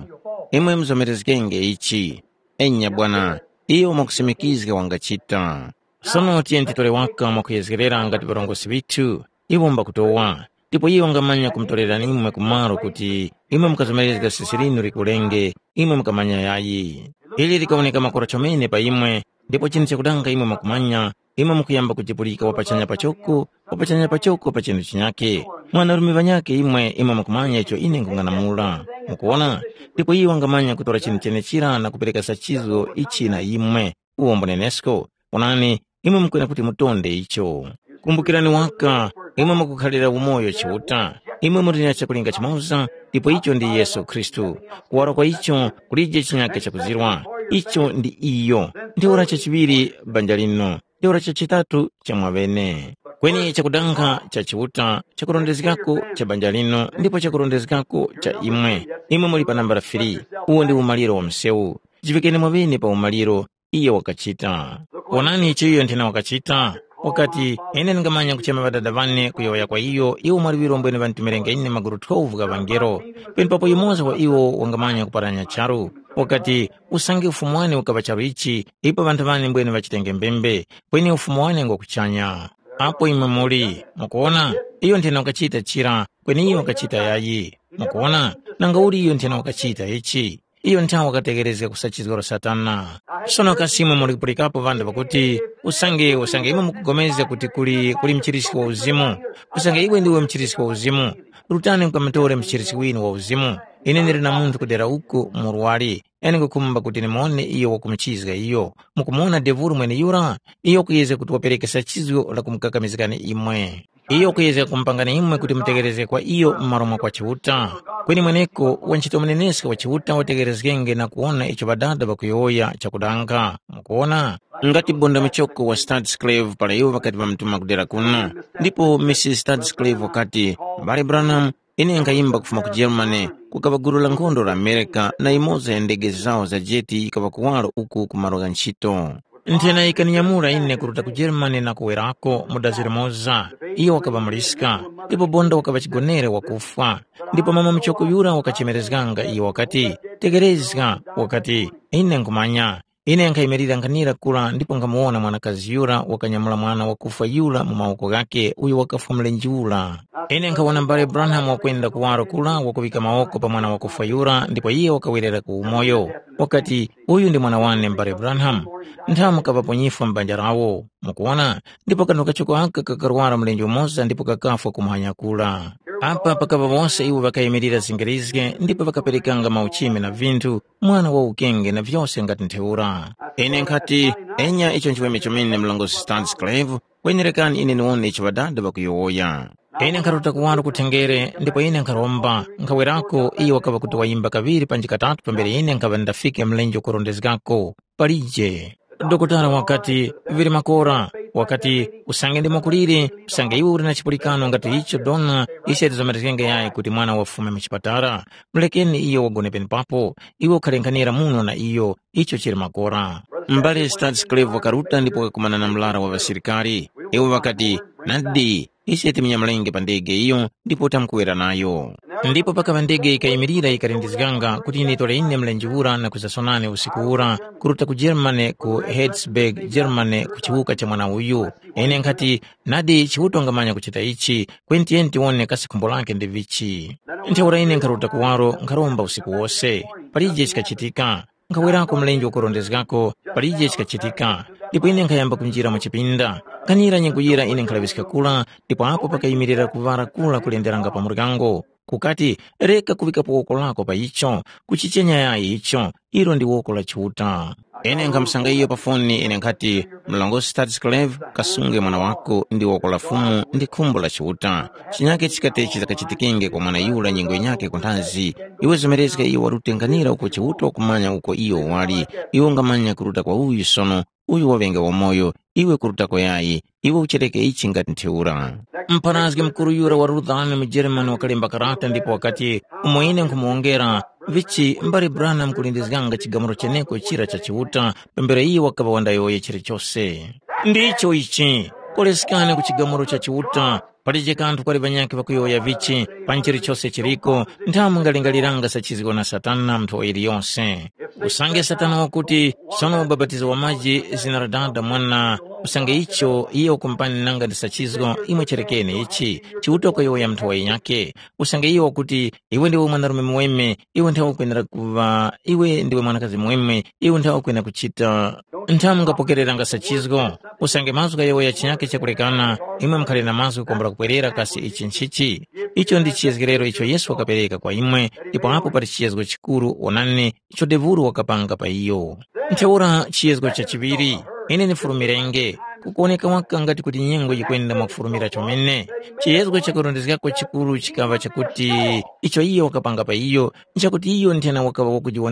imwe muzomerezgenge ichi. Enya bwana, iyo mwakusimikizga wangachita. Sono tiyeni titore waka mwakuyezgerera ngati ŵarongozgi ŵithu, iwo mbakutowa. Ndipo iyo wangamanya kumutorerani imwe kumaro kuti imwe mukazomerezga sisi linu likulenge, imwe mukamanya yayi. Ili likawoneka makora chomene pa imwe, ndipo chinthu chakudanga imwe mwakumanya, imwe mukuyamba kujipulika wapachanya pachoko, wapachanya pachoko pa chinthu chinyakhe. Mwanarume ŵanyakhe imwe, imwe mukumanya icho ine nkung'anamula. Mukuwona? Ndipo iyo wangamanya kutora chinthu chenechira na kupereka sachizo ichi na imwe. Uwombo nenesko, onani, imwe mukwena kuti mutonde icho. Kumbukirani waka, imwe mukukhalira umoyo Chiuta, imwe muli na chakulinga chimoza, ndipo icho ndi Yesu Khristu. Kuwara kwa icho kulije chinyaka chakuzirwa, icho ndi iyo. Ntheura chachiŵiri banja lino, ntheura chachitatu cha mwaŵene. Kweni chakudanga cha Chiuta, chakurondezgako cha banja lino, ndipo chakurondezgako cha imwe. Imwe muli pa nambala three, uwo ndi umaliro wa msewu. Jiŵikeni mwaŵene pa umaliro, iyo wakachita. Wonani icho iyo nthena wakachita. Wakati, ine ndingamanya kuchema ŵadada ŵane kuyowoya kwa iyo, iwo mwaliŵiro mbwene ŵanditumilenge ine magulu twelve gha ŵangelo. Penepapo yumoza wa iwo wangamanya kuparanya charu. Wakati, usange ufumu wane ukaŵa charu ichi, ipo ŵanthu ŵane mbwene ŵachitenge mbembe, kweni ufumu wane ngwa kuchanya. Apo imwe muli, mukuwona, iyo nthena wakachita chira, kweni iyo wakachita yayi. Mukuwona, nanga uli iyo nthena wakachita ichi. Iyo nthawe wakategherezga kusachizgora Satana. Sono kasi imwe muli kupulikapo ŵanthu ŵakuti, usange usange imwe mukupulikana kuti kuli kuli mchiriski wa uzimu, usange iwe ndiwe mchiriski wa uzimu, rutani mukamutore mchiriski winu wa uzimu. Ine ndili na munthu kudera uku murwari, ine ngukhumba kuti nimone iyo wakumuchizga iyo. Mukumuwona devulu mweneyura? Iyo wakuyezga kuti wapereke sachizgo la kumukakamizgani imwe. Iyo wakuyezga kumupangani imwe kuti mutegherezge kwa iyo m'malo mwa kwa Chiuta. Kweni mweneko wanchito muneneska wa Chiuta wategherezgenge na kuwona icho Ŵadada ŵakuyowoya chakudanga. Mukuwona? Ngati bonda muchoko wa Stadsclave para iwo ŵakati ŵamutuma kudera kuno. Ndipo Mrs Stadsclave wakati, M'bale Branham, ine nkhayimba kufuma ku Germany, kukaŵa gulu la nkhondo la America na imodzi ya ndege zawo za jeti yikaŵa kuwaro uku ku malo gha ntchito. Nthena yikaninyamula ine kuruta ku Germany na kuwerako mu dazi limoza. Iyo wakaŵa muliska, ndipo bonda wakaŵa chigonere wakufwa. Ndipo mama muchoko yura wakachemerezganga iyo wakati, tekerezga, wakati, ine nkhumanya. Ine nkhayimirira nkhanira kura ndipo nkhamuwona mwanakazi yura wakanyamula mwana wakufwa yura mu mawoko ghakhe uyo wakafwa mlenje ura. Ine nkhawona m'bale Branham wakwenda kuwaro kura wakuŵika mawoko pa mwana wakufwa yura ndipo iye wakawerera ku umoyo. Wakati, uyu ndi mwana wane m'bale Branham. Nthamu kaŵapo nyifwa m'banja lawo. Mukuwona? Ndipo kanthu kachoko aka kakarwara mlenje umoza ndipo kakafwa kumuhanya kura. Apa pakaŵa wose iwo ŵakayimirira zingirizge ndipo ŵakaperekanga mauchimi na vinthu, mwana wa ukenge na vyose ngati ntheura. Ine nkhati, enya icho nchiweme chomene mlongosi Stansclave, kwenerekani ine niwone icho ŵadada ŵakuyowoya. Ine nkharuta kuwaro ku thengere ndipo ine nkharomba, nkhawerako iyo wakaŵa kuti wayimba kaŵiri panji katatu pambere ine nkhaŵa ndafike mlenje ukurondezgako. Palije. Dokotala wakati, vili makora. Wakati, usange ndimo kuliri, usange iwe uli na chipulikano ngati icho dona, ise tizomerezgenge yayi kuti mwana wafume mu chipatala. Mulekeni iyo wagone penepapo, iwe ukhalenkhanira muno na iyo, icho chili makora. Mbale Stansclave wakaruta ndipo wakakumana na mlara wa ŵasilikari. Iwo ŵakati, nadi, ise timinya mlenge pa ndege iyo ndipo tamkuwera nayo. Ndipo pakaŵa ndege yikayimirira yikalindizganga kuti yinitore ine mlenje ura na kwizaso nane usiku ura kuruta ku Germany ku Herzberg, Germany ku chiwuka cha mwana uyu. Ine nkhati, nadi Chiuta wangamanya kuchita ichi, kweni tiyeni tiwone kasi khumbo lake ndi vichi. Ntheura ine nkharuta kuwaro nkharomba usiku wose. Palije chikachitika. Nkhawerako mlenje ukurondezgako, palije chikachitika. Ndipo ine nkhayamba kunjira mu chipinda. Nkhanira nyengo yira ine nkhalaŵiska kura, ndipo apo pakayimirira kuŵala kura kulenderanga pa muryango. Kukati, reka kuŵikapo woko lako pa icho, kuchichenya yayi icho, ilo ndi woko la Chiuta. Ine nkhamusanga iyo pa foni ine nkhati, mlongosi Stansclave, kasunge mwana wako ndi woko la Fumu ndi khumbo la Chiuta. Chinyake chikati chizakachitikenge kwa mwana yura nyengo yinyakhe kunthazi, iwe zomerezga iyo warutenganira uko Chiuta wakumanya uko iyo wali, iwe ungamanya kuruta kwa uyu sono, uyu waŵenge wamoyo, iwe kurutako yayi, iwe uchereke ichi ngati ntheura. Mpharazgi mukuru yura wa Luthani mu Jeremani wakalemba karata ndipo wakati, umo ine nkhumuwongera, vichi mbali Branham kulindizganga chigamulo cheneko chira cha Chiuta, pambere iyo wakaŵa wandayowoya chilichose. Ndicho ichi, koleskani ku chigamulo cha Chiuta, palije kanthu kwali ŵanyakhe ŵakuyowoya vichi, pa nchilichose chiliko, nthamu ngalingaliranga sachizgwa na Satana mnthu wa yiliyose. Usange Satana wakuti, sono ubapatizo wa maji zina la Dada, Mwana, usange icho iyo wakumpani nanga ndi sachizgo, imwe cherekeni ichi, Chiuta wakayowoya mnthu wa yinyakhe. Usange iyo wakuti, iwe ndiwe mwanarume muweme, iwe nthawe ukwenera kuŵa, iwe ndiwe mwanakazi muweme, iwe nthawe ukwenera kuchita. Nthamu ngapokereranga sachizgo, usange mazgu ghayowoya chinyakhe chakulekana, imwe mukhale na mazgu kukombora kupwerera kasi ichi nchichi? Icho ndi chiyezgerero icho Yesu wakapereka kwa imwe, ndipo apo pali chiyezgo chikuru, wonani, icho Devulu wakapanga pa iyo. Ntheura chiyezgo cha chiŵiri, ine ndifurumirenge, kukuwoneka waka ngati kuti nyengo yikwenda mwakufurumira chomene. Chiyezgo chakurondezgako chikuru chikaŵa chakuti icho iyo wakapanga pa iyo, nchakuti iyo nthena wakaŵa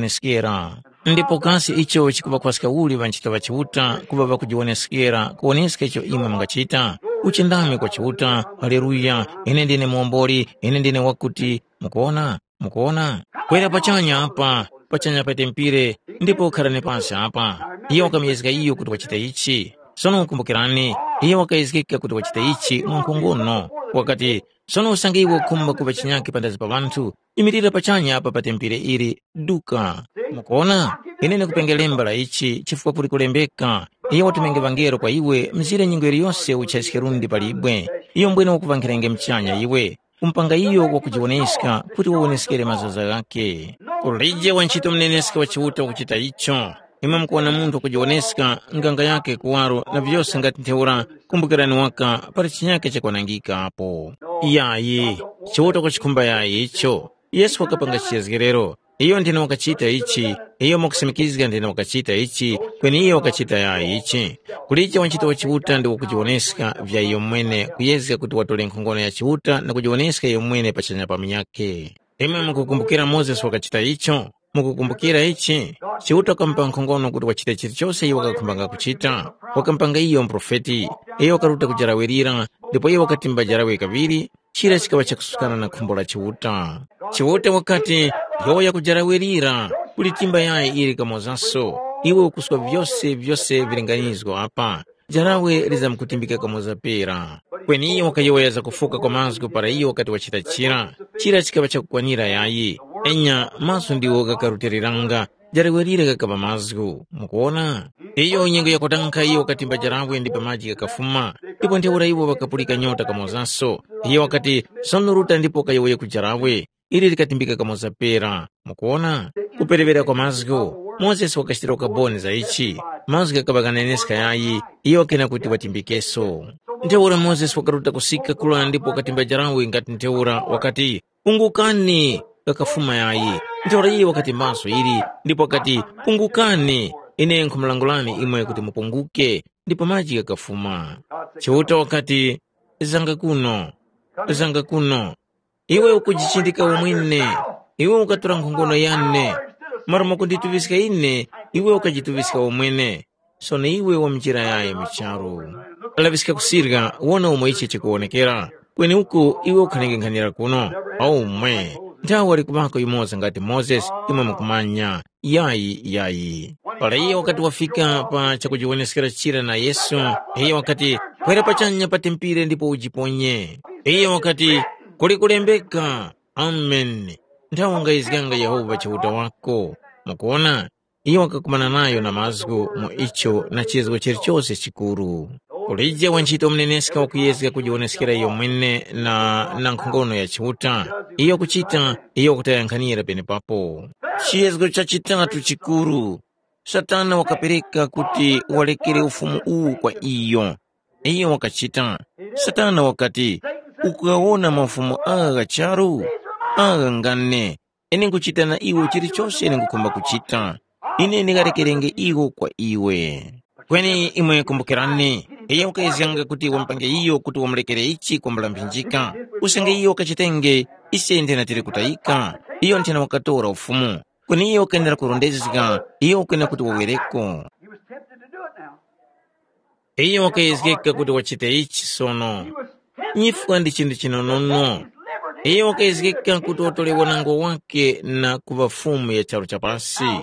wakujiwoneskera. Ndipo kasi icho chikuŵakhwaska uli ŵanchito ŵa Chiuta kuŵa ŵakujiwoneskera kuwoneska icho imwe mungachita? Uchindami kwa Chiuta, haleluya, ine ndine muwomboli, ine ndine wakuti, mukuona? Mukuona? Kwera pachanya apa, pachanya pa tempire, ndipo ukharani pasi apa. Iyo wakamuyezga iyo kuti wachita ichi. Sono kumbukirani, iyo wakayezgeka kuti wachita ichi mwankhongono. Wakati, sono usange iwe ukhumba kuŵa chinyakhe panthazi pa ŵanthu, imirira pachanya apa pa tempire ili, duka. Mukuona? Ine ndikupenge lemba la ichi chifukwa kuli kulembeka, iyo watumenge ŵangelo kwa iwe mzire nyengo yiliyose uchayiske lundi palibwe. Iyo mbwene wakuŵankhirenge muchanya iwe, kumupanga iyo wakujiwoneska kuti wawoneskere mazaza ghakhe. Kulije wantchito muneneska wa Chiuta wakuchita icho. Imwe mukuwona munthu wakujiwoneska nganga yakhe kuwaro na vyose ngati ntheura, kumbukirani waka pali chinyakhe chakwanangika apo. Yayi, Chiuta kuchikhumba yayi icho. Yesu wakapanga chiyezgerero. Iyo ndine wakachita ichi, iyo mwakusimikizga ndine wakachita ichi, kweni iyo wakachita yayi ichi. Kulije wantchito wa Chiuta ndi wakujiwoneska vya iyo mwene kuyezga kuti watole nkhongono ya Chiuta na kujiwoneska iyo mwene pachanya pa munyakhe. Imwe mukukumbukira Mozesi wakachita icho? Mukukumbukira ichi? Chiuta wakamupa nkhongono kuti wachite chilichose iyo wakakhumbanga kuchita. Wakamupanga iyo muprofeti. Iyo wakaruta kujarawirira, ndipo iyo wakatimba jarawe kaŵiri, chira chikaŵa chakusukana na khumbo la Chiuta. Chiuta wakati, yowoya kujarawirira, kulitimba yayi ili kamozaso, iwe ukuswa vyose vyose vilinganizgo apa, jarawe lizamkutimbika kamoza pera. Kweni iyo wakayowoya zakufuka kwa mazgu para iyo wakati wachita chira, chira chikaŵa chakukwanira yayi. Enya, maso ndiwo ghakarutiliranga, jarawe lira ghakaŵa mazgu. Mukuwona? Iyo nyengo yakutankha iyo wakatimba jarawe ndipo maji ghakafuma, ndipo ntheura iwo ŵakapulika nyota kamozaso. Iyo wakati, sono ruta ndipo kayowoye ku jarawe, ili likatimbika kamoza pera. Mukuwona? Kuperewera kwa mazgu, Mozesi wakachitira ukaboni za ichi. Mazgu ghakaŵa ghaneneska yayi, iyo wakena kuti watimbikeso. Ntheura Mozesi wakaruta kusika kula ndipo wakatimba jarawe ngati ntheura wakati, pungukani, ghakafuma yayi. Ntheura iyo wakatimbaso ili, ndipo wakati, pungukani, ine nkhumulangulani imwe kuti mupunguke, ndipo maji ghakafuma. Chiuta wakati, zanga kuno, zanga kuno. Iwe ukujichindika umwene, iwe ukatora nkhongono yane. Mara mukundituŵiska ine, iwe ukajituŵiska umwene. Sono iwe wa njira yayi mu charu. Laŵiska kusirya, wona umo ichi chikuwonekera. Kweni uku iwe ukhalengekhanira kuno, aumwe. Nthawe wali kuŵako yumoza ngati Mozesi, imwe mukumanya. Yayi, yayi. Para iyo wakati wafika pa chakujiwoneskera chira na Yesu, iyo wakati, kwera pachanya pa tempire ndipo ujiponye. Iyo wakati, kuli kulembeka, Ameni. Nthawe ungayizganga Yehova Chiuta wako. Mukuwona? Iyo wakakumana nayo na mazgu mu icho na chizgo chilichose chikuru. Kulije wantchito muneneska wakuyezga kujiwoneskera iyo mwene na, na nkhongono ya Chiuta, iyo kuchita, iyo wakutayankhanira penepapo. Chiyezgo cha chitatu chikuru, Satana wakapereka kuti walekere ufumu uwu kwa iyo. Iyo wakachita. Satana wakati, ukugawona mafumu agha gha charu? Agha ngane. Ine nkuchita na iwo chilichose ine ngukhumba kuchita. Ine ndingalekerenge iwo kwa iwe. Kweni imwe kumbukirani, iyo wakayezganga kuti wamupange iyo kuti wamulekere ichi kwambula mphinjika, usange iyo wakachitenge, ise nthena tili kutayika. Iyo nthena wakatora ufumu, kweni iyo wakwenera kurondezga, iyo wakwenera kuti wawereko. He was tempted to do it now. Iyo wakayezgeka kuti wachite ichi sono. Nyifwa ndi chinthu chinonono. Iyo wakayezgeka kuti watole wanangwa wake na kuŵa fumu ya charu cha pasi.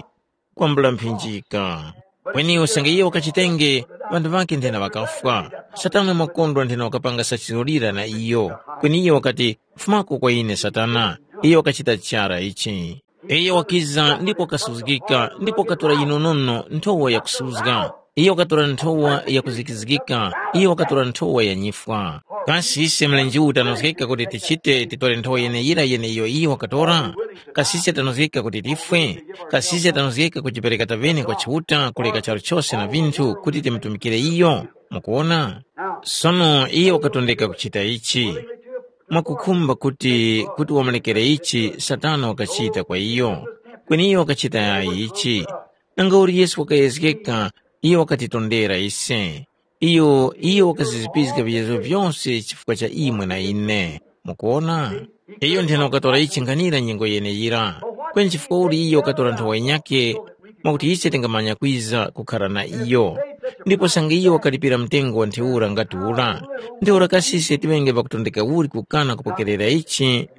Kwambula mphinjika. Kweni usange iyo wakachitenge, ŵanthu ŵakhe nthena ŵakafwa. Satana wakondwa nthena wakapanga sachizolira na iyo. Kweni iyo wakati, “Fumako kwa ine Satana.” Iyo wakachita chara ichi. Iyo wakiza ndipo wakasuzgika ndipo wakatora yinonono nthowa yakusuzga. Iyo wakatora nthowa yakuzikizgika. Iyo wakatora nthowa ya nyifwa. Kasi ise mlenje uwu tanozgeka kuti tichite titore nthowa yeneyira yeneiyo iyo wakatora? Kasi ise tanozgeka kuti tifwe? Kasi ise tanozgeka kujipereka tavene kwa Chiuta kuleka charu chose na vinthu kuti timutumikire iyo? Mukuwona? Sono iyo wakatondeka kuchita ichi. Mwakukhumba kuti kuti wamulekere ichi Satana wakachita kwa iyo, kweni iyo wakachita yayi ichi. Nangauli Yesu wakayezgeka, iyo wakatitondera ise. Iyo iyo wakazizipizga viyezo vyose chifukwa cha imwe na ine. Mukuona? Iyo nthena wakatora ichi nkhanira nyengo yeneyira. Kweni chifukwa uli iyo wakatora nthowa yinyakhe, mwakuti ise tingamanya kwiza kukhara na iyo. Ndipo sange iyo wakalipira mtengo wa ntheura ngati ura, ntheura kasi ise tiŵenge ŵakutondeka uli kukana kupokerera ichi?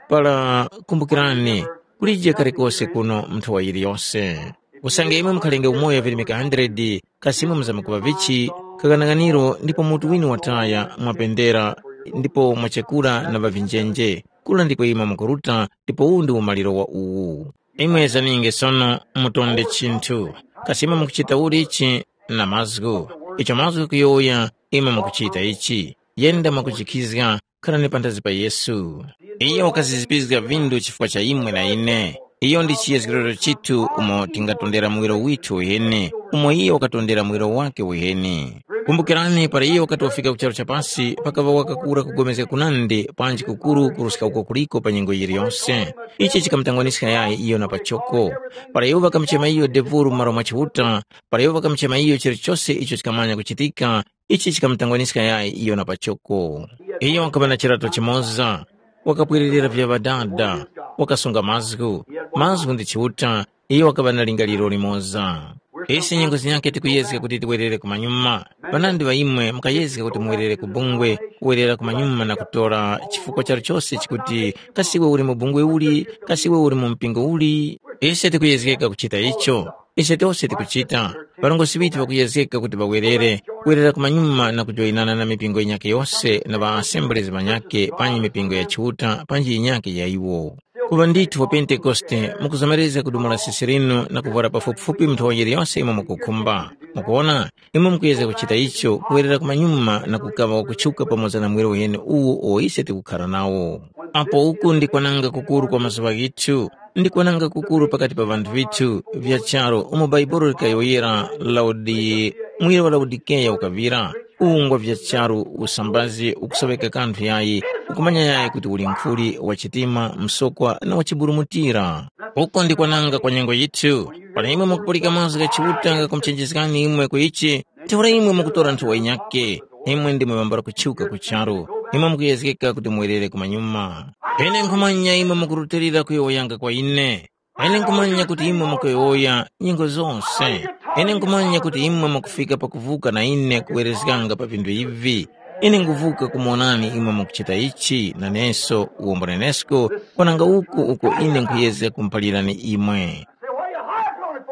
Para kumbukirani, kulije kalikose kuno mu nthowa yiliyose. Usange imwe mukhalenge umoyo virimika hundred, kasi imwe muzamkuŵa vichi? Kaghanaghaniro ndipo mutu winu wataya mwapendera, ndipo mwachekura na ŵavinjenje. Kura ndiko imwe mukuruta, ndipo uwu ndi umaliro wa uwu. Imwe zaninge sono, mutonde chinthu. Kasi imwe mukuchita uli ichi? Na mazgu. Icho mazgu kuyowoya, imwe mukuchita ichi. Yenda mwakujikhizga, kharani panthazi pa Yesu. Iyo wakazizipizga vindu chifukwa cha imwe na ine. Iyo ndi chiyezgerero chithu umo tingatondera muwiro withu uheni, umo iyo wakatondera muwiro wake uheni. Kumbukirani, para iyo wakati wafika ku charu cha pasi, pakaŵa wakakura kugomezga kunandi panji kukuru kuruska uko kuliko pa nyengo yiliyose. Ichi chikamutangwaniska yayi iyo na pachoko. Para iwo ŵakamuchema iyo devuru mu malo mwa Chiuta, para iwo ŵakamuchema iyo chilichose icho chikamanya kuchitika, ichi chikamutangwaniska yayi iyo na pachoko. Iyo wakaŵa na chirato chimoza, wakapwererera vya ŵadada, wakasunga mazgu. Mazgu ndi Chiuta, iyo wakaŵa na lingaliro limoza. Ise nyengo zinyakhe tikuyezga kuti tiwerere kumanyuma. Ŵanandi ŵa imwe mukayezga kuti muwerere ku bungwe, kuwerera kumanyuma na kutora chifukwa chalichose chikuti, kasi iwe uli mu bungwe uli, kasi iwe uli mu mpingo uli. Ise tikuyezgeka kuchita icho. Ise tose tikuchita. Ŵarongozgi ŵithu ŵakuyezgeka kuti ŵawerere, kuwerera kumanyuma na kujoyinana na mipingo yinyakhe yose na ŵa assemblies ŵanyakhe panyi mipingo ya Chiuta panji yinyakhe ya iwo. Kuŵa ndithu wa Pentekoste mukuzomerezga kudumula sisi linu na kuvwara pafupifupi nthowa yiliyose imwe mukukhumba. Mukuwona, imwe mukuyezga kuchita icho kuwerera kumanyuma na kukaŵa wakutchuka pamoza na mwiro uheni uwu uwo ise tikukhara nawo. Apo uku ndi kwananga kukuru kwa mazuŵa ghithu, ndi kwananga kukuru pakati pa vanthu vithu vya charu umo Bhaibuli likayowoyera Laudi, muwiro wa Laodikeya ukaŵira. Ungwa vya charu usambazi ukusoŵeka kanthu yayi, ukumanya yayi kuti uli nkhuli wa chitima, msokwa na wa chiburumutira. Uko ndi kwananga kwa nyengo yithu. Para imwe mukupulika mazgu gha Chiuta ghakumuchenjezgani imwe ku ichi, ntheura imwe mukutora nthowa yinyakhe, imwe ndimwe ŵambala kutchuka ku charu, imwe mukuyezgeka kuti muwerere kumanyuma. Ine nkhumanya imwe mukurutilira kuyowoyanga kwa ine. Ine nkhumanya kuti imwe mukuyowoya nyengo zose. Ine nkhumanya kuti imwe mukufika pakuvuka na ine kuwerezganga pa vinthu ivi. Ine nkhuvuka kumuwonani imwe mukuchita ichi, naneso uwombo nenesko, kwananga uku uko ine nkhuyezga kumuphalirani imwe.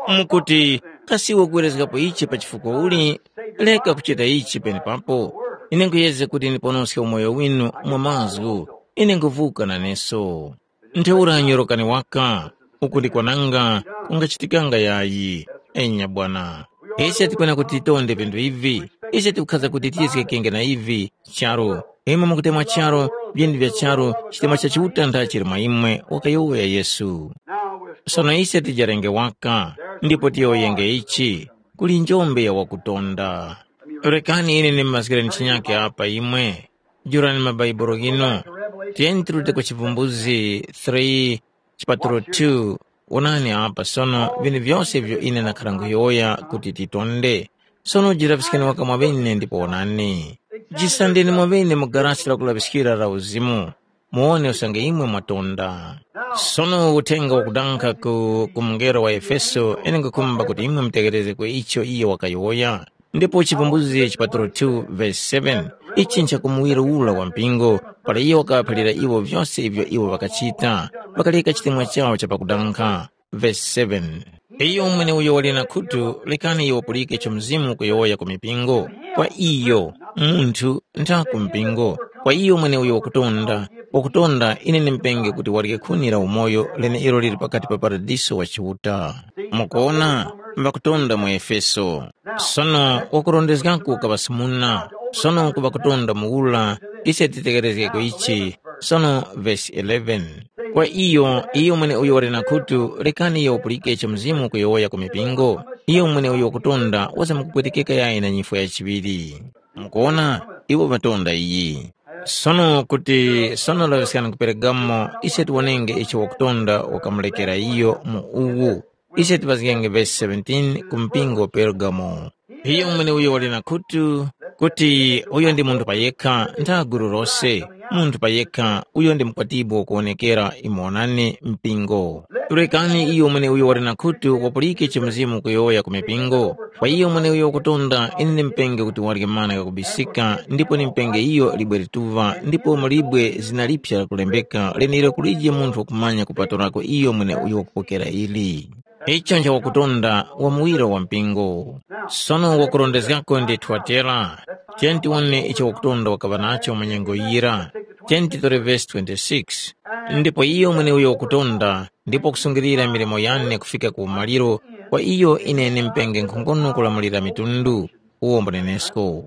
Mukuti, kasi iwe ukuwerezgapo ichi pa chifukwa uli? Reka kuchita ichi penepapo. Ine nkhuyezga kuti ndiponoske umoyo winu mwa mazgu. Ine nkhuvuka naneso. Ntheura nyorokani waka, uku ndi kwananga kungachitikanga yayi. Enya bwana. Ise tikwena kuti titonde vintu ivi. Ise tikukhaza kuti tiyezgekenge na ivi. Charu. Imwe mukutemwa charu, vyeni vya charu, chitemwa cha Chiuta nda chili mwa imwe, wakayowoya Yesu. Sono ise tijarenge waka, ndipo tiyowoyenge ichi, kuli njombe ya wakutonda. Rekani ine ndimumazgireni chinyake apa imwe. Jurani mabaibulo ghinu. Tiyeni tirute ku Chivumbuzi three, chipatulo two. Wonani apa sono vinthu vyose ivyo ine ndakhara nkhuyowoya kuti titonde. Sono jilaŵiskeni waka mwaŵene ndipo wonani. Jisandeni mwaŵene mu garasi lakulaŵiskira la uzimu, muwone usange imwe mwatonda. Sono uthenga wakudanga ku, ku mungelo wa Efeso, ine nkhukhumba kuti imwe mutegherezge ku icho iyo wakayowoya. Ndipo Chivumbulutso chipatalo two verse seven, ichi nchakumuwira ura wa mpingo, para iyo wakaphalira iwo vyose ivyo iwo ŵakachita, ŵakaleka chitemwa chawo cha pakudankha. Verse seven. Iyo mweneuyo wali na khutu, rekani iyo wapulike icho Mzimu ukuyowoya ku mipingo. Kwa iyo, munthu, ntha ku mpingo. Kwa iyo mweneuyo wakutonda, wakutonda, ine ndimupenge kuti warye khuni la umoyo leneilo lili pakati pa paradiso wa Chiuta. Mukuona, ŵakutonda mu Efeso. Sono wakurondezgako kaŵasumuna, sono ku ŵakutonda muwura, ise titekerezgeko ichi. Sono vesi eleven. Kwa iyo, iyo mweneuyo wali na khutu, rekani iyo wapulike icho Mzimu ukuyowoya ku mipingo. Iyo mweneuyo wakutonda wazamkupwetekeka yayi na nyifwa ya chiŵiri. Mukuwona, iwo ŵatonda iyi. Sono kuti sono laŵiskani ku Peregamo, ise tiwonenge icho wakutonda wakamulekera iyo mu uwu. Ise tipazgenge vesi seventeen ku mpingo wa Peregamo. Iyo mweneuyo wali na khutu, kuti uyo ndi munthu payekha ntha gulu lose, munthu payekha uyo ndi mukwatibwi wakuwonekera imonani mpingo. Rekani iyo mweneuyo wali na khutu wapulike icho Mzimu ukuyowoya ku mipingo. Kwa iyo mweneuyo wakutonda, ine ndimupenge kuti warye mana ghakubisika, ndipo ndimupenge iyo libwe lituŵa, ndipo mu libwe zina liphya lakulembeka, lenelo kulije munthu wakumanya kupatulako iyo mweneuyo wakupokera ili. Icho nchawakutonda wa muwiro wa mpingo. Sono wakurondezgako ndi Thuatera. Tiyeni tiwone icho wakutonda wakaŵa nacho mu nyengo yira. Tiyeni titore vesi twenty-six. Ndipo iyo mweneuyo wakutonda, ndipo kusungilira milimo yane kufika ku umaliro, kwa iyo ine ndimupenge nkhongono kulamulira mitundu, uwo mbunenesko.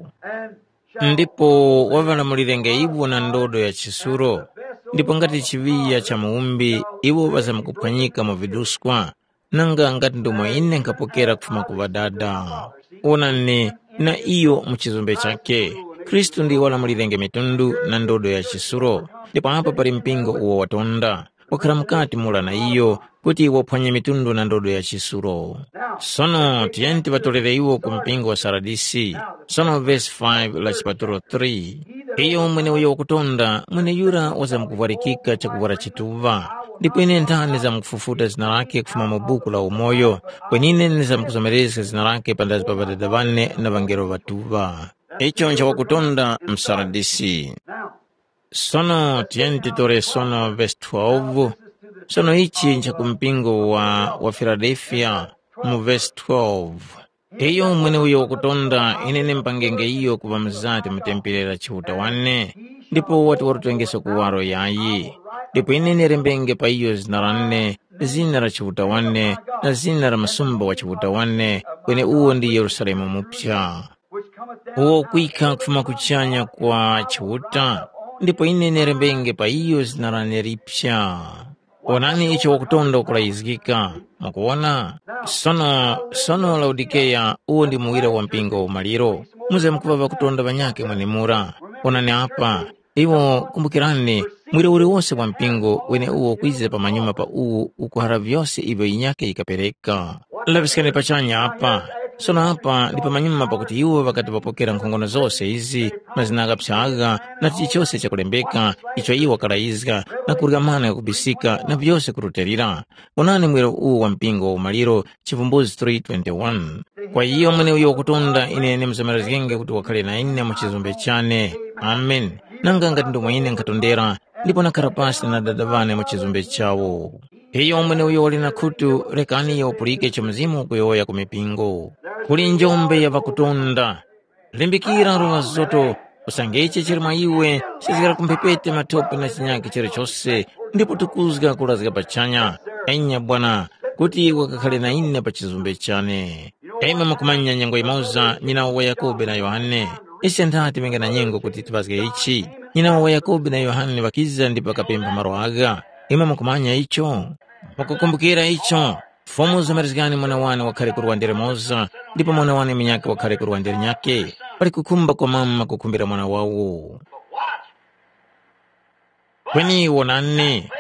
Ndipo waŵalamulirenge iwo na ndodo ya chisuro, ndipo ngati chiŵiya cha muwumbi iwo ŵazamkuphwanyika mu viduskwa, nanga ngati ndomwe ine nkhapokera kufuma ku Ŵadada. Wonani, na iyo mu chizombe chakhe, Khristu ndiyo walamulirenge mitundu na ndodo ya chisuro, ndipo apa pali mpingo uwo watonda, wakhala mukati mura na iyo, kuti waphwanye mitundu na ndodo ya chisuro. Sono tiyeni tiŵatolere iwo ku mpingo wa Saradisi. Sono vesi five la chipatulo three. Iyo mweneuyo wakutonda, mweneyura wazamkuvwarikika chakuvwara chituŵa. Ndipo ine nthani ndizamkufufuta zina lakhe kufuma mu buku la umoyo, kwenine ndizamkuzomerezga zina lakhe panthazi pa Ŵadada ŵane na ŵangelo ŵatuŵa. Icho nchawakutonda mu Saradisi. Sono tiyeni titore sono vesi twelve. Sono ichi ncha ku mpingo wa, wa Filadelfiya mu vesi twelve. Iyo mweneuyo wakutonda ine ndimpangenge iyo kuŵa mzati mu tempere la Chiuta wane, ndipo wati warutengeso kuwaro yayi. Ndipo ine ndirembenge pa iyo zina lane, zina la Chiuta wane, na zina la msumba wa Chiuta wane, kweneuwo ndi Yerusalemu muphya. Uwo kwikha kufuma kuchanya kwa Chiuta, ndipo ine nerembenge pa iyo zina lane liphya. Wonani icho wakutonda ukulayizgika. Mukuwona? Sono, sono Laodikeya uwo ndi muwira wa mpingo wa umaliro. Muze mukuŵa ŵakutonda ŵanyakhe mwenemura. Wonani apa, iwo kumbukirani, mwiro uliwose wa mpingo weneuwo kwiza pamanyuma pa uwu ukuhara vyose ivyo yinyakhe yikapereka. Laŵiskani pachanya apa. Sono apa ndi pamanyuma pakuti iwo ŵakati ŵapokera nkhongono zose izi, mazina ghaphya agha, na chilichose chakulembeka icho iwo ŵakalayizga, na kurya mana ghakubisika na vyose kurutilira. Onani mwero uwu wa mpingo wa umaliro, Chivumbuzi three twenty-one. Kwa iyo mweneuyo wakutonda ine ndimuzomerezgenge kuti wakhale na ine mu chizombe chane. Amen. Nanga ngati ndomwe ine nkhatondera, ndipo nakhara pasi na Dada ŵane mu chizombe chawo. Iyo mweneuyo wali na khutu, rekani iyo wapulike icho Mzimu ukuyowoya ku mipingo. Kuli njombe ya ŵakutonda. Limbikira, Rowa Zoto, usange ichi chili mwa iwe, chizgara ku mphepete mathope na chinyakhe chilichose, ndipo tukuzga kulazga pachanya. Enya Bwana, kuti wakakhale na ine pa chizumbe chane. Imwe mukumanya nyengo yimoza nyinawo wa Yakobe na Yohane. Ise ntha tiŵenge na nyengo kuti tipazge ichi. Nyinawo wa Yakobe na Yohane ŵakiza ndipo ŵakapempha malo agha. Imwe mukumanya icho? Mukukumbukira icho? Fumu zomerezgani mwana wane wakhale ku lwande limoza, ndipo mwana wane munyakhe wakhale ku lwande linyakhe. Pali kukhumba kwa mama kukhumbira mwana wawo. Kweni wonani,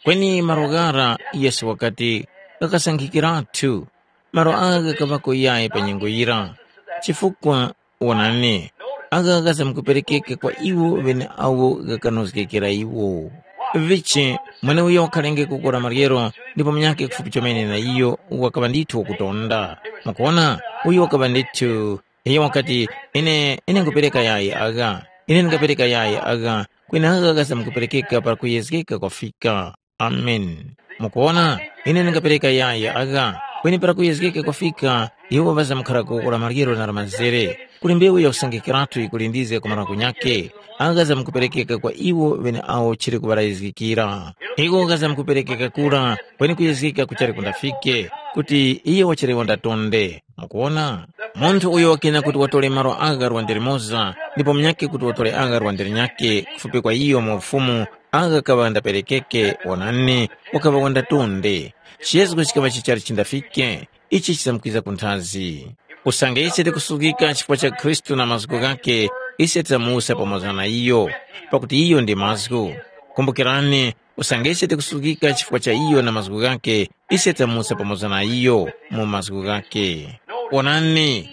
kweni malo ghara Yesu wakati ghakasankhikiratu, malo agha ghakaŵako yayi pa nyengo yira. Chifukwa wonani, agha ghazamkuperekeka kwa iwo ŵeneawo ghakanozgekera iwo. Vichi, mweneuyo wakhalenge kukora maryero, ndipo munyakhe kufupi chomene na iyo wakaŵa ndithu wakutonda. Mukuwona, uyo wakaŵa ndithu Iyo wakati, “Ine, ine nkhupereka yayi agha, ine ndingapereka yayi agha, kweni agha ghazamkuperekeka para kuyezgeka kwafika.” Ameni. Mukuwona, ine ndingapereka yayi agha, kweni para kuyezgeka kwafika, iwo ŵazamkharako la maryero na la mazere. Kuli mbewu ya usangikaratu yikulindizga ku marango nyakhe, agha zamkuperekeka kwa iwo ŵeneawo chili kuŵalayizgikira. Iko ghazamkuperekeka kura, kweni kuyezgeka kuchali kundafike, kuti iyo wachali wandatonde. Mukuwona? Munthu uyo wakina kuti watore malo agha lwande limoza, ndipo munyakhe kuti watore agha lwande linyakhe, kufupi kwa iyo mu ufumu, agha kaŵa ndaperekeke, wonani, wakaŵa wandatonde. Chiyezgo chikaŵa chichali chindafike, ichi chizamkwiza ku nthazi. Usange ise tikusuzgika chifukwa cha Khristu na mazgu ghakhe, ise tizamuwuska pamoza na iyo, pakuti iyo ndi mazgu. Kumbukirani, usange ise tikusuzgika chifukwa cha iyo na mazgu ghakhe, ise tamusa pamoza na iyo mu mazgu ghakhe. Wonani,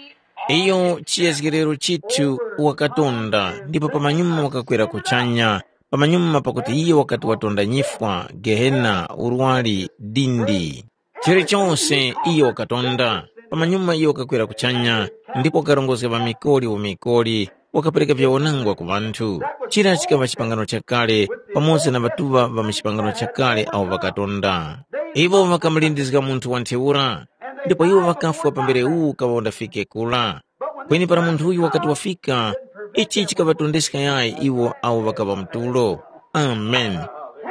iyo chiyezgerero chithu wakatonda, ndipo pamanyuma wakakwera kuchanya, pamanyuma pakuti iyo wakati watonda nyifwa, gehena, urwari, dindi. Chilichose iyo wakatonda, pamanyuma iyo wakakwera kuchanya, ndipo wakarongozga ŵamikoli umikoli, wakapereka vyawanangwa ku ŵanthu. Chira chikaŵa chipangano chakale pamoza na ŵatuŵa ŵa mu chipangano chakale awo ŵakatonda. Iwo ŵakamulindizga munthu wa ntheura, ndipo iwo ŵakafwa pambere uwu ukaŵa undafike kura. Kweni para munthu uyu wakati wafika, ichi chikaŵatondeska yayi iwo awo ŵakaŵa mu tulo. Amen.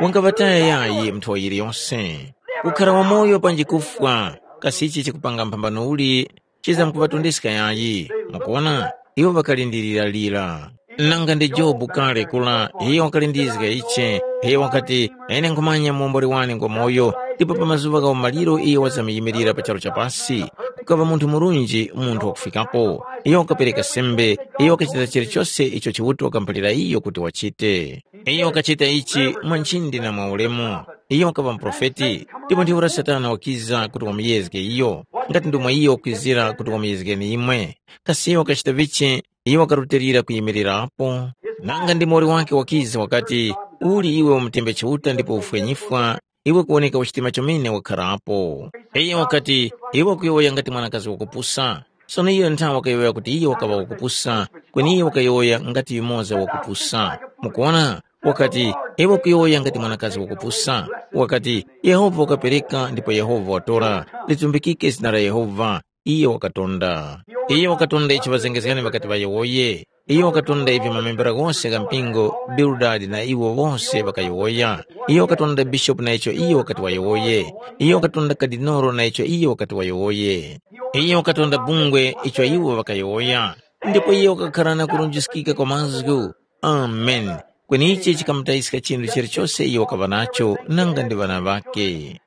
Wangaŵataya yayi munthu wa yiliyose. Kukhara wamoyo panji kufwa, kasi ichi chikupanga mphambano uli chizamkuŵatondeska yayi? Mukuwona, iwo ŵakalindiriralira. Nanga ndi Jobu kale kula, iyo wakalindizga ichi, iyo wakati, “Ine nkhumanya muwomboli wane ngwamoyo, ndipo pa mazuŵa gha umaliro iyo wazamyimirira pa charu cha pasi.” Kukaŵa munthu murunji, munthu wakufikapo. Iyo wakapereka sembe, iyo wakachita chilichose icho Chiuta wakamuphalira iyo kuti wachite. Iyo wakachita ichi mwa nchindi na mwa ulemu. Iyo wakaŵa muprofeti, ndipo ntheura Satana wakiza kuti wamuyezge iyo, ngati ndomwe iyo wakwizira kuti wamuyezgeni imwe. Kasi iyo wakachita vichi? Iyo wakarutilira kuyimirirapo. Nanga ndi muwoli wake wakiza wakati, “Uli iwe umutembe Chiuta ndipo ufwe nyifwa, iwe kuwoneka uchitima chomene wakharapo.” Iyo wakati, “Iwe ukuyowoya ngati mwanakazi wakupusa.” Sono iyo nthawe wakayowoya kuti iyo wakaŵa wakupusa, kweni iyo wakayowoya ngati yumoza wakupusa. Mukuwona? Wakati, “Iwe ukuyowoya ngati mwanakazi wakupusa.” Wakati, “Yehova wakapereka ndipo Yehova watora, litumbikike zina la Yehova.” Iyo wakatonda. Iyo wakatonda icho ŵazengezgani ŵakati ŵayowoye. Iyo wakatonda ivyo mamembera ghose gha mpingo, Bildadi na iwo wose ŵakayowoya. Iyo wakatonda bishopu na icho iyo wakati wayowoye. Iyo wakatonda kadinolo na icho iyo wakati wayowoye. Iyo wakatonda bungwe icho iwo ŵakayowoya. Ndipo iyo wakakhara na kurunjiskika kwa mazgu. Amen. Kweni ichi chikamutayiska chinthu chilichose iyo wakaŵa nacho nanga ndi ŵana ŵakhe.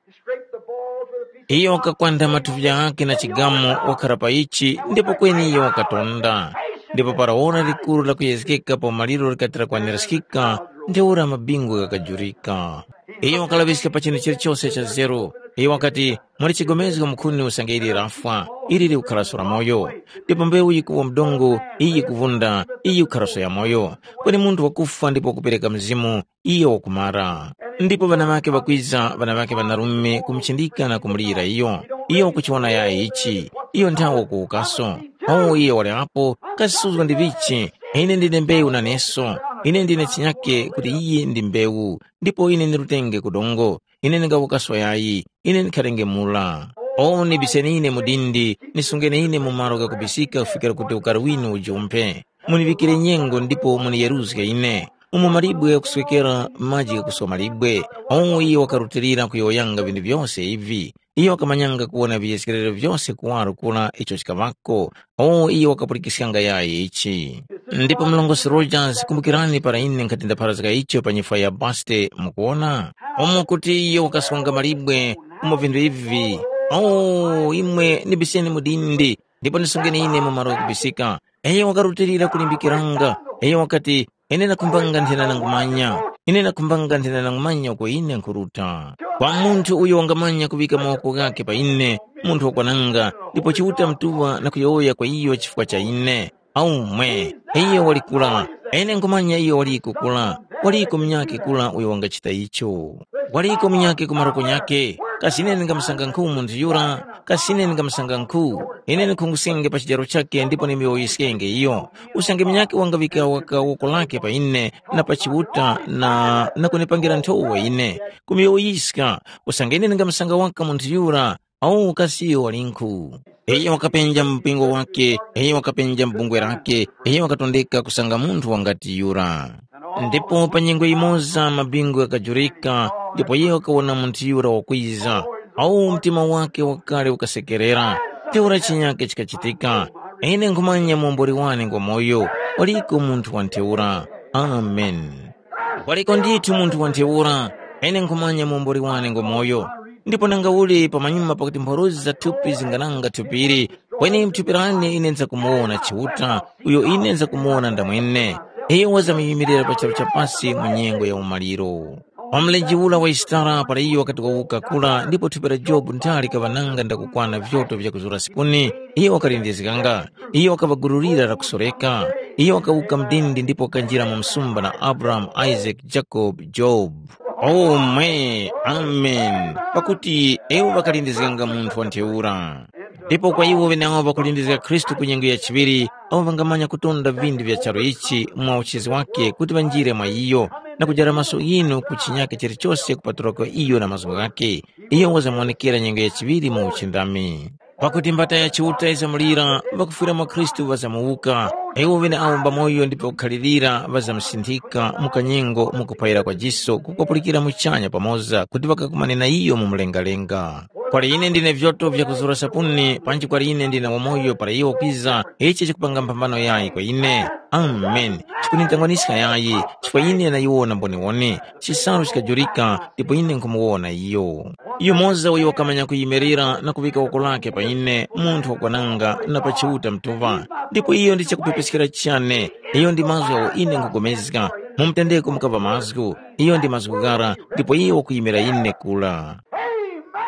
Iyo wakakwantha mathuvi ghakhe na chigamu wakhara pa ichi ndipo kweni iyo wakatonda. Ndipo para ora likuru lakuyezgeka pa umaliro likati lakwaniraskika, ntheura mabingu ghakajurika. Iyo wakalaŵiska pa chinthu chilichose cha zeru. Iyo wakati, “Muli chigomezgo mukhuni usange ili lafwa, ili likukharaso la moyo. Ndipo mbewu yikuwa mdongo, iyi yikuvunda, iyi yikukharaso ya moyo. Kweni munthu wakufwa ndipo wakupereka mzimu, iyo wakumara.” Ndipo ŵana ŵakhe ŵakwiza, ŵana ŵakhe ŵanarume kumuchindika na kumulira iyo. Iyo wakuchiwona yayi ichi, iyo nthawe wakuwukaso. Awo iyo wali apo, kasuzgo ndi vichi, ine ndine mbewu naneso, ine ndine chinyake kuti iye ndi mbewu, ndipo ine ndi lutenge ku dongo. Ine ndingawukaso yayi, ine ndikharenge mura. O nibiseni ine mu dindi, nisungeni ine mu malo ghakubisika kufikira kuti ukari winu ujumphe. Muniŵikire nyengo ndipo muniyeruzge ine. Umo malibwe ghakuswekera maji ghakuswa malibwe. O iye wakarutilira kuyowoyanga vinthu vyose ivi. Iyo wakamanyanga kuwona viyezgerero vyose kuwaro kura icho chikaŵako. O iyo wakapulikiskanga yayi ichi. Ndipo mlongosi Rogers, kumbukirani para ine nkhati ndapharazga icho pa nyifwa ya baste, mukuwona? Umo kuti iyo wakasonga malibwe, umo vinthu ivi. O, imwe ndibiseni mu dindi, ndipo ndisungeni ine mu malo ghakubisika. Iyo wakarutilira kulimbikiranga. Iyo wakati, ine ndakhumbanga nthena nangumanya. Ine ndakhumbanga nthena nangumanya uko ine nkhuruta. Kwa munthu uyo wangamanya kuŵika mawoko ghakhe pa ine, munthu wakwananga, ndipo Chiuta mtuŵa na kuyowoya kwa iyo chifukwa cha ine. Aumwe, iyo wali kura, ine nkhumanya iyo waliko kura, waliko munyakhe kura uyo wangachita icho. Waliko munyakhe ku maroko nyakhe, Kasi ine ndingamusanga nkhu munthu yura? Kasi ine ndingamusanga nkhu? Ine ndikhungusenge pa chijaro chakhe ndipo ndimyowoyeskenge iyo. Usange munyakhe wangaŵika waka woko lakhe pa ine na pa Chiuta na, na kunipangira nthowa ine, kumyowoyiska, usange ine ndingamusanga waka munthu yura, awu kasi iyo walinkhu. Iyo wakapenja mpingo wakhe, iyo wakapenja bungwe lakhe, iyo wakatondeka kusanga munthu wangati yura. Ndipo pa nyengo yimoza mabingu ghakajurika, ndipo iyo wakawona munthu yura wakwiza. Awu mtima wakhe wakale ukasekerera. Ntheura chinyakhe chikachitika. Ine nkhumanya muomboli wane ngwamoyo, waliko munthu wa ntheura. Amen. Waliko ndithu munthu wa ntheura. Ine nkhumanya muomboli wane ngwamoyo. Ndipo nanga uli pamanyuma pakuti mphorozi za thupi zingananga thupili, kweni mthupi lane ine nzakumuwona Chiuta, uyo ine nzakumuwona ndamwene. Iyo wazamuyimilira pa charu cha pasi mu nyengo ya umaliro. Pa mlenje ura wa Yisitara para iyo wakati wawuka kura ndipo thupi la Jobu ntha likaŵa nanga ndakukwana vyoto vyakuzura sipuni, iyo wakalindizganga. Iyo wakaŵagururira lakusoreka. Iyo wakawuka mdindi ndipo wakanjira mu msumba na Abrahamu, Isaac, Jacob, Job. Omwe, amen. Pakuti iwo ŵakalindizganga munthu wa ntheura. Ndipo kwa iwo ŵeneawo ŵakulindizga Khristu ku nyengo ya chiŵiri, awo ŵangamanya kutonda vindu vya charu ichi mwa uchizi wake kuti ŵanjire mwa iyo, na kujara maso ghinu ku chinyakhe chilichose kupatulako iyo na mazgu ghakhe. Iyo wazamuwonekera nyengo ya chiŵiri mu uchindami. Pakuti mbata ya Chiuta yizamulira, ŵakufwira mwa Khristu ŵazamuwuka, iwo ŵeneawo mbamoyo ndipo kukhalirira ŵazamusinthika mu kanyengo mu kuphayira kwa jiso kukapulikira muchanya pamoza kuti ŵakakumane na iyo mu mlengalenga. Kwali ine ndine vyoto vyakuzura sapuni, panji kwali ine ndine wamoyo para iwo kwiza, ichi chikupanga mphambano yayi kwa ine. Amen. Chikunintangwaniska yayi, chifukwa ine nayiwona mboniwoni, chisalu chikajurika, ndipo ine nkhumuwona iyo. Yumoza uyo wakamanya kuyimirira na kuŵika woko lake pa ine, munthu wakwananga na pa Chiuta mtuŵa. Ndipo iyo ndi chakupepeskera chane, iyo ndi mazgu agho ine nkhupulikana, mu mutendeko mukaŵa mazgu, iyo ndi mazgu ghara, ndipo iyo wakuyimira ine kura.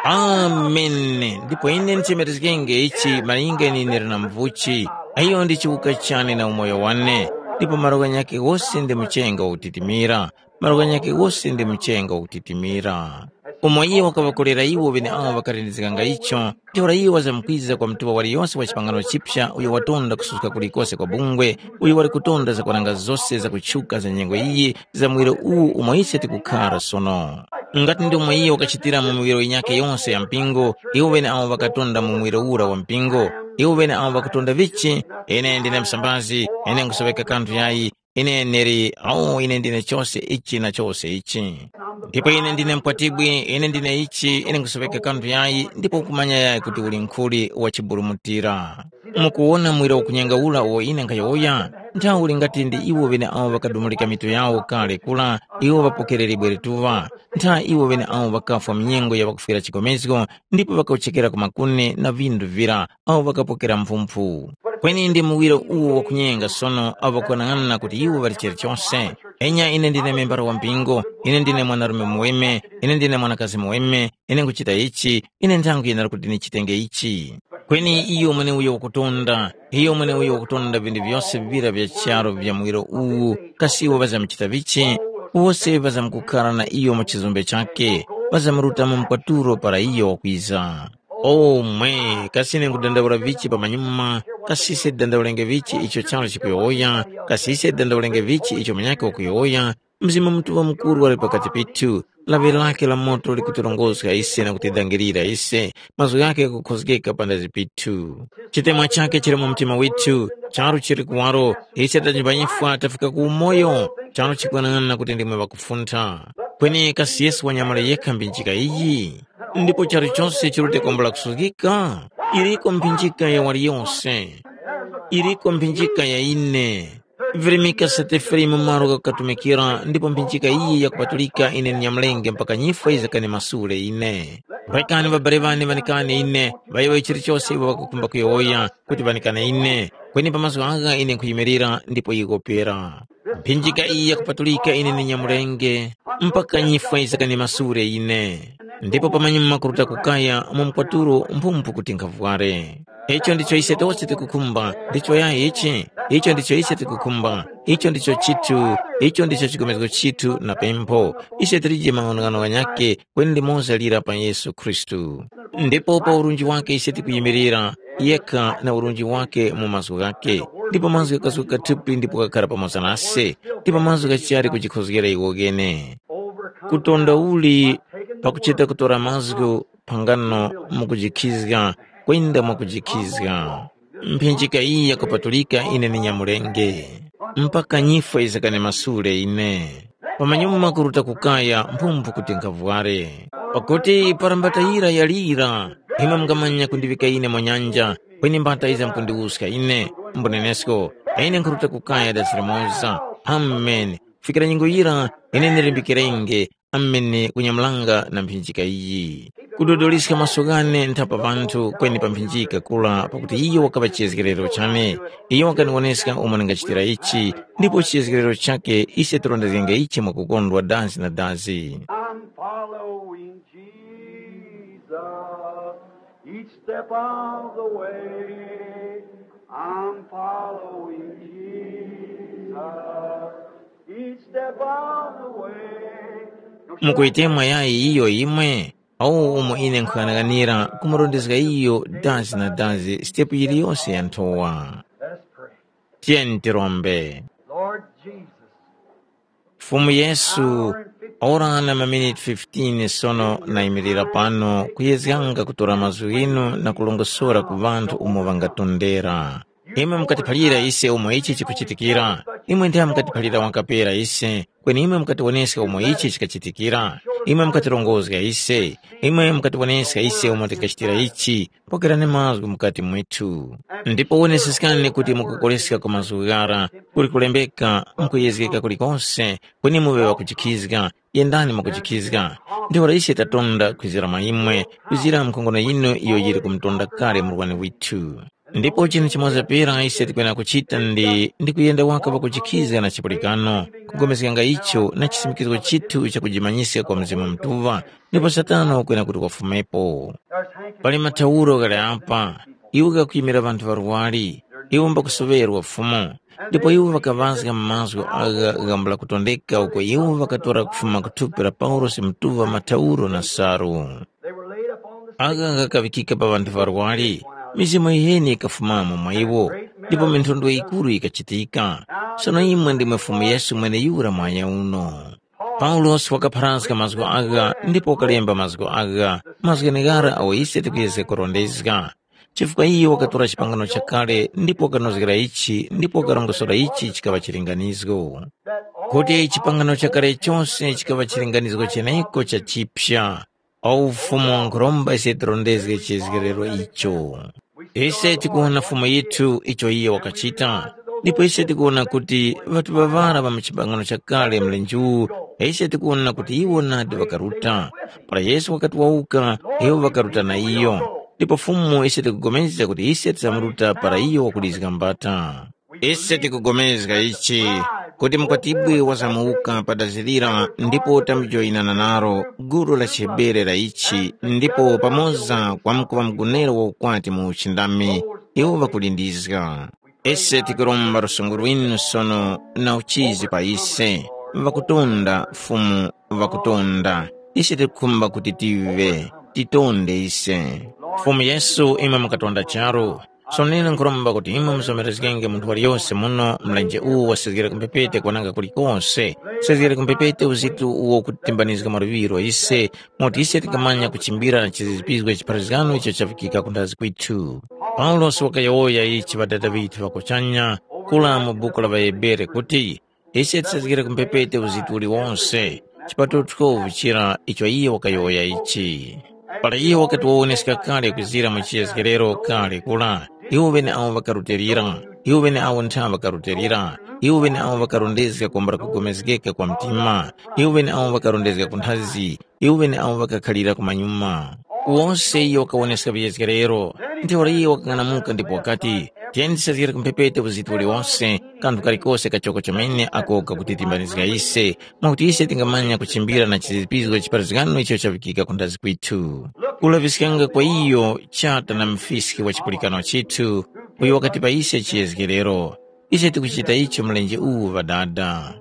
Ameni. Ndipo ine nchemerezgenge ichi malinga ine ndili na mvuchi, iyo ndi chiwuka chane na umoyo wane, ndipo malo ghanyakhe ghose ndi mchenga utitimira, malo ghanyakhe ghose ndi mchenga utitimira. Umo iye wakaŵakolera iwo ŵeneawo ŵakalindizganga icho, ntheura iye wazamkwiza kwa mtuŵa waliyose wa chipangano chipya uyo watonda kususka kulikose kwa bungwe, uyo wali kutonda zakwananga zose zakutchuka za nyengo iyi za muwiro uwu umo ise tikukhara sono. Ngati ndi umo iye wakachitira mu miwiro yinyakhe yonse ya mpingo, iwo ŵeneawo ŵakatonda mu muwiro ura wa mpingo. Iwo ŵeneawo ŵakatonda vichi? Ine ndine msambazi, ine nkhusoweka kanthu yayi, ine ndili, awo ine ndine chose ichi na chose ichi. Ndipo ine ndine mkwatibwi, ine ndine ichi, ine nkhusoweka kanthu yayi, ndipo ukumanya yayi kuti uli nkhuli wachiburumutira. Mukuwona mwira ukunyenga ura uwo ine nkhayowoya? Nthawe uli ngati ndi iwo ŵeneawo ŵakadumulika mitu yawo kale kura, iwo ŵapokererebwe lituŵa. Ntha iwo ŵeneawo ŵakafwa mu nyengo ya ŵakufwira chigomezgo, ndipo ŵakauchekera ku makuni na vindu vira, awo ŵakapokera mphumphu. Kweni ndi muwiro uwo wakunyenga sono awo ŵakwanang'ana kuti iwo ŵali chilichose. Enya ine ndine membara wa mpingo, ine ndine mwanarume muweme, ine ndine mwanakazi muweme, ine nkuchita ichi, ine nthangu yenera kuti ndichitenge ichi. Kweni iyo mweneuyo wakutonda, iyo mweneuyo wakutonda vindu vyose vivira vya charu vya muwiro uwu, kasi iwo ŵazamuchita vichi? Wose ŵazamkukhala na iyo mu chizumbe chakhe, ŵazamruta mu mkwatulo para iyo wakwiza. Omwe, kasi ine nkhudandaula vichi pamanyuma, kasi ise tidandaulenge vichi icho charu chikuyowoya, kasi ise tidandaulenge vichi icho munyakhe wakuyowoya, Mzimu Mutuŵa Mukuru wali pakati pithu, lawi lakhe la moto likutirongozga ise na kutidangirira ise, mazgu ghakhe ghakukhozgeka panthazi pithu. Chitemwa chakhe chili mu mtima withu, charu chili kuwaro, ise tachipanyifwa tafika ku umoyo, charu chikwanang'ana kuti ndimwe ŵakufuntha. Kweni kasi Yesu wanyamule yekha mphinjika iyi? Ndipo charu chose chirute kwambula kusuzgika? Iriko mphinjika ya waliyose. Iriko mphinjika ya ine. Virimika sete filimu malo ghakukatumikira, ndipo mphinjika iyi yakupatulika ine ndinyamulenge mpaka nyifwa yizakanimasule ine. Rekani ŵabale ŵane ŵanikane ine, ŵayowoye chilichose iwo ŵakukhumba kuyowoya, kuti ŵanikane ine. Kweni pa mazgu agha ine nkhuyimirira ndipo yikopera. Mphinjika iyi yakupatulika ine ndinyamulenge, mpaka nyifwa yizakanimasule ine. Ndipo pamanyuma kuruta kukaya mu mkwatulo mphumphu kuti nkhavware. Icho ndicho ise tose tikukhumba, ndicho yayi ichi, icho ndicho ise tikukhumba, icho ndicho chithu, icho ndicho chikomezgo chithu na pempho. Ise tilije maghanoghano ghanyakhe kweni limoza lira pa Yesu Khristu. Ndipo pa urunji wake ise tikuyimirira, yekha na urunji wake mu mazgu ghake, ndipo mazgu ghakasuka thupi ndipo kakhala pamoza nase, ndipo mazgu ghachali kujikhozgera iwo ghene. Kutonda uli pakuchita kutora mazgu phangano mukujikhizga, kwenda mwakujikhizga. Mphinjika iyi yakupatulika ine ni nyamulenge, mpaka nyifwe yizakane masule ine. Pamanyuma kuruta kukaya mphumphu kuti nkhavware. Pakuti para mbata yira yalira, imwe mungamanya kundiŵika ine mu nyanja, kweni mbata yiza mkundiwuska ine, mbunenesko, ine nkhuruta kukaya dasi limoza. Ameni. Kufikira nyengo yira, ine ndilimbikirenge, amene kunyamulanga na mphinjika iyi. Kudodoliska maso ghane nthapa panthu kweni pa mphinjika kula pakuti iyo wakaŵa chiyezgerero chane. Iyo wakaniwoneska umo ndingachitira ichi, ndipo chiyezgerero chakhe ise tirondezgenge ichi mwakukondwa dazi na dazi. I'm following Jesus each step of the way. I'm following Jesus each step of the way. Mukuyitemwa yayi iyo imwe? Awu umo ine nkhuyang'anira kumurondezga iyo dazi na dazi sitepu yiliyose ya nthowa. Let us pray. Tiyeni tirombe. Lord Jesus, Fumu Yesu, ora na maminiti fifteen sono nayimirira pano kuyezganga kutora mazgu ghinu na kulongosora ku ŵanthu umo ŵangatondera. Imwe mukatiphalira ise umo ichi chikuchitikira. Imwe ndimwe mukatiphalira wakapera ise, kweni imwe mukatiwoneska umo ichi chikachitikira. Imwe mukatirongozga ise. Imwe mukatiwoneska ise umo tingachitira ichi. Pokerani mazgu mukati mwithu. Ndipo woneseskani kuti mukukoleska kwa mazgu ghara kuli kulembeka mukuyezgeka kulikose, kweni muŵe ŵakuchikhizga, yendani mwakuchikhizga. Ntheura ise tatonda kwizira mwa imwe, kwizira mkhongono yinu iyo yili kumutonda kale murwani withu. Ndipo chinthu chimoza pera ise tikwena kuchita ndi ndi kuyenda waka pakuchikhizga na chipulikano, kugomezganga icho na chisimikizo chithu cha kujimanyiska kwa Mzimu Mutuŵa, ndipo Satana wakwena kuti wafumepo. Pali mathauro ghali apa, iwo ghakuyimira ŵanthu ŵarwari, iwo mbakusoŵerwa Fumu, ndipo iwo ŵakaŵazga mazgu agha ghambula kutondeka uko iwo ŵakatora kufuma ku thupi la Paulosi mutuŵa mathauro na salu. Agha ghakaŵikika pa ŵanthu ŵarwari, mizimu yiheni yikafumamo mwa iwo, ndipo minthondwe yikuru yikachitika. Sono imwe ndimwe Fumu Yesu mweneyura mwanya uno. Paulosi wakapharazga mazgu agha ndipo wakalemba mazgu agha, mazgu gheneghara awo ise tikuyezga kurondezga. Chifukwa iyo wakatora chipangano chakale ndipo wakanozgera ichi ndipo wakarongosora ichi chikaŵa chilinganizgo. Kuti chipangano chakale chose chikaŵa chilinganizgo cheneko cha chiphya. O Ufumu wankhuromba ise tirondezge chizgerero icho. Ise tikuwona Fumu yithu icho iye wakachita, ndipo ise tikuwona kuti ŵatuŵa ŵara ŵa mu chipangano chakale mlenje uwu, ise tikuwona kuti iwo nadi ŵakaruta. Para Yesu wakati wawuka, iwo ŵakaruta na iyo. Ndipo Fumu ise tikupulikana kuti ise tizamuruta para iyo wakulizga mbata. Ise tikupulikana ichi, kuti Mkwatibwi wazamuwuka pa dazi lira ndipo tamujoyinana nalo gulu la chiHebere la ichi ndipo pamoza kwamkuŵa mgonero wa ukwati mu uchindami, iwo ŵakulindizga. Ise tikuromba lusungu lwinu sono na uchizi pa ise, ŵakutonda Fumu, ŵakutonda. Ise tikukhumba kuti tive, titonde ise. Fumu Yesu, imwe mukatonda charu. Sono ine nkhuromba kuti imwe muzomerezgenge munthu waliyose muno mlenje uwu wasezgere ku mphepete kwananga kulikose. Usezgere ku mphepete uzitu uwo ukutimbanizga maluŵiro ise, moti ise tikamanya kuchimbira na chizizipizgo chipharazgano icho chafikika ku nthazi kwithu. Paulosi wakayowoya ichi ŵadada ŵithu ŵa kuchanya, kula mu buku la ŵaHebere kuti, ise tisezgere ku mphepete uzitu uliwonse, chipatulo twelve chira icho iye wakayowoya ichi. Para iye wakati wawoneska kale kwizira mu chiyezgerero kale kula, iwo ŵeneawo ŵakarutilira, iwo ŵeneawo ntha ŵakarutilira, iwo ŵeneawo ŵakarondezga kwambula kugomezgeka kwa mtima, iwo ŵeneawo ŵakarondezga ku nthazi, iwo ŵeneawo ŵakakhalira kumanyuma. Wose iyo wakawoneska viyezgerero. Ntheura iyo wakang'anamuka ndipo wakati, “Tiyeni tisazgere ku mphepete uziti uliwose, kanthu kalikose kachoko chomene ako kakuti timbanizga ise, mwakuti ise tingamanya kuchimbira na chizipizgo chiparazgano icho chavikika ku ndazi kwithu. Kulaŵiskanga kwa iyo chata na mfiski wa chipulikano chithu, uyo wakati pa ise chiyezgerero. Ise tikuchita icho mlenje uwu Ŵadada.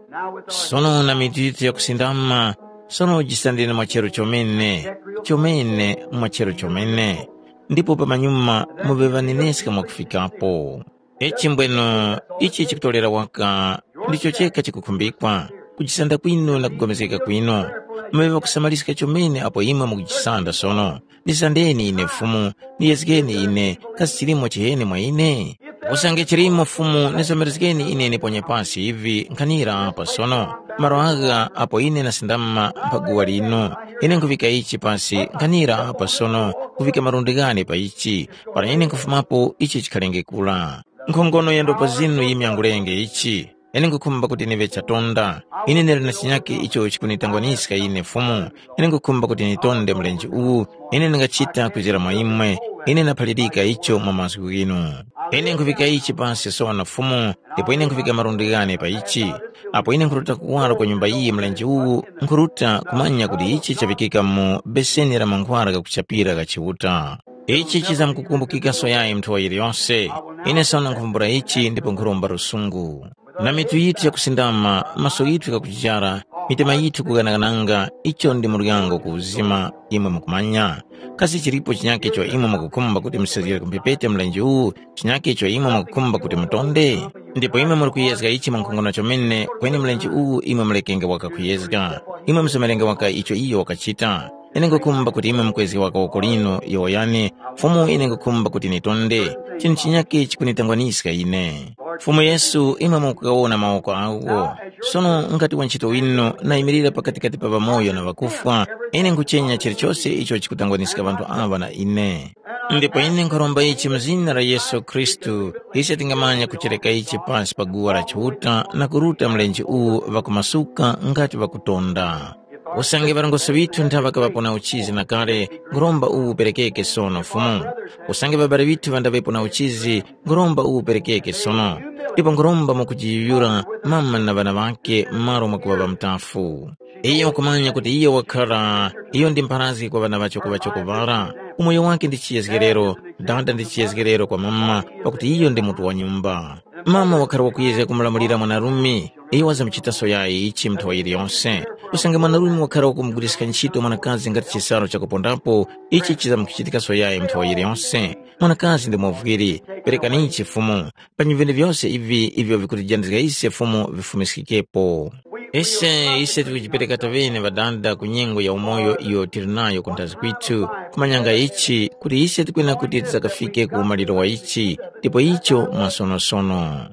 Sono na mitu yithu yakusindama, sono jisandeni mwa charu chomene, chomene mwa charu chomene, ndipo pamanyuma muŵe ŵaneneska mwakufikapo. Ichi mbweno, ichi chikutolera waka ndicho cheka chikukhumbikwa, kujisanda kwinu na kugomezgeka kwinu. Muŵe ŵakusamaliska chomene apo imwe mukujisanda sono. Ndisandeni ine Fumu, ndiyezgeni ine, kasi chilimo chiheni mwa ine? Usange chilimo Fumu, nizomerezgeni ine niponye pasi ivi nkhanira apa sono. Malo agha apo ine nasindama mpha guwa linu, ine nkhuvika ichi pasi nkhanira apa sono, kuvika malundi ghane pa ichi, para ine nkhufumapo ichi chikhalenge kura. Nkhongono ya ndopa zinu yimyangulenge ichi. Ine nkhukhumba kuti niŵe chatonda. Ine ndili na chinyakhe icho chikunitangwaniska ine Fumu. Ine nkhukhumba kuti nitonde mlenje uwu. Ine ndingachita kwizira mwa imwe. Ine ndaphalirika icho mwa mazgu ghinu. Ine nkhuvika ichi pasi sono Fumu, ndipo ine nkhuvika malundi ghane pa ichi. Apo ine nkhuruta kuwaro kwa nyumba iyi mlenje uwu, nkhuruta kumanya kuti ichi chavikika mu beseni la mankhwara ghakuchapira gha Chiuta. Ichi chizamkukumbukika soyayi nthowa yiliyose. Ine sono nkhuvumbula ichi ndipo nkhuromba lusungu. Na mitu yithu yakusindama, maso ghithu ghakuchichara, mitima yithu kughanaghananga, icho ndi muryango ku uzima, imwe mukumanya. Kasi chilipo chinyakhe icho imwe mukukhumba kuti musezgere ku mphepete mlenje uwu, chinyakhe icho imwe mukukhumba kuti mutonde? Ndipo imwe muli kuyezga ichi mwankhongono chomene, kweni mlenje uwu imwe mulekenge waka kuyezga. Imwe muzomerenge waka icho iyo wakachita. Ine nkhukhumba kuti imwe mukwezge waka woko linu, yowoyani, Fumu ine nkhukhumba kuti nitonde. Chinthu chinyakhe chikunitangwaniska ine. Fumu Yesu, imwe mukugawona mawoko agho. Sono ngati wantchito winu nayimirira pakatikati pa ŵamoyo na ŵakufwa, ine nkhuchenya chilichose icho chikutangwaniska ŵanthu aŵa na ine. Ndipo ine nkharomba ichi mu zina la Yesu Khristu, ise tingamanya kuchereka ichi pasi pa guwa la Chiuta na kuruta mlenje uwu ŵakumasuka ngati ŵakutonda. Usange ŵarongozgi ŵithu nthaŵa kaŵapo na uchizi na kale, nkhuromba uwu uperekeke sono Fumu. Usange ŵabali ŵithu ŵandaŵepo na uchizi, nkhuromba uwu uperekeke sono. Ndipo nkhuromba mwakujiyuyura mama na ŵana ŵakhe m'malo mwakuŵa ŵamutafu. Iyo wakumanya kuti iyo wakhala, iyo ndi mpharazgi kwa ŵana ŵachoko-ŵachoko ŵara. Umoyo wake ndi chiyezgerero, dada ndi chiyezgerero kwa mama, pakuti iyo ndi mutu wa nyumba. Mama wakhala wakuyezga kumulamulira mwanarume, iyo wazamuchitaso yayi ichi nthawi yiliyose. Usange mwanarume wakhala wakumuguliska ntchito mwanakazi ngati chisalu chakupondapo, ichi chizamukuchitikaso yayi nthawi yiliyose. Mwanakazi ndi muvwiri, perekanichi Fumu, pa vinthu vyose ivi ivyo vikutijandizga ise Fumu vifumiskikepo. Ise, ise tikujipereka tovene ŵadada ku nyengo ya umoyo iyo tili nayo kunthazi kwithu, kumanyanga ichi, kuti ise tikwena kuti tisakafike ku umaliro wa ichi, ndipo icho mwasonosono.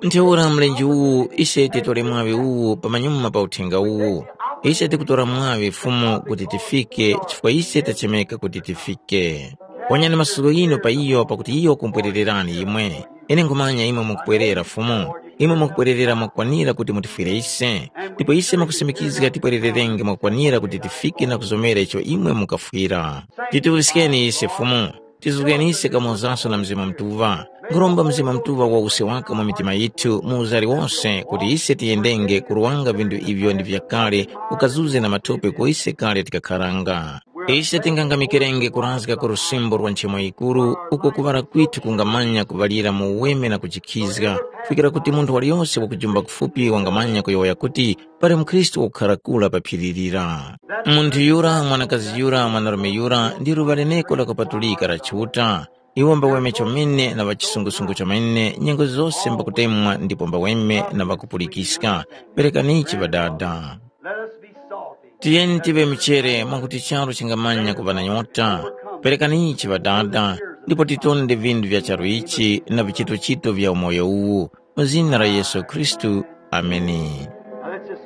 Ntheura mlenje uwu, ise titore mwaŵi uwu pamanyuma pa uthenga uwu. Ise tikutora mwaŵi Fumu kuti tifike, chifukwa ise tachemeka kuti tifike. Wanyani masuko ghinu pa iyo pakuti iyo wakumpwerererani imwe. Ine nkhumanya imwe mukupwerera Fumu. Imwe mukupwererera mwakukwanira kuti mutifwire ise. Ndipo ise mwakusimikizga tipwerererenge mwakukwanira kuti tifike na kuzomera icho imwe mukafwira. Tituŵiskeni ise Fumu. Tizuzgeni ise kamozaso na Mzimu Mutuŵa. Nkhuromba Mzimu Mutuŵa wawuse waka mu mitima yithu mu uzari wose kuti ise tiyendenge kuruwanga vinthu ivyo ndi vyakale ukazuze na mathope ku ise kale tikakharanga. Ise tingangamikirenge kurazga ku lusimbo lwa nchemo yikuru uko kuŵala kwithu kungamanya kuŵalira mu uweme na kujikhizga, kufikira kuti munthu waliyose wakujumba kufupi wangamanya kuyowoya kuti, pali mukhristu wakukhara kura pa phiri lira. Munthu yura, mwanakazi yura, mwanarume yura ndi luŵa leneko lakupatulika la Chiuta. Iwo mbaweme chomene na ŵachisungusungu chomene nyengo zose mbakutemwa ndipo mbaweme na ŵakupulikiska. Perekanichi Ŵadada. Let us be salty. Tiyeni tive michere mwakuti charu chingamanya kuŵa na nyota. Perekanichi Ŵadada, ndipo titonde vinthu vya charu ichi na vichitochito vya umoyo uwu. Mu zina la Yesu Khristu. Ameni. Now let's just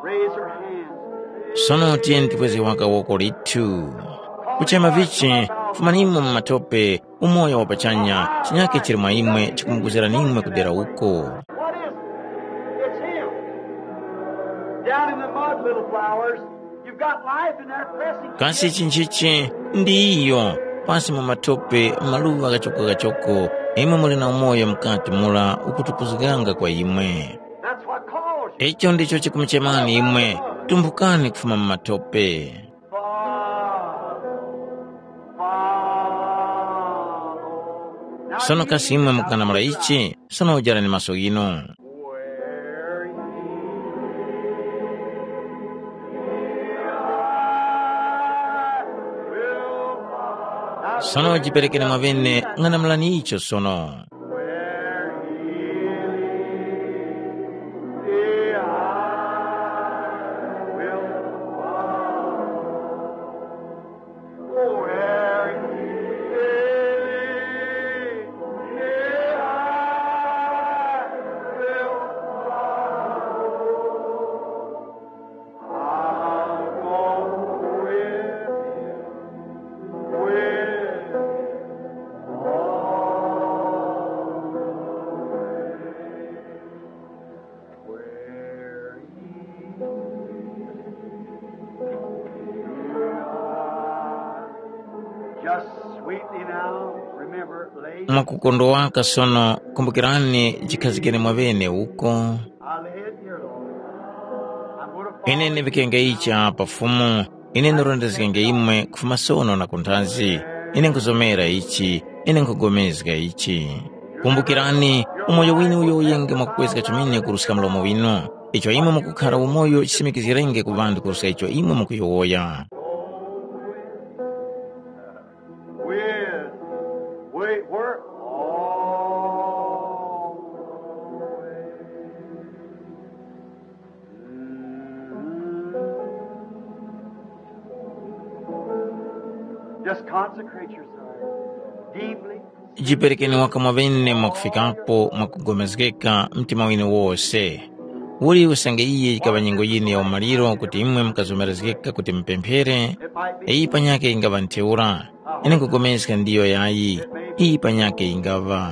raise our hands. Sono tiyeni tikweze waka woko lithu. Kuchema vichi, fumanimo mu matope, umoyo wa pachanya, chinyake chili mwa imwe chikumukuzirani imwe kudera uko. What is it? It's him. Down in the mud, little flowers. Got life in that blessing. Kasi chinchichi ndi iyo pasi mu matope maluwa kachoko-kachoko, imwe muli na umoyo mukati mura ukutupuzganga kwa imwe. That's what calls you. Icho ndicho chikumuchemani imwe, tumphukani kufuma mu matope. Father, Father. Sono kasi imwe mukanamula ichi? Sono ujarani maso ghinu. Sono jiperekeni mwaŵene, ng'anamulani icho sono. Just sweetly now, remember, lay. Mwakukondowaka sono, kumbukirani chikhazikeni mwaŵene uko. I'll lay it here, Lord. I'm gonna follow. Ine ndivikenge ichi apa Fumu, ine ndurondezgenge imwe kufuma sono na kunthazi. Ine nkuzomera ichi, ine nkugomezga ichi. Kumbukirani, umoyo winu uyo uyenge mwakukwezga chomene kuruska mlomo winu. Icho imwe mukukhara umoyo chisimikizgirenge ku ŵanthu kuruska icho imwe mukuyowoya. With, we, we're all the way. Just consecrate yourself deeply. Jiperekeni waka mwaŵene mwakufikapo mwakugomezgeka mtima winu wose. Uli usange iyi yikaŵa nyengo yinu ya umaliro kuti imwe mukazomerezgeka kuti mupemphere, iyi panyakhe yingaŵa ntheura. Ine nkugomezga ndiyo yayi, iyi panyakhe yingaŵa.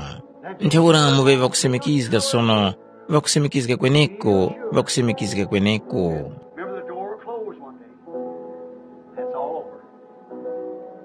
Ntheura muŵe ŵakusimikizga sono, ŵakusimikizga kweneko, ŵakusimikizga kweneko. Remember the door will close one day. That's all over.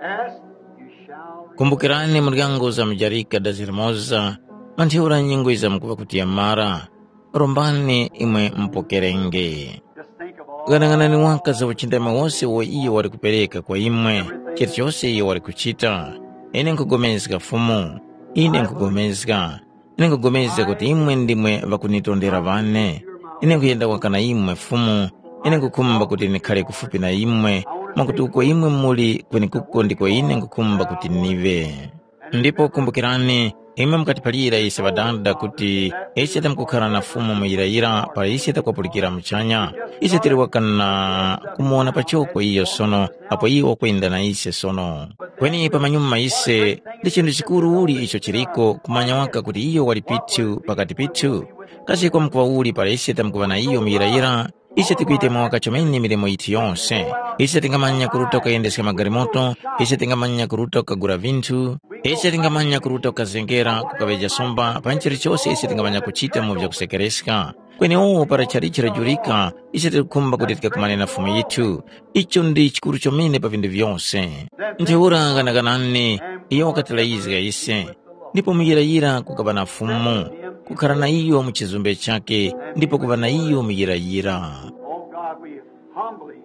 Ask, you shall receive. Kumbukirani muryango uzamujarika dazi limoza, manthiura nyengo izamkuŵa kuti yamara. Rombani imwe mupokerenge. Just think of all. Ghanaghanani waka za uchindami wose uwo iyo wali kupereka kwa imwe, chilichose iyo wali kuchita. Ine nkugomezga Fumu, ine nkugomezga. Ine nkugomezga kuti imwe ndimwe ŵakunitondera ŵane. Ine nkuyenda waka na imwe Fumu. Ine nkukhumba kuti ndikhale kufupi na imwe, mwakuti uko imwe muli kwenekuko ndiko ine nkukhumba kuti ndiŵe. Ndipo kumbukirani, imwe mukatiphalira ise ŵadada kuti ise tamkukhara na Fumu muyirayira para ise takwapulikira muchanya. Ise tili waka na kumuwona pachoko iyo sono apo iyo wakwenda na ise sono. Kweni pamanyuma ise, ndi chinthu chikuru uli icho chiliko kumanya waka kuti iyo wali pithu pakati pithu? Kasi kwamkuŵa uli para ise tamkuŵa na iyo muyirayira? Ise tikuyitemwa waka chomene milimo yithu yose. Ise tingamanya kuruta kukayendeska magalimoto, ise tingamanya kuruta kukagula vinthu, ise tingamanya kuruta kukazengera, kukaŵeja somba, panji chilichose ise tingamanya kuchita mu vyakusekereska. Kweni uwo para chalichi lajurika, ise tikukhumba kuti tikakumane na Fumu yithu. Icho ndi chikuru chomene pa vinthu vyose. Ntheura ghanaganani, iyo wakatilayizga ise. Ndipo muyirayira kukaŵa na Fumu, kukhara na iyo mu chizumbe chakhe, ndipo kuŵa na iyo muyirayira. Oh God, we humbly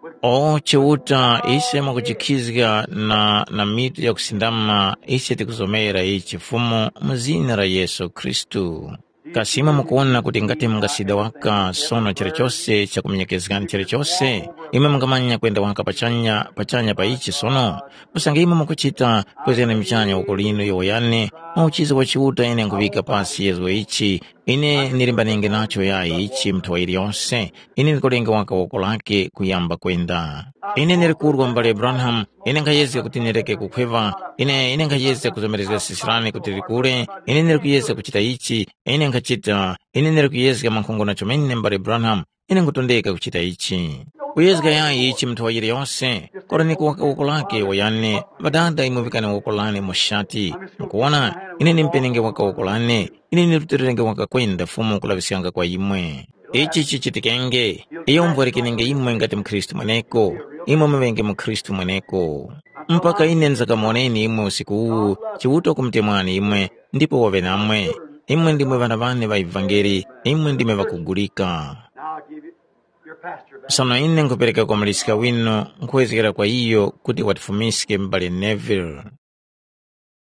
would. O Chiuta, ise mwakujikhizga na, na mitu yakusindama, ise tikuzomera ichi Fumu mu zina la Yesu Khristu. Kasi imwe mukuwona kuti ngati mungasida waka sono chilichose chakumenyekezgani chilichose, imwe mungamanya kwenda waka pachanya, pachanya pa ichi sono? Usange imwe mukuchita, kwezgani muchanya woko linu yowoyane, mwa uchizi wa Chiuta ine nkuŵika pasi yezgo ichi, ine ndilimbanenge nacho yayi ichi muthuwa yiliyose, ine ndikulenge waka woko lake kuyamba kwenda. Ine ndili kurwa mbale Branham, ine nkhayezga kuti ndireke kukhweva, ine, ine nkhayezga kuzomerezga sisirani kuti likule, ine ndili kuyezga kuchita ichi, ine nkhachita, ine ndili kuyezga mankhongo na chomene mbale Branham, ine nkhutondeka kuchita ichi. Kuyezga yayi ichi muthuwa yiliyose, koraniko waka woko lake woyane, ŵadada imwe vikani woko lane mu shati, mukuwona, ine ndimpenenge waka woko lane, ine ndirutilirenge waka kwenda Fumu kulaŵiskanga kwa imwe. Ichi chichitikenge, iyo umvwarikenenge imwe ngati mukhristu mweneko, imwe muŵenge mukhristu mweneko. Mpaka ine nzakamuwoneni imwe usiku uwu, Chiuta kumutemwani imwe, ndipo waŵe namwe. Imwe ndimwe ŵana ŵane ŵa ivangeli, imwe ndimwe ŵakugulika. Now I'll give you your pastor back. Sono ine nkhupereka kwa muliska winu, nkhwezgera kwa iyo kuti watifumiske m'bale Neville.